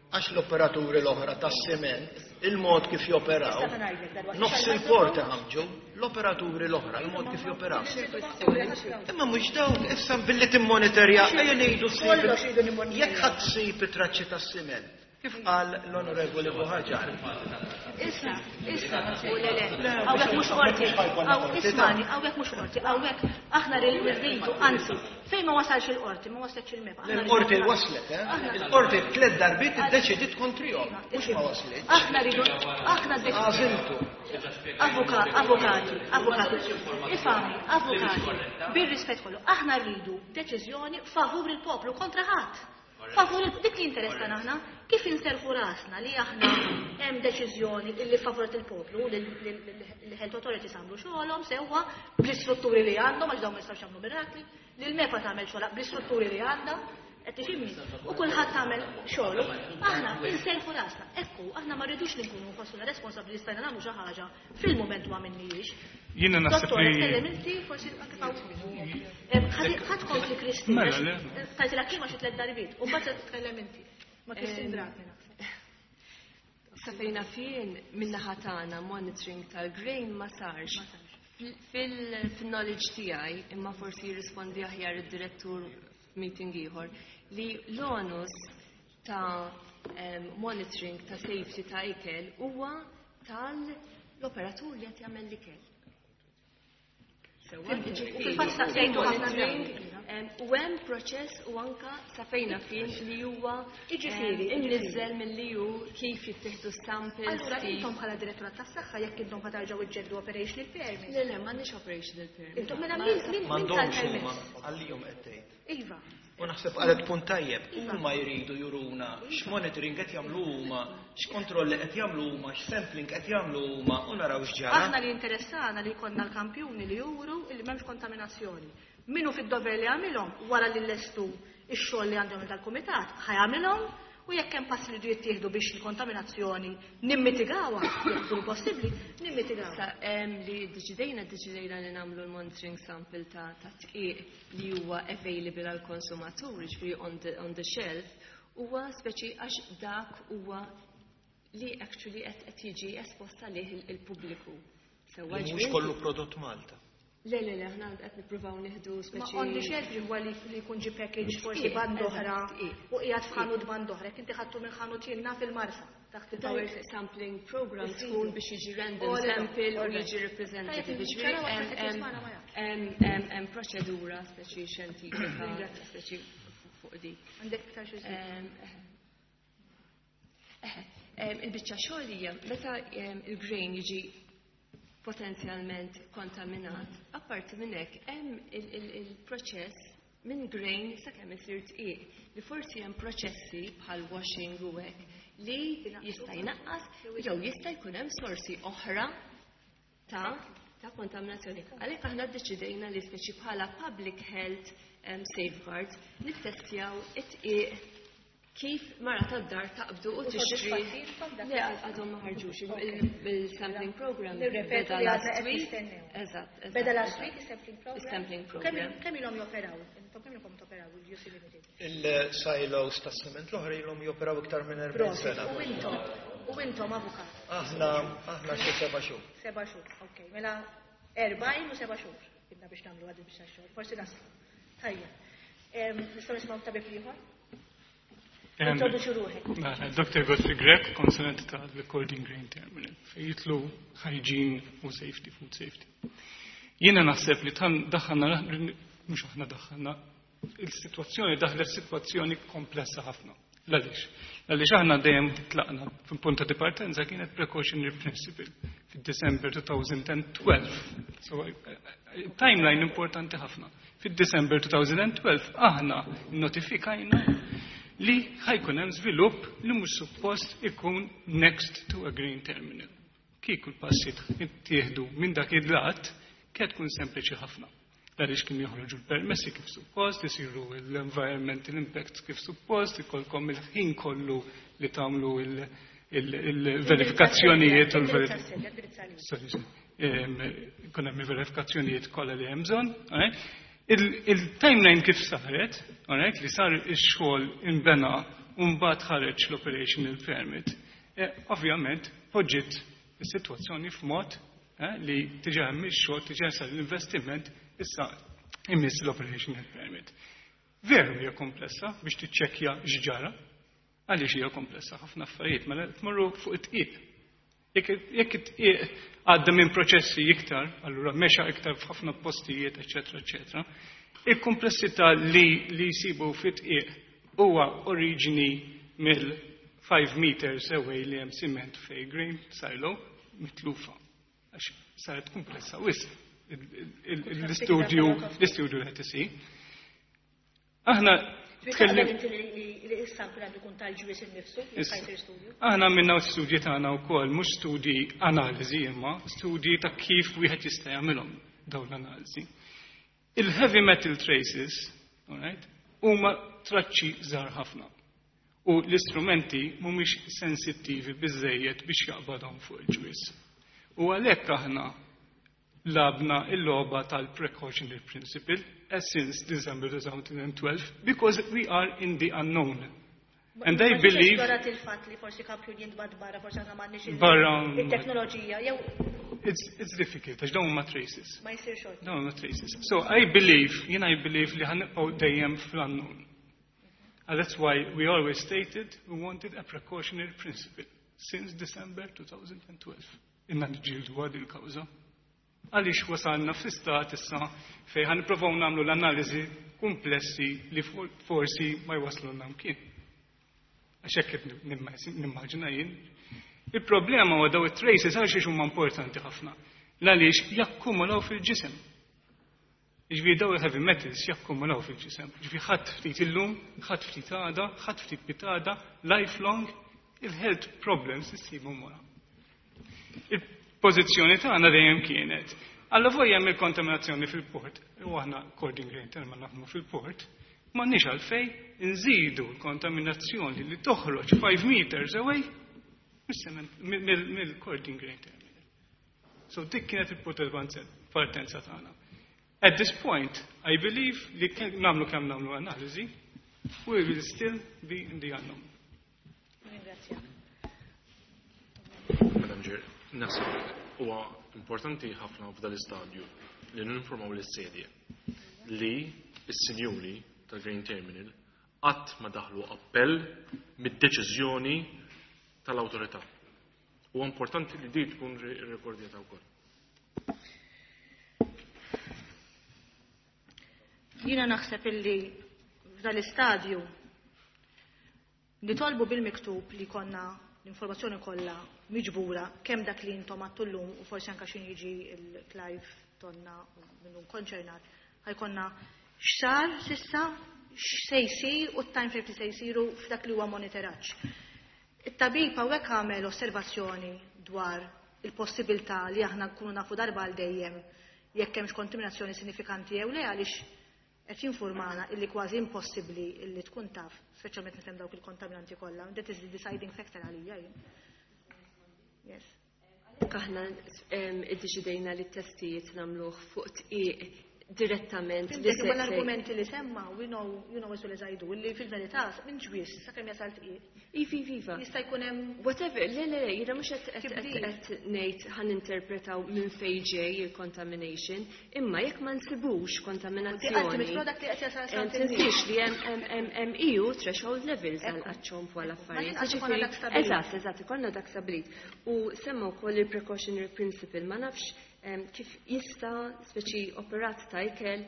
Għax l-operaturi l-oħra tas-sement, il-mod kif joperaw, Issa ngħidlek dalwaqt. nofs il-port ħamġu, l-operaturi l-oħra, il-mod kif joperaw. Imma mhux dawk, issa billi timmonitorja, ejja ngħidu Kollox iridu nimmonitorjaw. Jekk ħadd ssib it-traċċi tas-siment, Kif qal l-Onorevoli Buhaġar? Issa, issa, u le le, hawnhekk mhux qorti, ismani, hawnhekk mhux qorti, hawnhekk aħna rridu, anzi, fejn ma wasalx il-qorti, ma waslitx il-MEPA. Il-qorti waslet, eh? Il-qorti tliet darbiet iddeċidiet kontrihom, mhux ma waslitx. Aħna rridu, aħna Għażiltu. Avukati, avukati, ifhimni, avukati, bir-rispett kollu, aħna rridu deċiżjoni favur il-poplu kontra ħadd. Favur dik li interessana aħna, kif inserħu rasna li aħna hemm deċiżjoni illi favorit il-poplu, li l-health authorities għamlu xogħolhom sewwa bl-istrutturi li għandhom għax dawn ma jistgħux jagħmlu mirakli, li l-MEPA tagħmel xogħolha bl-istrutturi li għandha, qed tifhimni, u kulħadd tagħmel xogħlu, aħna inserħu rasna. Ekku, aħna ma rridux li nkunu nħossuna responsabbli stajna nagħmlu xi ħaġa fil-mument ma minniex. Jiena naħseb Dottor, li tkellem inti, forsi anke Ħadd kompli Kristina. Mela, le. Tajtilha kelma xi tliet darbiet, u mbagħad tkellem inti. Ma Kristin Dratni naħseb. Sa fejna fien min-naħa tagħna monitoring tal-grain ma sarx. Fil-knowledge tiegħi, imma forsi jirrispondi aħjar id-direttur f'meeting ieħor, li l-onus ta' em, monitoring ta' safety ta' ikel huwa tal-operatur li qed jagħmel l-ikel. Sewwa, U jiġifieri, fil-fatt staqsejtu ħafna monitoring, drabi. em, u hemm proċess u anka sa fejna fin li huwa Jiġifieri, em, imniżżel milli hu kif jittieħdu samples. Allura kif- intom bħala direttorat tas-saħħa jekk intom ħa terġgħu iġġeddu operational permit. Le, le, m'għandniex operational permit. Intom mela min min min M'għandhomx huma tal-permess? għalihom qed tgħid. Iva. U naħseb qalet punt tajjeb, huma jridu juruna x'monitoring qed jagħmlu huma, x'kontrolli qed jagħmlu huma, x'sampling qed jagħmlu huma u naraw x'ġara. Aħna li interessana li jkollna l-kampjuni li juru li m'hemmx kontaminazzjoni. Minu fid-dover li għamilhom wara li lestu ix-xogħol li għandhom dal-kumitat ħa jagħmilhom u jekk hemm passi li jittieħdu biex il-kontaminazzjoni nimmitigawha, jekk tkun possibbli, nimmitigawha. Issa, em, li deċidejna, deċidejna li nagħmlu l-monitoring sample ta' ta' tqiq li huwa available għal konsumatur, ġifieri on the, on the shelf, huwa speċi għax dak huwa li actually qed qed jiġi espost għalih il- il-pubbliku. Sewwa Li mhux ġifieri- kollu prodott Malta. Le, le, le, aħna qed nippruvaw nieħdu Ma speċi. on the shelf li huwa li li jkun ġi package forsi Tqiq, band eżatt, oħra tqiq. u qiegħed f'ħanut band oħra. Jekk inti ħadtu minn ħanut jiena fil-Marsa taħt il-power Direct sampling program Isiru. tkun biex jiġi random All right, sample u all right. jiġi representative. Tajjeb, Ġifieri ċara hemm- waħda hemm- tismana ma jafx. hemm- hemm hemm proċedura speċi xjentifika speċi fuq dik. Għandek iktar xi żid? Em, eh, em, Il-biċċa xogħol hija meta em, il-grain jiġi potenzjalment kontaminat, apparti minn hekk hemm il- il- il-proċess minn grain sakemm isir tqiq li forsi hemm proċessi bħal washing u hekk li jista' jnaqqas jew jista' jkun hemm sorsi oħra ta' ta' kontaminazzjoni. Għalhekk aħna ddeċidejna li speċi bħala public health um, safeguards nittestjaw it-tqiq kif mara tad-dar taqbdu u U tixtri. sodisfatti dak? Le, għadhom ma ħarġux. Il-sampling program Nirrepetu beda li għadna last qed week. nistennew. Eżatt, eżatt. Beda last eżatt. week is-sampling program? Is-sampling program. Kemm kemm ilhom joperaw? Intom kemm ilhom toperaw il-U C Limited? Il-silos tas-siment l-oħra ilhom joperaw iktar minn erbgħin Prosit. sena. U intom, u intom avukat. Aħna aħna xi seba' xhur. Seba' xhur, ok. Mela erbgħin u seba' xhur. Bidna biex nagħmlu għad biex xogħol. Forsi naslu. Tajja. Em, Nistgħu nisimgħu tabib ieħor? Em, Introduċi ruħek. Mela, Doctor Godfrey Grech, konsulent tal-Kordin Grain Terminal, fejn jidħlu hygiene u safety, food safety. Jiena naħseb li tan daħħalna, mhux aħna daħħalna, il-sitwazzjoni daħlet sitwazzjoni komplessa ħafna. Għaliex? Għaliex aħna dejjem tlaqna fil-punta di partenza kienet precautionary principle fid-December twenty twelve. So, eh, eh, timeline importanti ħafna. Fid-December twenty twelve aħna notifikajna li ħa jkun hemm żvilupp li mhux suppost ikun next to a grain terminal. Kieku l-passi jittieħdu minn dak il-lat, kienet tkun sempliċi ħafna. Għaliex kien joħroġu l-permessi kif suppost, isiru l-environmental impact kif suppost, ikolkom il-ħin kollu li tagħmlu il-verifikazzjonijiet u l-verifikazzjonijiet. Sorry, sorry. Ikun hemm il-verifikazzjonijiet kollha li hemm bżonn. Alright? Il-timeline kif saret, alright, li sar ix-xogħol inbena u mbagħad ħareġ l-operational permit, eh, ovvjament poġġiet is-sitwazzjoni f'mod eh, li diġà hemm ix-xogħol, diġà sar l-investiment, issa imiss l-operational permit. Veru hija komplessa biex tiċċekkja x'ġara, Għaliex hija komplessa ħafna affarijiet, mela tmorru fuq it-tqiq. Jekk it-tqiq għadda minn proċessi iktar, allura mexa iktar f'ħafna postijiet, eċetera, eċetera. Il-komplessità li li jsibu fit-tqiq huwa oriġini mill five meters away li hemm cement fej grain silo mitlufa. Għax saret komplessa wisq l-istudju l-istudju li qed isir. Aħna tkellim li s-sample għandu jkun tal-ġwies innifsu, jekk studju. Aħna minna studji tagħna wkoll, mhux studji analiżi imma studji ta' kif wieħed jista' jagħmilhom dawn l-analiżi. Il-heavy metal traces, all right, huma traċċi żgħar ħafna. U l-istrumenti mhumiex sensittivi biżejjed biex jaqbadhom fuq il-ġwies. U għalhekk aħna labna il-logħba tal-precautionary principle as since December twenty twelve, because we are in the unknown. And I believe... Il-fatt li forsi kampjun jintbagħat barra, forsi aħna m'għandniex il-teknoloġija, jew... It's, it's difficult, għax dawn huma traces. Ma jsir xorta. Dawn huma traces. So I believe, jien I believe li ħanibqgħu dejjem fl-unknown. And that's why we always stated we wanted a precautionary principle since December twenty twelve. Inna nġildu għad il-kawża. Għaliex wasalna fl-istat issa fejn ħan nipprovaw nagħmlu l-analiżi komplessi li forsi ma jwaslulna mkien. Għax hekk qed nimmaġina jien. Il-problema huwa daw it-traces għaliex huma importanti ħafna. Għaliex jakkumulaw fil-ġisem. Jiġifieri daw il-heavy metals jakkumulaw fil-ġisem. Jiġifieri ħadd ftit illum, ħadd ftit għada, ħadd ftit pitada, lifelong, il-health problems issibhom wara. Il-pożizzjoni tagħna dejjem kienet. Alla volja hemm il-kontaminazzjoni fil-port, u aħna Cording Grain Terminal naħdmu fil-port, m'għandniex għalfejn nżidu l-kontaminazzjoni li toħroġ five meters away mill-Cording Grain Terminal. So dik kienet il-punt partenza tagħna. At this point, I believe li nagħmlu kemm nagħmlu analiżi, we will still be in the unknown. Ringrazzjak. Madam Chair, naħseb huwa importanti ħafna f'dan l-istadju li ninformaw lis-sedje li s-sinjuri tal-Grain Terminal qatt ma daħlu appell mid-deċiżjoni tal-awtorità. Huwa importanti li di tkun rikordjata wkoll. Jiena naħseb illi f'dan l-istadju nitolbu bil-miktub li konna l-informazzjoni kollha miġbura kemm dak li intom għattu llum u forsi anke x'in jiġi il-Clive Tonna u minnu konċernat, ħajkonna x'sar sissa, x'se jsir u t-time frame li se jsiru f'dak li huwa monitoraġġ. It-tabib hawnhekk għamel osservazzjoni dwar il-possibilità li aħna nkunu nafu darba għal dejjem jekk hemmx kontaminazzjoni sinifikanti jew le, għaliex qed jinformana illi kważi impossibbli illi tkun taf, speċjalment meta hemm dawk il-kontaminanti kollha. That is the deciding factor għalija jien. Yes. Aħna iddeċidejna li t-testijiet nagħmluh fuq tqiq direttament. Li l-argumenti li semma, we know, you know as well as I do, li fil-verità minn ġwies sakemm jasal tqiq. Ivi, iva. Jista' jkun hemm whatever, le le le, jiena mhux qed ngħid ħan interpretaw minn fejn ġej il-contamination, imma jekk ma nsibux kontaminazzjoni. Tinsiex li hemm E U threshold levels għal ċomp u għal affarijiet. Eżatt, eżatt, ikollna dak stabilit. U semma wkoll il-precautionary principle, ma nafx kif jista' speċi operat ta' ikel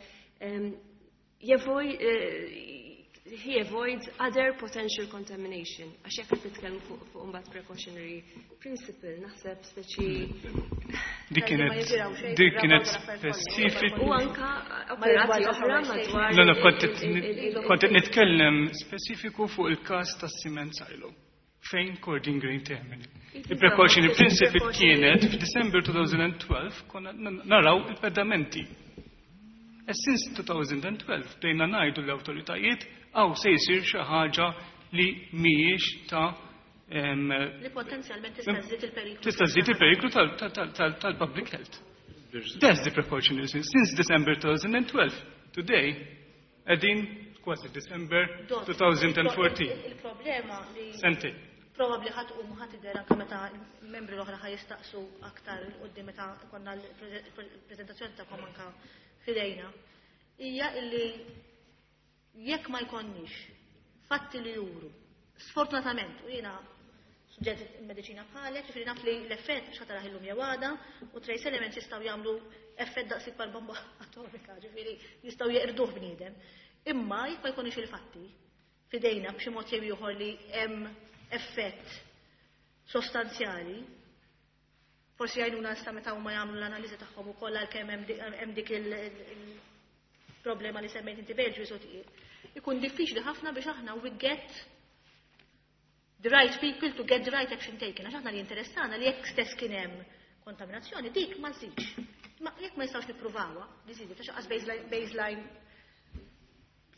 he avoids other potential contamination. Għax jekk qed nitkellmu fuq imbagħad precautionary principle, naħseb speċi dik kienet dik kienet specific. U anka operati oħra madwar. Le, le, kont qed nitkellem speċifiku fuq il-każ tas-cement silo fejn Cording Grain Terminal. Il-precautionary principle kienet f'December twenty twelve konna naraw il-pedamenti. E since twenty twelve bdejna ngħidu l-awtoritajiet għaw se jsir xi ħaġa li mhijiex ta' li potenzjalment tista' żżid il-periklu. Tista' żżid il-periklu tal-public health. That's the precautionary since December twenty twelve. Today, qegħdin kważi December twenty fourteen. Il-problema li Sentej. Probabbli ħadd u ħadd idher anke meta membri l-oħra ħa jistaqsu aktar quddiem meta konna l-preżentazzjoni tagħkom anke fidejna, hija illi jekk ma jkollniex fatti li juru Sfortunatament, u jiena studjat mediċina bħalek, ġifieri naf li l-effett mhux ħa tarah illum jew għada, u trace elements jistgħu jagħmlu effett daqs ikbar bomba atomika, ġifieri jistgħu jeqirduh bniedem. Imma jekk ma jkunux il-fatti fidejna b'xi mod jew ieħor li hemm effett sostanzjali, forsi jgħinuna issa meta huma jagħmlu l-analiżi tagħhom ukoll għalkemm hemm dik il-problema li semmejt inti Belġju sotir. Ikun diffiċli ħafna biex aħna we get the right people to get the right action taken. Għax aħna li interessana li jekk stess kien hemm kontaminazzjoni, dik ma żidx. Ma jekk ma nistgħux nippruvawha, li żidet għax qas baseline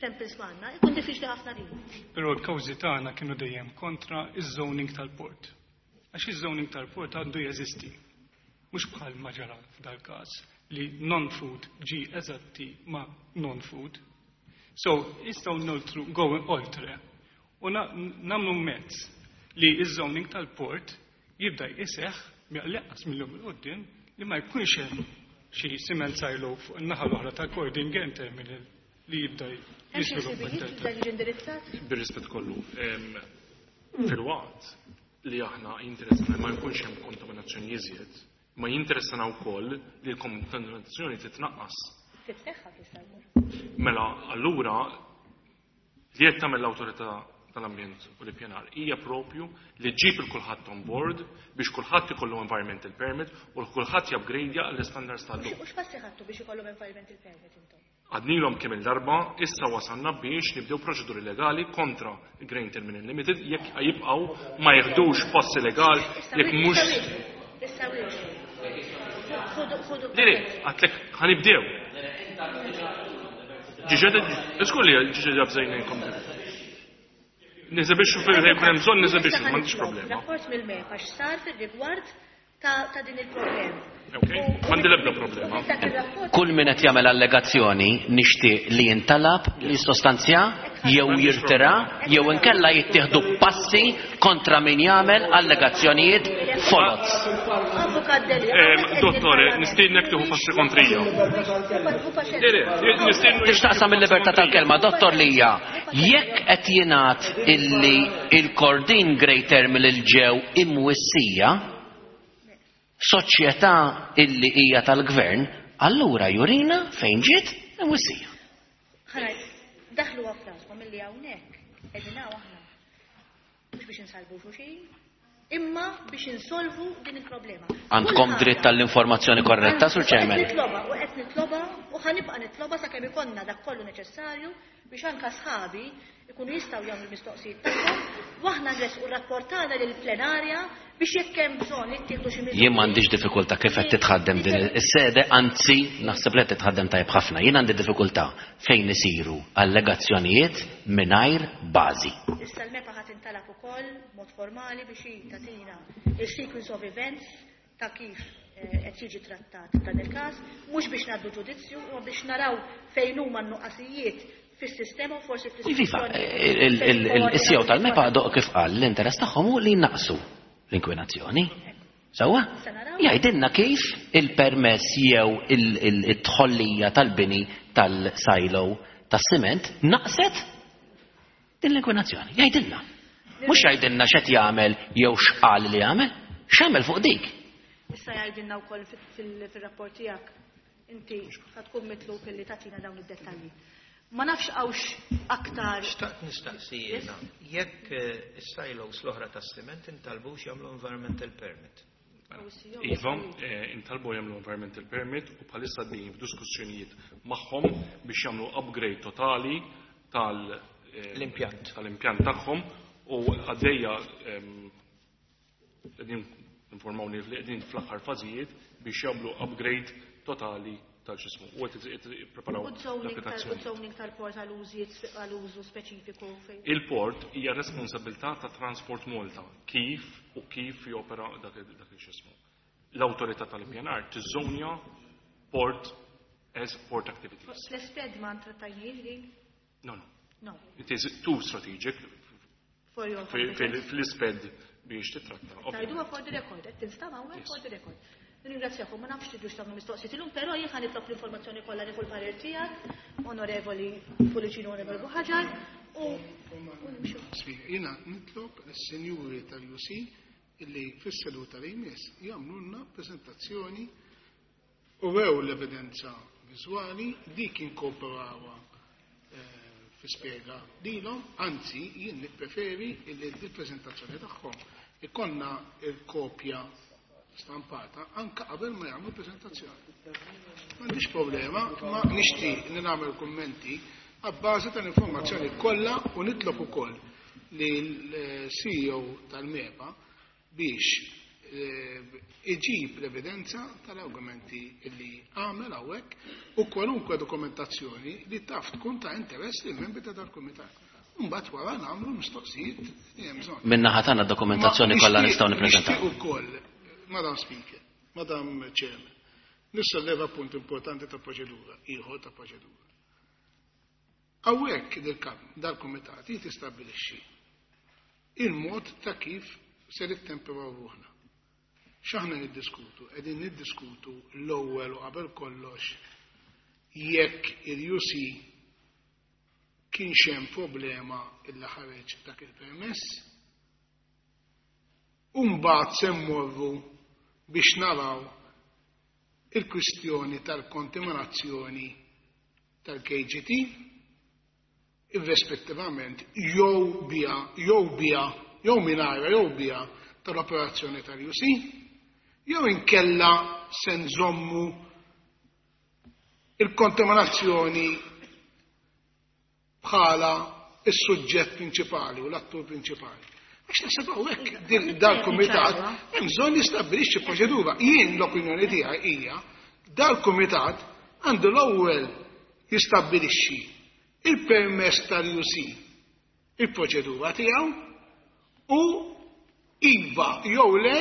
samples m'għandna, ikun diffiċli ħafna din. Però l-kawżi tagħna kienu dejjem kontra iż-zoning tal-port. Għax iż-zoning tal-port għandu jeżisti. Mhux bħal ma ġara f'dal-każ li non-food ġi eżatti ma non-food. So, jistgħu noltru go oltre u nagħmlu mezz li iż-zoning tal-port jibda jseħħ mill-qas mill-lum 'il quddiem li ma jkunx hemm xi cement silo fuq in-naħa l-oħra tal-Kordin Grain Terminal li jibda jiżviluppa. Bir-rispett kollu, fil-waqt li aħna jinteressana ma jkunx hemm kontaminazzjoni iżjed, ma jinteressana wkoll li l-kontaminazzjoni titnaqqas. Titneħħa tista' Mela allura li qed tagħmel l-awtorità tal-ambjent u l-ippjanar hija propju li ġġib il kulħadd on board biex kulħadd ikollu environmental permit u kulħadd jupgradeja l-standards tal-lum. U x'passi ħadtu biex ikollhom environmental permit intom? Għadnilhom kemm il-darba, issa wasalna biex nibdew proċeduri legali kontra Grain Terminal Limited jekk jibqgħu ma jieħdux passi legali jekk mhux. Issa Le, le, għedtlek ħa nibdew. Ġiġed, iskulli ġiġed jabżajnejkom. Neżebixxu fil-jkun hemm bżonn neżebixxu, m'għandix problema. Rapport mill-MEPA x'sar fir-rigward ta' din il-problema. Ok, m'għandi l-ebda problema. Kull min qed jagħmel allegazzjoni nixtieq li jintalab li sostanzja jew jirtira jew inkella jittieħdu passi kontra min jagħmel allegazzjonijiet foloz. Avukat Delia. Dottore, nistiednek tieħu passi kontrija. Tixtaqsam il-libertà tal-kelma, dottor Lija, jekk qed jingħad illi il-Kordin Grain Terminal ġew imwissija, soċjetà illi hija tal-gvern, allura jurina fejn ġiet imwissija. Ħanaj, daħlu f'raskom illi hawnhekk qegħdin aħna mhux biex insalbu xulxin, imma biex insolvu din il-problema. Għandkom dritt tal-informazzjoni korretta, Sur Chairman? Qed nitloba u qed nitloba u ħa nibqa' nitloba sakemm ikollna dak kollu neċessarju biex anka sħabi ikunu jistgħu jagħmlu mistoqsijiet tagħhom u aħna nresqu rapport tagħna lill-plenarja biex jekk hemm bżonn jittieħdu xi miżuri. Jien m'għandix diffikultà kif qed titħaddem din is-sede, anzi naħseb li qed titħaddem tajjeb ħafna. Jien għandi diffikultà fejn isiru allegazzjonijiet mingħajr bażi. Issa l-MEPA ħadd intalab ukoll mod formali biex tagħtina il-sequence of events ta' kif qed jiġi trattat dan il-każ, mhux biex ngħaddu ġudizzju, imma biex naraw fejn huma n-nuqqasijiet fis-sistema u forsi Iva, il-C E O tal-MEPA doq kif qal l-interess tagħhom hu li jnaqsu l-inkwinazzjoni. Sewwa? Jgħidilna kif il-permess jew il-tħollija tal-bini tal-silo tas-siment naqset din l-inkwinazzjoni. Jgħidilna. Mhux jgħidilna x'qed jagħmel jew x'qal li jagħmel, x'għamel fuq dik. Issa jgħidilna wkoll fil-rapport tiegħek inti ħa tkun mitlub illi tagħtina dawn id-dettalji. Ma nafx hawnx aktar. Xtaqt nistaqsi jiena, jekk is-silos l-oħra tas-siment intalbux jagħmlu environmental permit. Iva, intalbu jagħmlu environmental permit u bħalissa għaddejjin f'diskussjonijiet magħhom biex jagħmlu upgrade totali tal l-impjant tal-impjant tagħhom u għaddejja qegħdin informawni li qegħdin fl-aħħar fażijiet biex jagħmlu upgrade totali tal-ġismu. U qed jippreparaw l-applikazzjoni. U zoning tal-port għal-użu speċifiku fejn. Il-port hija responsabilità ta' Transport Malta kif u kif jopera dak il-ġismu. L-awtorità tal-ippjanar tiżonja port as port activities. L-SPED ma trattajniex din? No, no. No. It is too strategic For your fl-SPED biex titratta. Tajduha for the record, qed tinstama' hawnhekk for the record. Nirringrazzjakom, ma nafx tidux tagħmlu mistoqsijiet illum, però jien ħa nitlob l-informazzjoni kollha nieħu l-parir tiegħek, Onorevoli Pullicino, Onorevoli Buhagiar, u Jiena nitlob lis-sinjuri tal-U C illi fis-seduta li jmiss jagħmlulna preżentazzjoni u rew l-evidenza viżwali dik inkorporawha fi spjega lilhom, anzi jien nippreferi illi l-preżentazzjoni tagħhom ikollna l-kopja stampata anke qabel ma jagħmlu preżentazzjoni. M'għandix problema, ma nixtieq li nagħmel kummenti għabbażi tal-informazzjoni kollha u nitlob ukoll li l-C E O tal-MEPA biex iġib l-evidenza tal-argumenti li għamel hawnhekk u kwalunkwe dokumentazzjoni li taf tkun ta' interess lil membri ta' dal-kumitat. Mbagħad wara nagħmlu mistoqsijiet li hemm bżonn. Min-naħa tagħna d-dokumentazzjoni kollha nistgħu nippreżentaw. Nixtieq ukoll, Madam Speaker, Madam Chairman, nissolleva punt importanti ta' proċedura, ieħor ta' proċedura. Hawnhekk dal-kumitat jistabbilixxi il-mod ta' kif se nittemperaw ruħna. X'aħna niddiskutu? Qegħdin niddiskutu l-ewwel u qabel kollox jekk il-U C kienx hemm problema illa ħareġ dak il-permess, u mbagħad se mmorru biex naraw il-kwistjoni tal-kontaminazzjoni tal-K G T irrispettivament jew bija, jew bija, jew mingħajra jew bija tal-operazzjoni tal-U C, jew inkella se nżommu il-kontaminazzjoni bħala is-suġġett prinċipali u l-attur prinċipali. Għax naħseb hawnhekk din dal-kumitat hemm bżonn jistabbilixxi proċedura. Jien l-opinjoni tiegħi hija dal-kumitat għandu l-ewwel jistabbilixxi il-permess tal-U C, il-proċedura tiegħu u iva jew le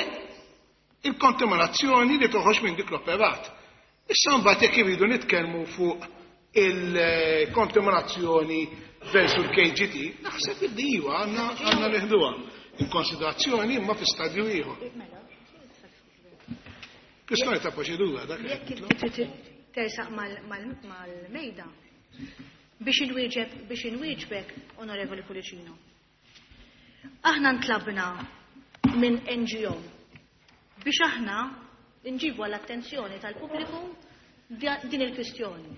il-kontaminazzjoni li toħroġ minn dik l-operat. Issa mbagħad jekk iridu nitkellmu fuq il-kontaminazzjoni versu l-K G T, naħseb li iva għandna għandna nieħduha in konsiderazzjoni imma fi stadju ieħor. Kwistjoni ta' proċedura dak. Jekk tersaq mal-mejda biex inwieġeb biex inwieġbek, Onorevoli Pullicino. Aħna ntlabna minn N G O biex aħna nġibu għall-attenzjoni tal-pubbliku din il-kwistjoni.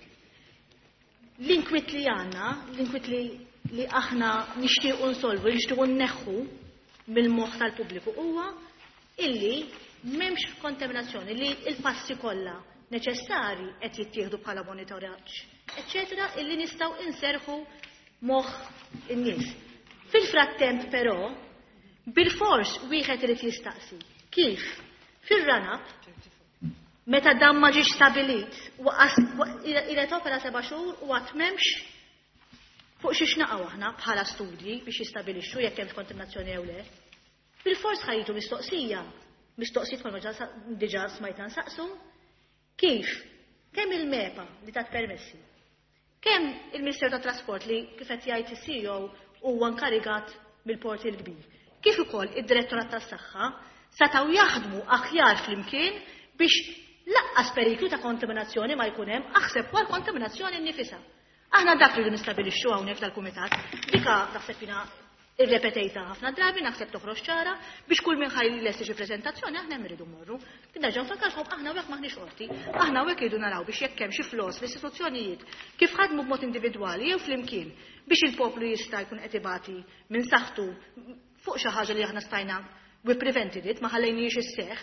L-inkwit li għandna, l-inkwit li, li aħna nixtiequ nsolvu, li nixtiequ nneħħu mill-moħħ tal-pubbliku huwa illi m'hemmx kontaminazzjoni, li l-passi kollha neċessari qed jittieħdu bħala monitoraġġ, eċċetera, illi nistgħu inserħu moħħ in-nies. Fil-frattemp però, bil-fors wieħed irid jistaqsi kif fir-run-up meta dan ma ġiex stabilit, ilet opera seba' xhur u għad m'hemmx fuq xiex naqgħu aħna bħala studji biex jistabilixxu jekk hemmx kontaminazzjoni jew le. Bil-fors ħajtu mistoqsija, mistoqsijiet bħalma diġà smajtna nsaqsu, kif kemm il-MEPA li tat permessi, kemm il-Ministeru tat-Trasport li kif qed jgħid is-C E O huwa nkarigat mill-Port il-Kbir, kif ukoll id-Direttorat tas-Saħħa setgħu jaħdmu aħjar flimkien biex laqqas periklu ta' kontaminazzjoni ma jkun hemm, aħseb wara kontaminazzjoni nnifisha. Aħna dak li nistabilixxu hawnhekk tal-kumitat, dika naħseb jiena irrepetejta ħafna drabi, naħseb toħroġ ċara biex kull min ħaj lesti xi preżentazzjoni aħna hemm irridu mmorru. Nerġa' nfakkarkom aħna hawnhekk m'aħniex qorti, aħna hawnhekk irridu naraw biex jekk hemm xi flos fl-istituzzjonijiet kif ħadmu b'mod individwali jew flimkien biex il-poplu jista' jkun qed ibati minn saħħtu fuq xi ħaġa li aħna stajna we prevented it, ma ħallejniex isseħħ,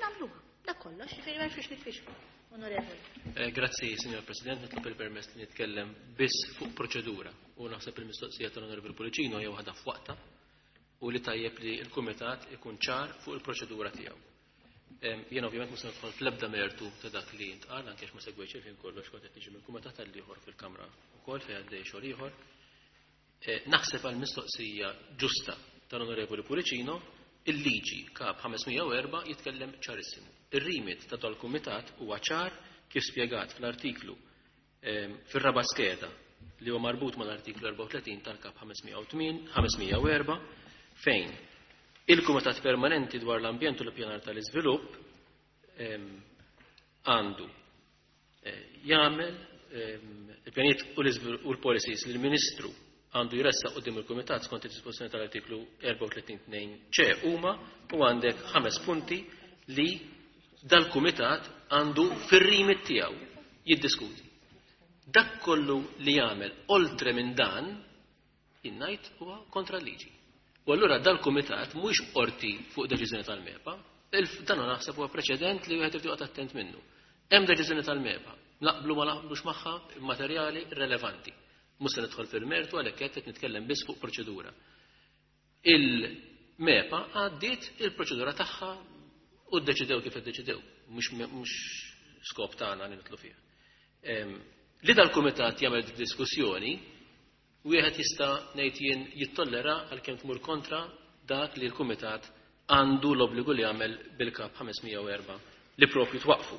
nagħmluha. Dak kollox, ġifieri m'hemmx biex nitfixku. Onorevoli. Eh, grazzi, Signor President, nitlob il-permess li nitkellem biss fuq proċedura u naħseb il-mistoqsija tal-Onorevoli Pullicino hija waħda f'waqta u li tajjeb li l-Kumitat ikun ċar fuq il-proċedura tiegħu. Em, jien ovvjament mhux se nidħol fl-ebda mertu ta' dak li intqal, anke ma segwejtx il-ħin kollox kont qed niġi mill-Kumitat tal-ieħor fil-Kamra wkoll fejn għaddej xogħol ieħor. Eh, naħseb għal mistoqsija ġusta tal-Onorevoli Pullicino, il-liġi Kap ħames mija u erba' jitkellem ċarissimu. Ir-rimit ta' dal-Kumitat huwa ċar kif spjegat fl-artiklu, ehm, fir-raba' skeda li huwa marbut mal-artiklu erbgħa u tletin tal-Kap ħames mija u tmien, ħames mija u erba', fejn il-Kumitat Permanenti dwar l-Ambjent u l-Ippjanar tal-Iżvilupp, ehm, għandu, eh, jagħmel, ehm, il-pjanijiet u l-iżvilupp u l-policies li l-Ministru għandu jressaq quddiem il-Kumitat skont id-dispożizzjoni tal-artiklu erbgħa u tletin tnejn C huma u għandek ħames punti li dal-Kumitat għandu fir-rimit tiegħu jiddiskuti. Dak kollu li jagħmel oltre minn dan jien ngħid huwa kontra l-liġi. U allura dal-Kumitat mhuwiex qorti fuq deċiżjoni tal-MEPA, dan naħseb huwa preċedent li wieħed irid joqgħod attent minnu. Hemm deċiżjoni tal-MEPA, naqblu ma naqblux magħha materjali relevanti. Mhux se nidħol fil-mertu għalhekk qed nitkellem biss fuq proċedura. Il-MEPA għaddiet il-proċedura tagħha u ddeċidew kif iddeċidew, mhux skop tagħna li nidħlu fiha. Li dal-kumitat jagħmel diskussjoni, wieħed jista' ngħid jien jittollera għalkemm tmur kontra dak li l-kumitat għandu l-obbligu li jagħmel bil-kap ħames mija u erbgħa li propju twaqfu.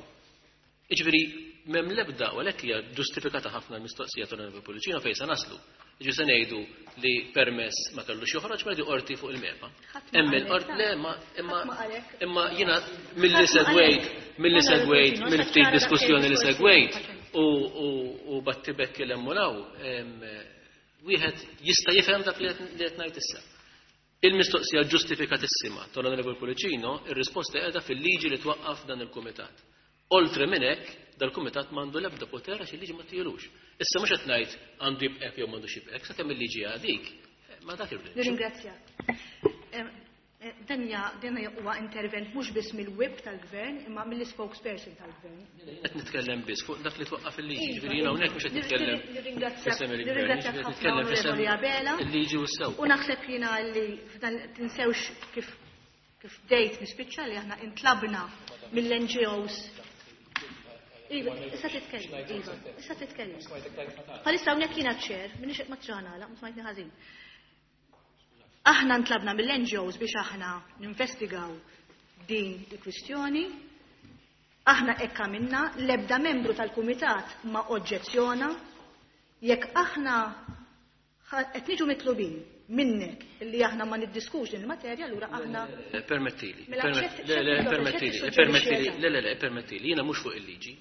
Jiġifieri m'hemm l-ebda u għalhekk hija ġustifikata ħafna l-mistoqsija tal-Onorevoli Pullicino fejn se naslu. Jiġifieri se ngħidu li permess ma kellux joħroġ ma qorti fuq il-MEPA. Hemm il-qorti le ma imma imma jiena milli segwejt milli segwejt mill-ftit diskussjoni li segwejt u u battibekk il hemm wieħed jista' jifhem dak li qed ngħid issa. Il-mistoqsija ġustifikatissima tal-Onorevoli Pullicino, ir-risposta qiegħda fil-liġi li twaqqaf dan il-kumitat. Oltre minn hekk, dal-kumitat m'għandu l-ebda poter għax il-liġi ma ttilux. Issa mhux qed ngħid għandu jibqek jew m'għandux jibqek, sakemm il-liġi għadik, ma dak irrid. Nirringrazzjak. Dan dan huwa intervent mhux biss mill-whip tal-gvern imma mill-spokesperson tal-gvern. Qed nitkellem biss fuq dak li twaqqaf il-liġi, ġifieri jiena hawnhekk mhux qed nitkellem. Nirringrazzjak ħafna Onorevoli Abela. Il-liġi u s-sew. U naħseb jiena li f'dan tinsewx kif kif bdejt nispiċċa li aħna intlabna mill-N G Os. Iva, issa titkellem, Iva, issa titkellem. Bħalissa hawnhekk jiena ċer, minix ma txana, ma smajtni ħażin. Aħna ntlabna mill-N G Os biex aħna ninvestigaw din il-kwistjoni. Aħna hekk għamilna, l-ebda membru tal-kumitat ma oġġezzjona. Jekk aħna qed niġu mitlubin minnek li aħna ma niddiskux din il-materja, allura aħna Permettili, le le permettili, permettili, le le le permettili, jiena mhux fuq il-liġi.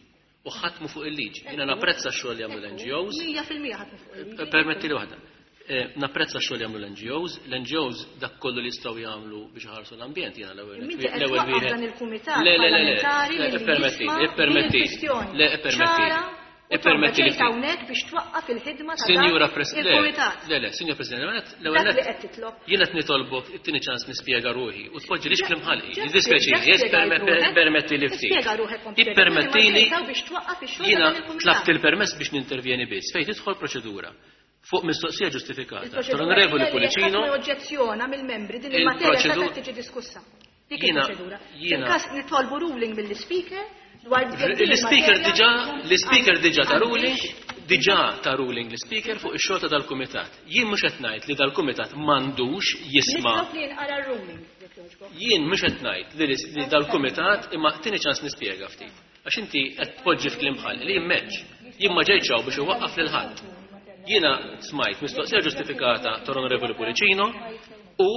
U ħadd mu fuq il-liġi. Jiena napprezza x-xogħol li jagħmlu l-N G Os. Mija fil-mija ħadd mu fuq il-liġi. Permettili waħda. Napprezza x-xogħol li jagħmlu l-N G Os, l-N G Os dak kollu li jistgħu jagħmlu biex iħarsu l-ambjent jiena l-ewwel l-ewwel wieħed. Dan il-kumitat parlamentari li ippermettili, ippermettili. Le ippermettili. Ippermettili hawnhekk biex twaqqaf il-ħidma ta' Sinjura President. Le le, Sinjura President, l-ewwel jiena qed nitolbok it-tieni ċans nispjega ruħi u tpoġġilix kliem ħalqi. Jiddispjaċini, permettili ftit. Ippermettili jiena tlabt il-permess biex nintervjeni biss fejn tidħol proċedura fuq mistoqsija ġustifikata tal-Onorevoli Pullicino. Ma oġġezzjona mill-membri din il-materja se tiġi diskussa. Dik il-proċedura. Fil-każ nitolbu ruling mill-ispeaker dwar l-ispeaker diġà l-ispeaker diġà ta' ruling, diġà ta' ruling l-ispeaker fuq ix-xogħol ta' dal-kumitat. Jien mhux qed ngħid li dal-kumitat m'għandux jisma'. Nitlob li jinqara r-ruling. Jien mhux qed ngħid li dal-kumitat imma tieni ċans nispjega ftit. Għax inti qed tpoġġi f'kliem ħalqi li jimmeġġ. Jien ma ġejtx hawn biex iwaqqaf lil ħadd. Jiena smajt mistoqsija ġustifikata tal-Onorevoli Pullicino u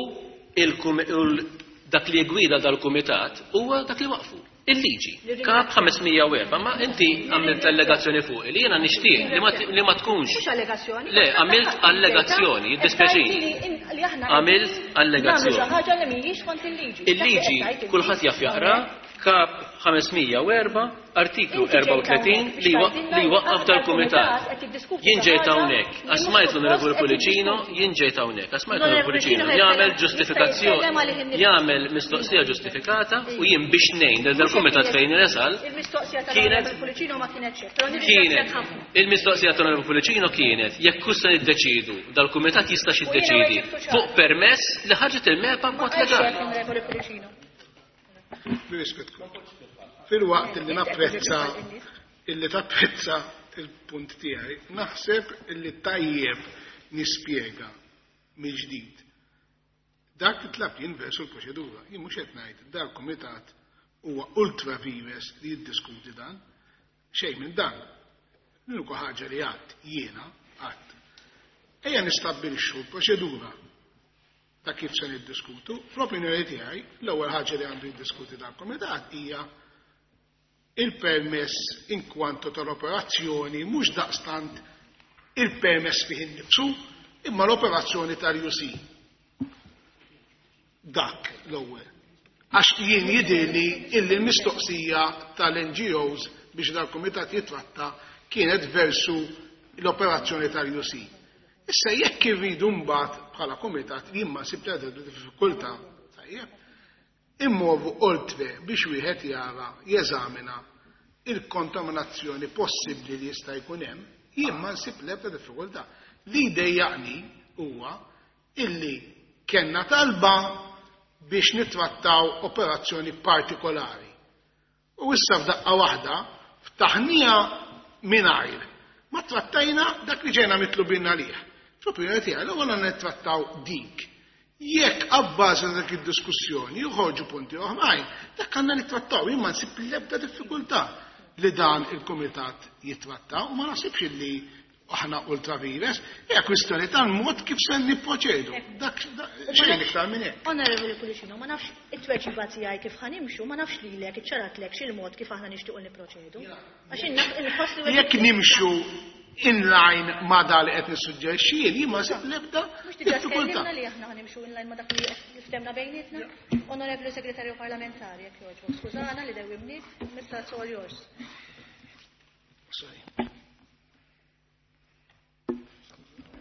dak li gwida dal-kumitat huwa dak li waqfu. Il-liġi. Kap ħames mija u erba', ma inti għamilt allegazzjoni fuq li jiena nixtieq li ma tkunx. Mhux allegazzjoni. Le, għamilt allegazzjoni, jiddispjaċini. Għamilt allegazzjoni. Xi ħaġa li mhijiex kont il-liġi. Il-liġi kulħadd jaf jaqra kap ħames mija u erba', artiklu erbgħa u tletin li waqqaf dal-kumitat. Jien ġejt hawnhekk, għax smajt l-Onorevoli Pullicino, jien ġejt hawnhekk, għax smajt l-Onorevoli Pullicino jagħmel ġustifikazzjoni, jagħmel mistoqsija ġustifikata u jien biex ngħin lil dal-kumitat fejn resal. Il-mistoqsija tal-Onorevoli Pullicino ma kienetx hekk, però nirringrazzjak ħafna. Il-mistoqsija tal-Onorevoli Pullicino kienet jekk hux se niddeċidu dal-kumitat jista' jiddeċiedi fuq permess li ħarġet il-MEPA b'mod legali. Fil-waqt illi napprezza illi tapprezza il-punt tiegħi, naħseb illi tajjeb nispjega mill-ġdid. Dak li tlab jien versu l-proċedura, jien mhux qed ngħid dal-kumitat huwa ultra vires li jiddiskuti dan, xejn minn dan. L-uniku ħaġa li għadd jiena għadd. Ejja nistabbilixxu l-proċedura ta' kif se niddiskutu. Fl-opinjoni tiegħi, l-ewwel ħaġa li għandu jiddiskuti dal-kumitat hija il-permess in kwanto tal-operazzjoni, mhux daqstant il-permess fih innifsu, imma l-operazzjoni tal-U C. Dak l-ewwel. Għax jien jidhirli illi l-mistoqsija tal-N G Os biex dal-kumitat jitratta kienet versu l-operazzjoni tal-U C. Issa jekk irridu mbagħad bħala kumitat, jien ma sibt diffikultà, tajjeb, immorru oltre biex wieħed jara, jeżamina il-kontaminazzjoni possibbli li jista' jkun hemm, jien ma nsib l-ebda diffikultà. Li dejjaqni huwa illi kellna talba biex nittrattaw operazzjoni partikolari. U issa f'daqqa waħda ftaħnija mingħajr ma trattajna dak li ġejna mitlubin għalih. Fl-opinjoni tiegħi l-ewwel għandna nittrattaw dik. Jekk abbażi ta' dik id-diskussjoni joħorġu punti oħrajn, dak għandna nittrattaw. Jien ma nsib l-ebda diffikultà li dan il-kumitat jittratta u ma naħsibx li aħna ultra vires, hija kwistjoni tal-mod kif se nipproċedu. Dak xejn iktar minn hekk. Onorevoli Pullicino, ma nafx it-tweġiba tiegħi kif ħa nimxu, ma nafx lilek iċċaratlek x'il-mod kif aħna nixtiequ nipproċedu. Għax inħoss li Jekk nimxu in line ma dak li qed nissuġġerixxi jien, jien ma nsib l-ebda Mhux diġà diffikultà. tkellimna li aħna ħa nimxu in line ma dak li ftehemna bejnietna? Onorevoli Segretarju Parlamentari, jekk jogħġbok. Skużana li dewwimnik, Mister It's all yours. Sorry.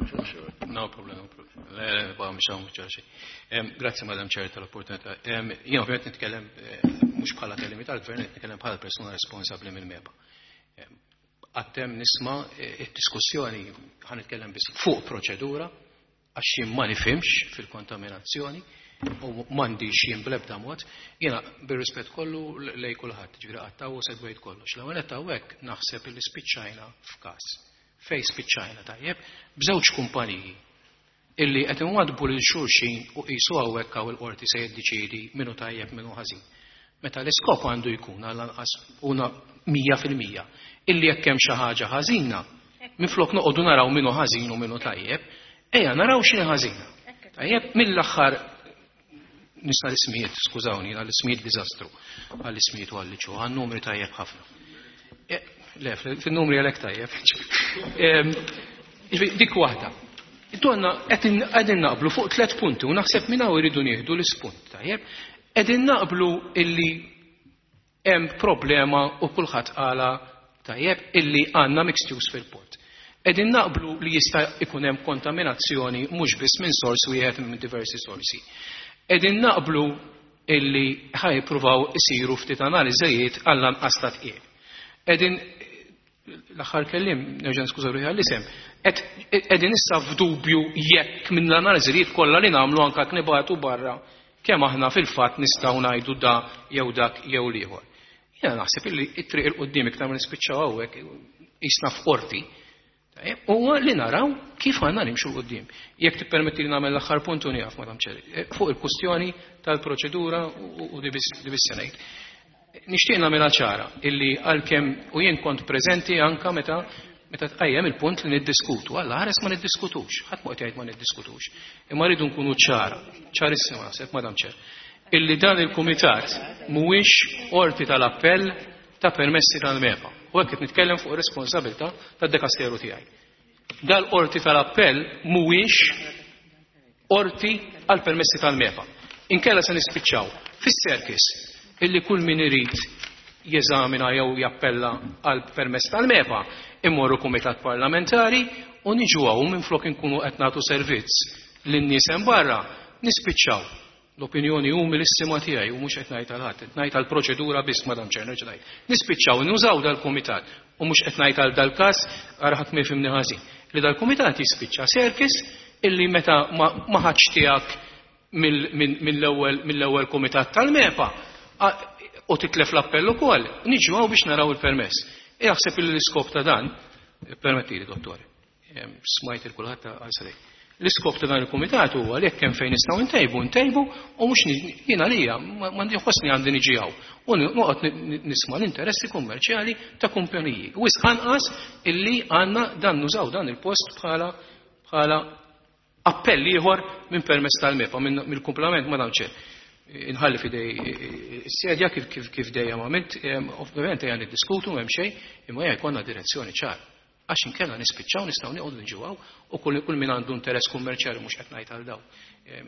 Sure, sure. No problem, no problem. Le, ba, mhux hawn mhux xejn. Grazzi, Madam Chair, tal-opportunità. Jien ovvjament nitkellem eh, mhux bħala kelliem tal-gvern, nitkellem bħala persuna responsabbli mill-MEPA. Għadni nisma' eh, id-diskussjoni, ħa nitkellem biss fuq proċedura, għax jien ma nifhimx fil-kontaminazzjoni u m'għandix jien bl-ebda mod. Jiena bir-rispett kollu lej kulħadd, ġifieri qattaw u segwejt kollox. L-ewwel qed hawnhekk naħseb illi spiċċajna f'każ. Fej spiċċajna, tajjeb, b'żewġ kumpaniji illi qed inwadbu lil xulxin u qisu hawnhekk hawn il-qorti se jiddeċiedi minnu tajjeb, minnu ħażin. Meta l-iskop għandu jkun għall-anqas una mija fil-mija illi jekk hemm xi ħaġa ħażina, minflok noqogħdu naraw minnu ħażin u minnu tajjeb, ejja naraw x'inhi ħażina. Tajjeb, mill-aħħar nista' l-ismijiet, skużawni, għall-ismijiet diżastru, għall-ismijiet u għall-liċu, għan-numri tajjeb ħafna. E, le, fil-numri għalek tajjeb. Em, Ġifieri, dik waħda. Donna qegħdin naqblu fuq tliet punti u naħseb minn hawn iridu nieħdu l-ispunt, tajjeb. Qegħdin naqblu illi hemm problema u kulħadd qala, tajjeb, illi għandna mixed use fil-port. Qegħdin naqblu li jista' ikun hemm kontaminazzjoni mhux biss minn sors wieħed, minn diversi sorsi. Qegħdin naqblu illi ħa jippruvaw isiru ftit analiżijiet għall-anqas ta' tqiegħ. Qegħdin l-aħħar kelliem, nerġa' skuża ruħi għall-isem, qegħdin issa f'dubju jekk minn l-analiżijiet kollha li nagħmlu, anke nibagħtu barra, kemm aħna fil-fatt nistgħu ngħidu da jew dak jew l-ieħor. Jiena naħseb illi it-triq 'il quddiem, iktar ma nispiċċaw hawnhekk qisna f'qorti, huwa li naraw kif għandna nimxu 'l quddiem. Jekk tippermetti li nagħmel l-aħħar punt u nieqaf, Madam Chair, fuq il-kustjoni tal-proċedura u di biss ngħid. Nixtieq nagħmilha ċara illi għalkemm u jien kont preżenti anka meta meta tqajjem il-punt li niddiskutu. Alla ħares ma niddискutux, ħadd ma qed jgħid ma niddискutux. Imma rridu nkunu ċara, ċarissima naħseb, Madam Chair, illi dan il-kumitat mhuwiex qorti tal-appell ta' permessi tal-MEPA. U hekk qed nitkellem fuq responsabilità tad-dekasteru tiegħi. Dal-qorti tal-appell mhuwiex qorti għal permessi tal-MEPA. Inkella se nispiċċaw fis-circus illi kull min irid jeżamina jew jappella għal permess tal-MEPA immorru kumitat parlamentari u niġu hawn, minflok inkunu qed nagħtu servizz lin-nies hemm barra, nispiċċaw. L-opinjoni umilissima tiegħi, u mhux qed ngħid għal ħadd, qed ngħid għal proċedura biss, Madam Chair, nerġa' ngħid. Nispiċċaw nużaw dal-kumitat u mhux qed ngħid għal dal-każ, ara ħadd ma jifhimni ħażin. Li dal-kumitat jispiċċa circus illi meta ma ħadx tiegħek mill-ewwel mill-ewwel kumitat tal-MEPA u titlef l-appell ukoll, niġu hawn biex naraw il-permess. Jaħseb li l-iskop ta' dan, permettili dottor, smajt il-kulħadd għal. L-iskop ta' dan il-kumitat huwa li jekk hemm fejn nistgħu ntejbu, ntejbu u mhux jiena lija m'għandi ħossni għandi niġi hawn u noqgħod nisma' l-interessi kummerċjali ta' kumpaniji. U anqas illi għandna dan nużaw dan il-post bħala bħala appell ieħor minn permess tal-MEPA mill-kumplament, Madam Chair. Inħalli f'idej is-sedja kif kif kif dejjem għamilt, ovvjament ejja niddiskutu, m'hemm xejn, imma ejja jkollna direzzjoni ċara. Għax inkella nispiċċaw nistgħu nieqogħdu niġu hawn u kull kull min għandu interess kummerċjali mhux qed ngħid għal daw.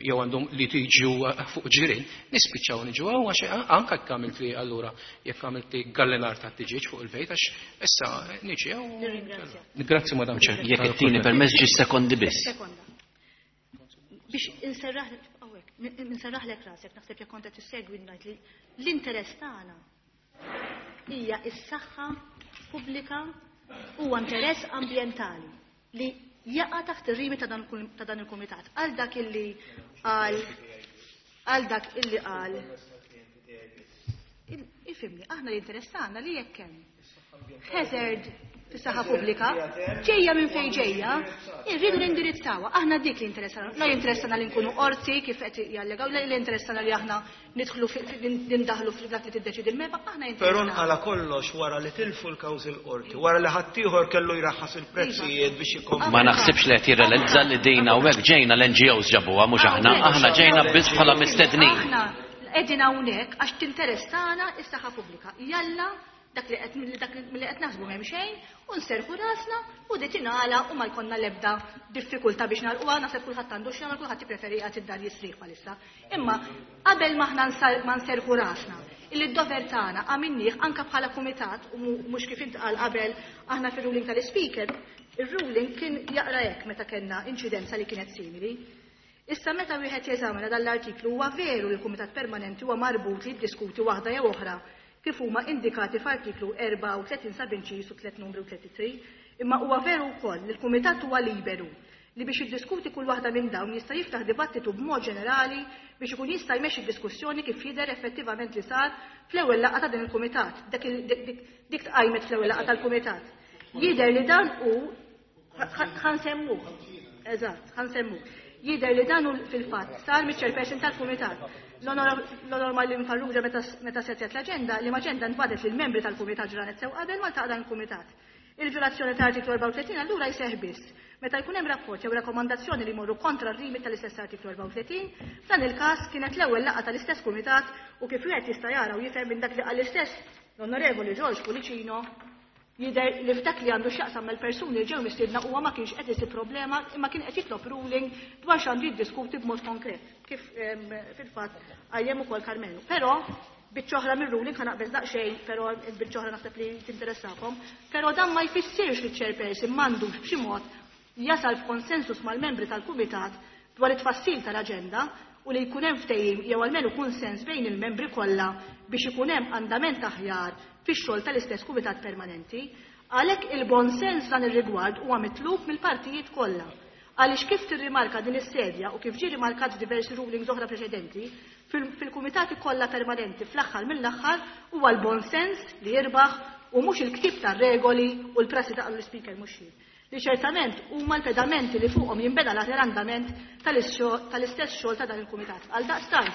Jew għandhom litiġju fuq ġirien, nispiċċaw niġu hawn għax anke jekk għamilt li allura jekk għamilt li gallinar ta' tiġieġ fuq il-bejt għax issa niġi hawn. Grazzi Madam Chair. Jekk ittini permess ġi sekondi biss. Sekonda. Biex inserraħ inserraħlek rasek, naħseb jekk kont qed tissegwi ngħid li l-interess tagħna hija s-saħħa pubblika huwa interess ambjentali li jaqa' taħt ir-rimi ta' dan il-kumitat. Għal dak illi qal għal dak illi qal ifhimni, aħna l-interess tagħna li jekk hemm hazard fis-saħħa pubblika ġejja minn fejn ġejja, irridu nindirizzawha. Aħna dik li interessana. La jinteressana li nkunu qorti kif qed jallegaw, la jinteressana li aħna nidħlu nindaħlu f'dak li tiddeċidi l-MEPA, aħna Però jinteressana. nqala kollox wara li tilfu l-kawżi l-qorti, wara li ħaddieħor kellu jraħħas il-prezzijiet biex ikompli. Ma naħsibx li qed jirrealizza li din hawnhekk ġejna l-N G Os ġabuha mhux aħna, aħna ġejna biss bħala mistednin. Aħna qegħdin hawnhekk għax tinteressana s-saħħa pubblika. Jalla dak li qed dak li qed naħsbu m'hemm xejn u nserħu rasna u di tingħala u ma jkollna l-ebda diffikultà biex nagħlquha, naħseb kulħadd għandu x'jagħmel, kulħadd jippreferi qiegħed id-dar jisrieħ bħalissa. Imma qabel ma aħna ma nserħu rasna, illi d-dover tagħna għamilnieh anke bħala kumitat u mhux kif intqal qabel aħna fir-ruling tal-speaker, ir-ruling kien jaqra hekk meta kellna inċidenza li kienet simili. Issa meta wieħed jeżamina dan l-artiklu huwa veru li l-Kumitat Permanenti huwa marbut li jiddiskuti waħda jew oħra kif huma indikati f'artiklu erbgħa u tletin sabinċis u tliet numru tlieta u tletin, imma huwa veru wkoll li l-Kumitat huwa liberu li biex jiddiskuti kull waħda minn dawn jista' jiftaħ dibattitu b'mod ġenerali biex ikun jista' jmexxi diskussjoni kif jidher effettivament li sar fl-ewwel laqgħa ta' din il-kumitat. Dik tqajmet fl-ewwel laqgħa tal-kumitat. Jidher li dan hu ħa nsemmuh. Eżatt, ħa nsemmuh. Jidher li dan hu fil-fatt sar miċ-chairperson tal-kumitat. L-Onor Marlene Farrugia meta settet l-aġenda, li l-aġenda ntbagħtet lill-membri tal-kumitat ġranet sew qabel ma ltaqa' dan il-kumitat. Il-violazzjoni ta' artiklu erbgħa u tletin allura jseħħ biss meta jkun hemm rapport jew rakkomandazzjoni li jmorru kontra r-rimi tal-istess artiklu erbgħa u tletin, f'dan il-każ kienet l-ewwel laqgħa tal-istess kumitat u kif wieħed jista' jara u jifhem minn dak li qal l-istess l-Onorevoli George Pullicino, jidher li f'dak li għandu x'jaqsam mal-persuni li ġew mistiedna huwa ma kienx qed isib problema imma kien qed jitlob ruling dwar x'għandu jiddiskuti b'mod konkret, kif fil-fatt qajjem ukoll Karmenu. Però biċċa oħra mir-ruling ħa naqbeż daqsxejn, però biċċa oħra naħseb li tinteressakom, però dan ma jfissirx li ċ-chairperson m'għandux b'xi mod jasal f'konsensus mal-membri tal-kumitat dwar it-tfassil tal-aġenda u li jkun hemm ftehim jew almenu kunsens bejn il-membri kollha biex ikun hemm andament aħjar fix-xogħol tal-istess kumitat permanenti. Għalhekk il-bon sens dan ir-rigward huwa mitlub mill-partijiet kollha. Għaliex kif tirrimarka din is-sedja u kif ġie rimarkat f'diversi rulings oħra preċedenti, fil-kumitati kollha permanenti fl-aħħar mill-aħħar huwa l-bon sens li jirbaħ u mhux il-ktib tar-regoli u l-prassi ta' l-speaker mhux jien, li ċertament huma l-pedamenti li fuqhom jinbeda l-andament tal-istess xogħol ta' dan il-kumitat. Għal daqstant,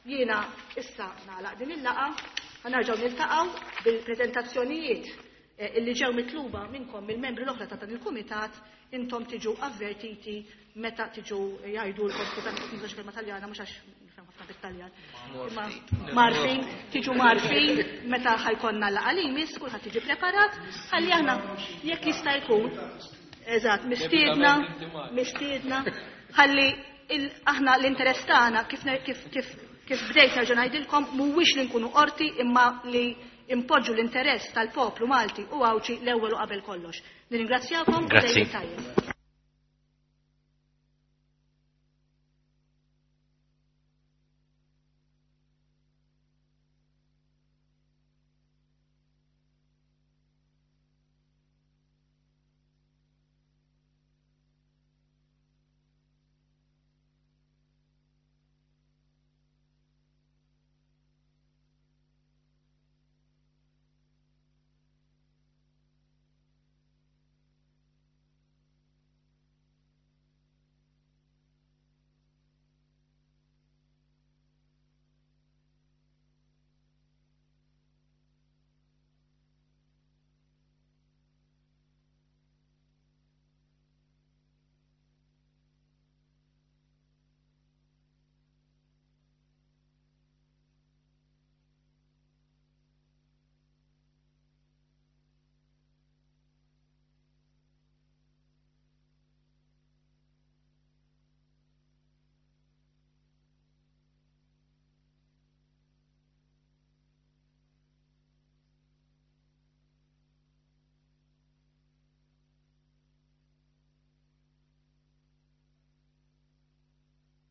jiena issa nagħlaq din il-laqgħa, ħa nerġgħu niltaqgħu bil-preżentazzjonijiet illi ġew mitluba minnkom mill-membri l-oħra ta' dan il-kumitat, intom tiġu avvertiti meta tiġu jgħidulkom, skużani qed nuża kelma Taljana mhux għax nifhem ħafna bit-Taljan. Imma marfin, tiġu marfin meta ħa jkollna laqgħa li jmiss, kulħadd tiġi preparat, ħalli aħna jekk jista' jkun eżatt, mistiedna, mistiedna, ħalli aħna l-interess tagħna kif kif kif kif bdejt nerġa' ngħidilkom mhuwiex li nkunu qorti imma li impoġġu l-interess tal-poplu Malti u Għawdxi l-ewwel u qabel kollox. Nirringrazzjakom u Grazzi. tajjeb.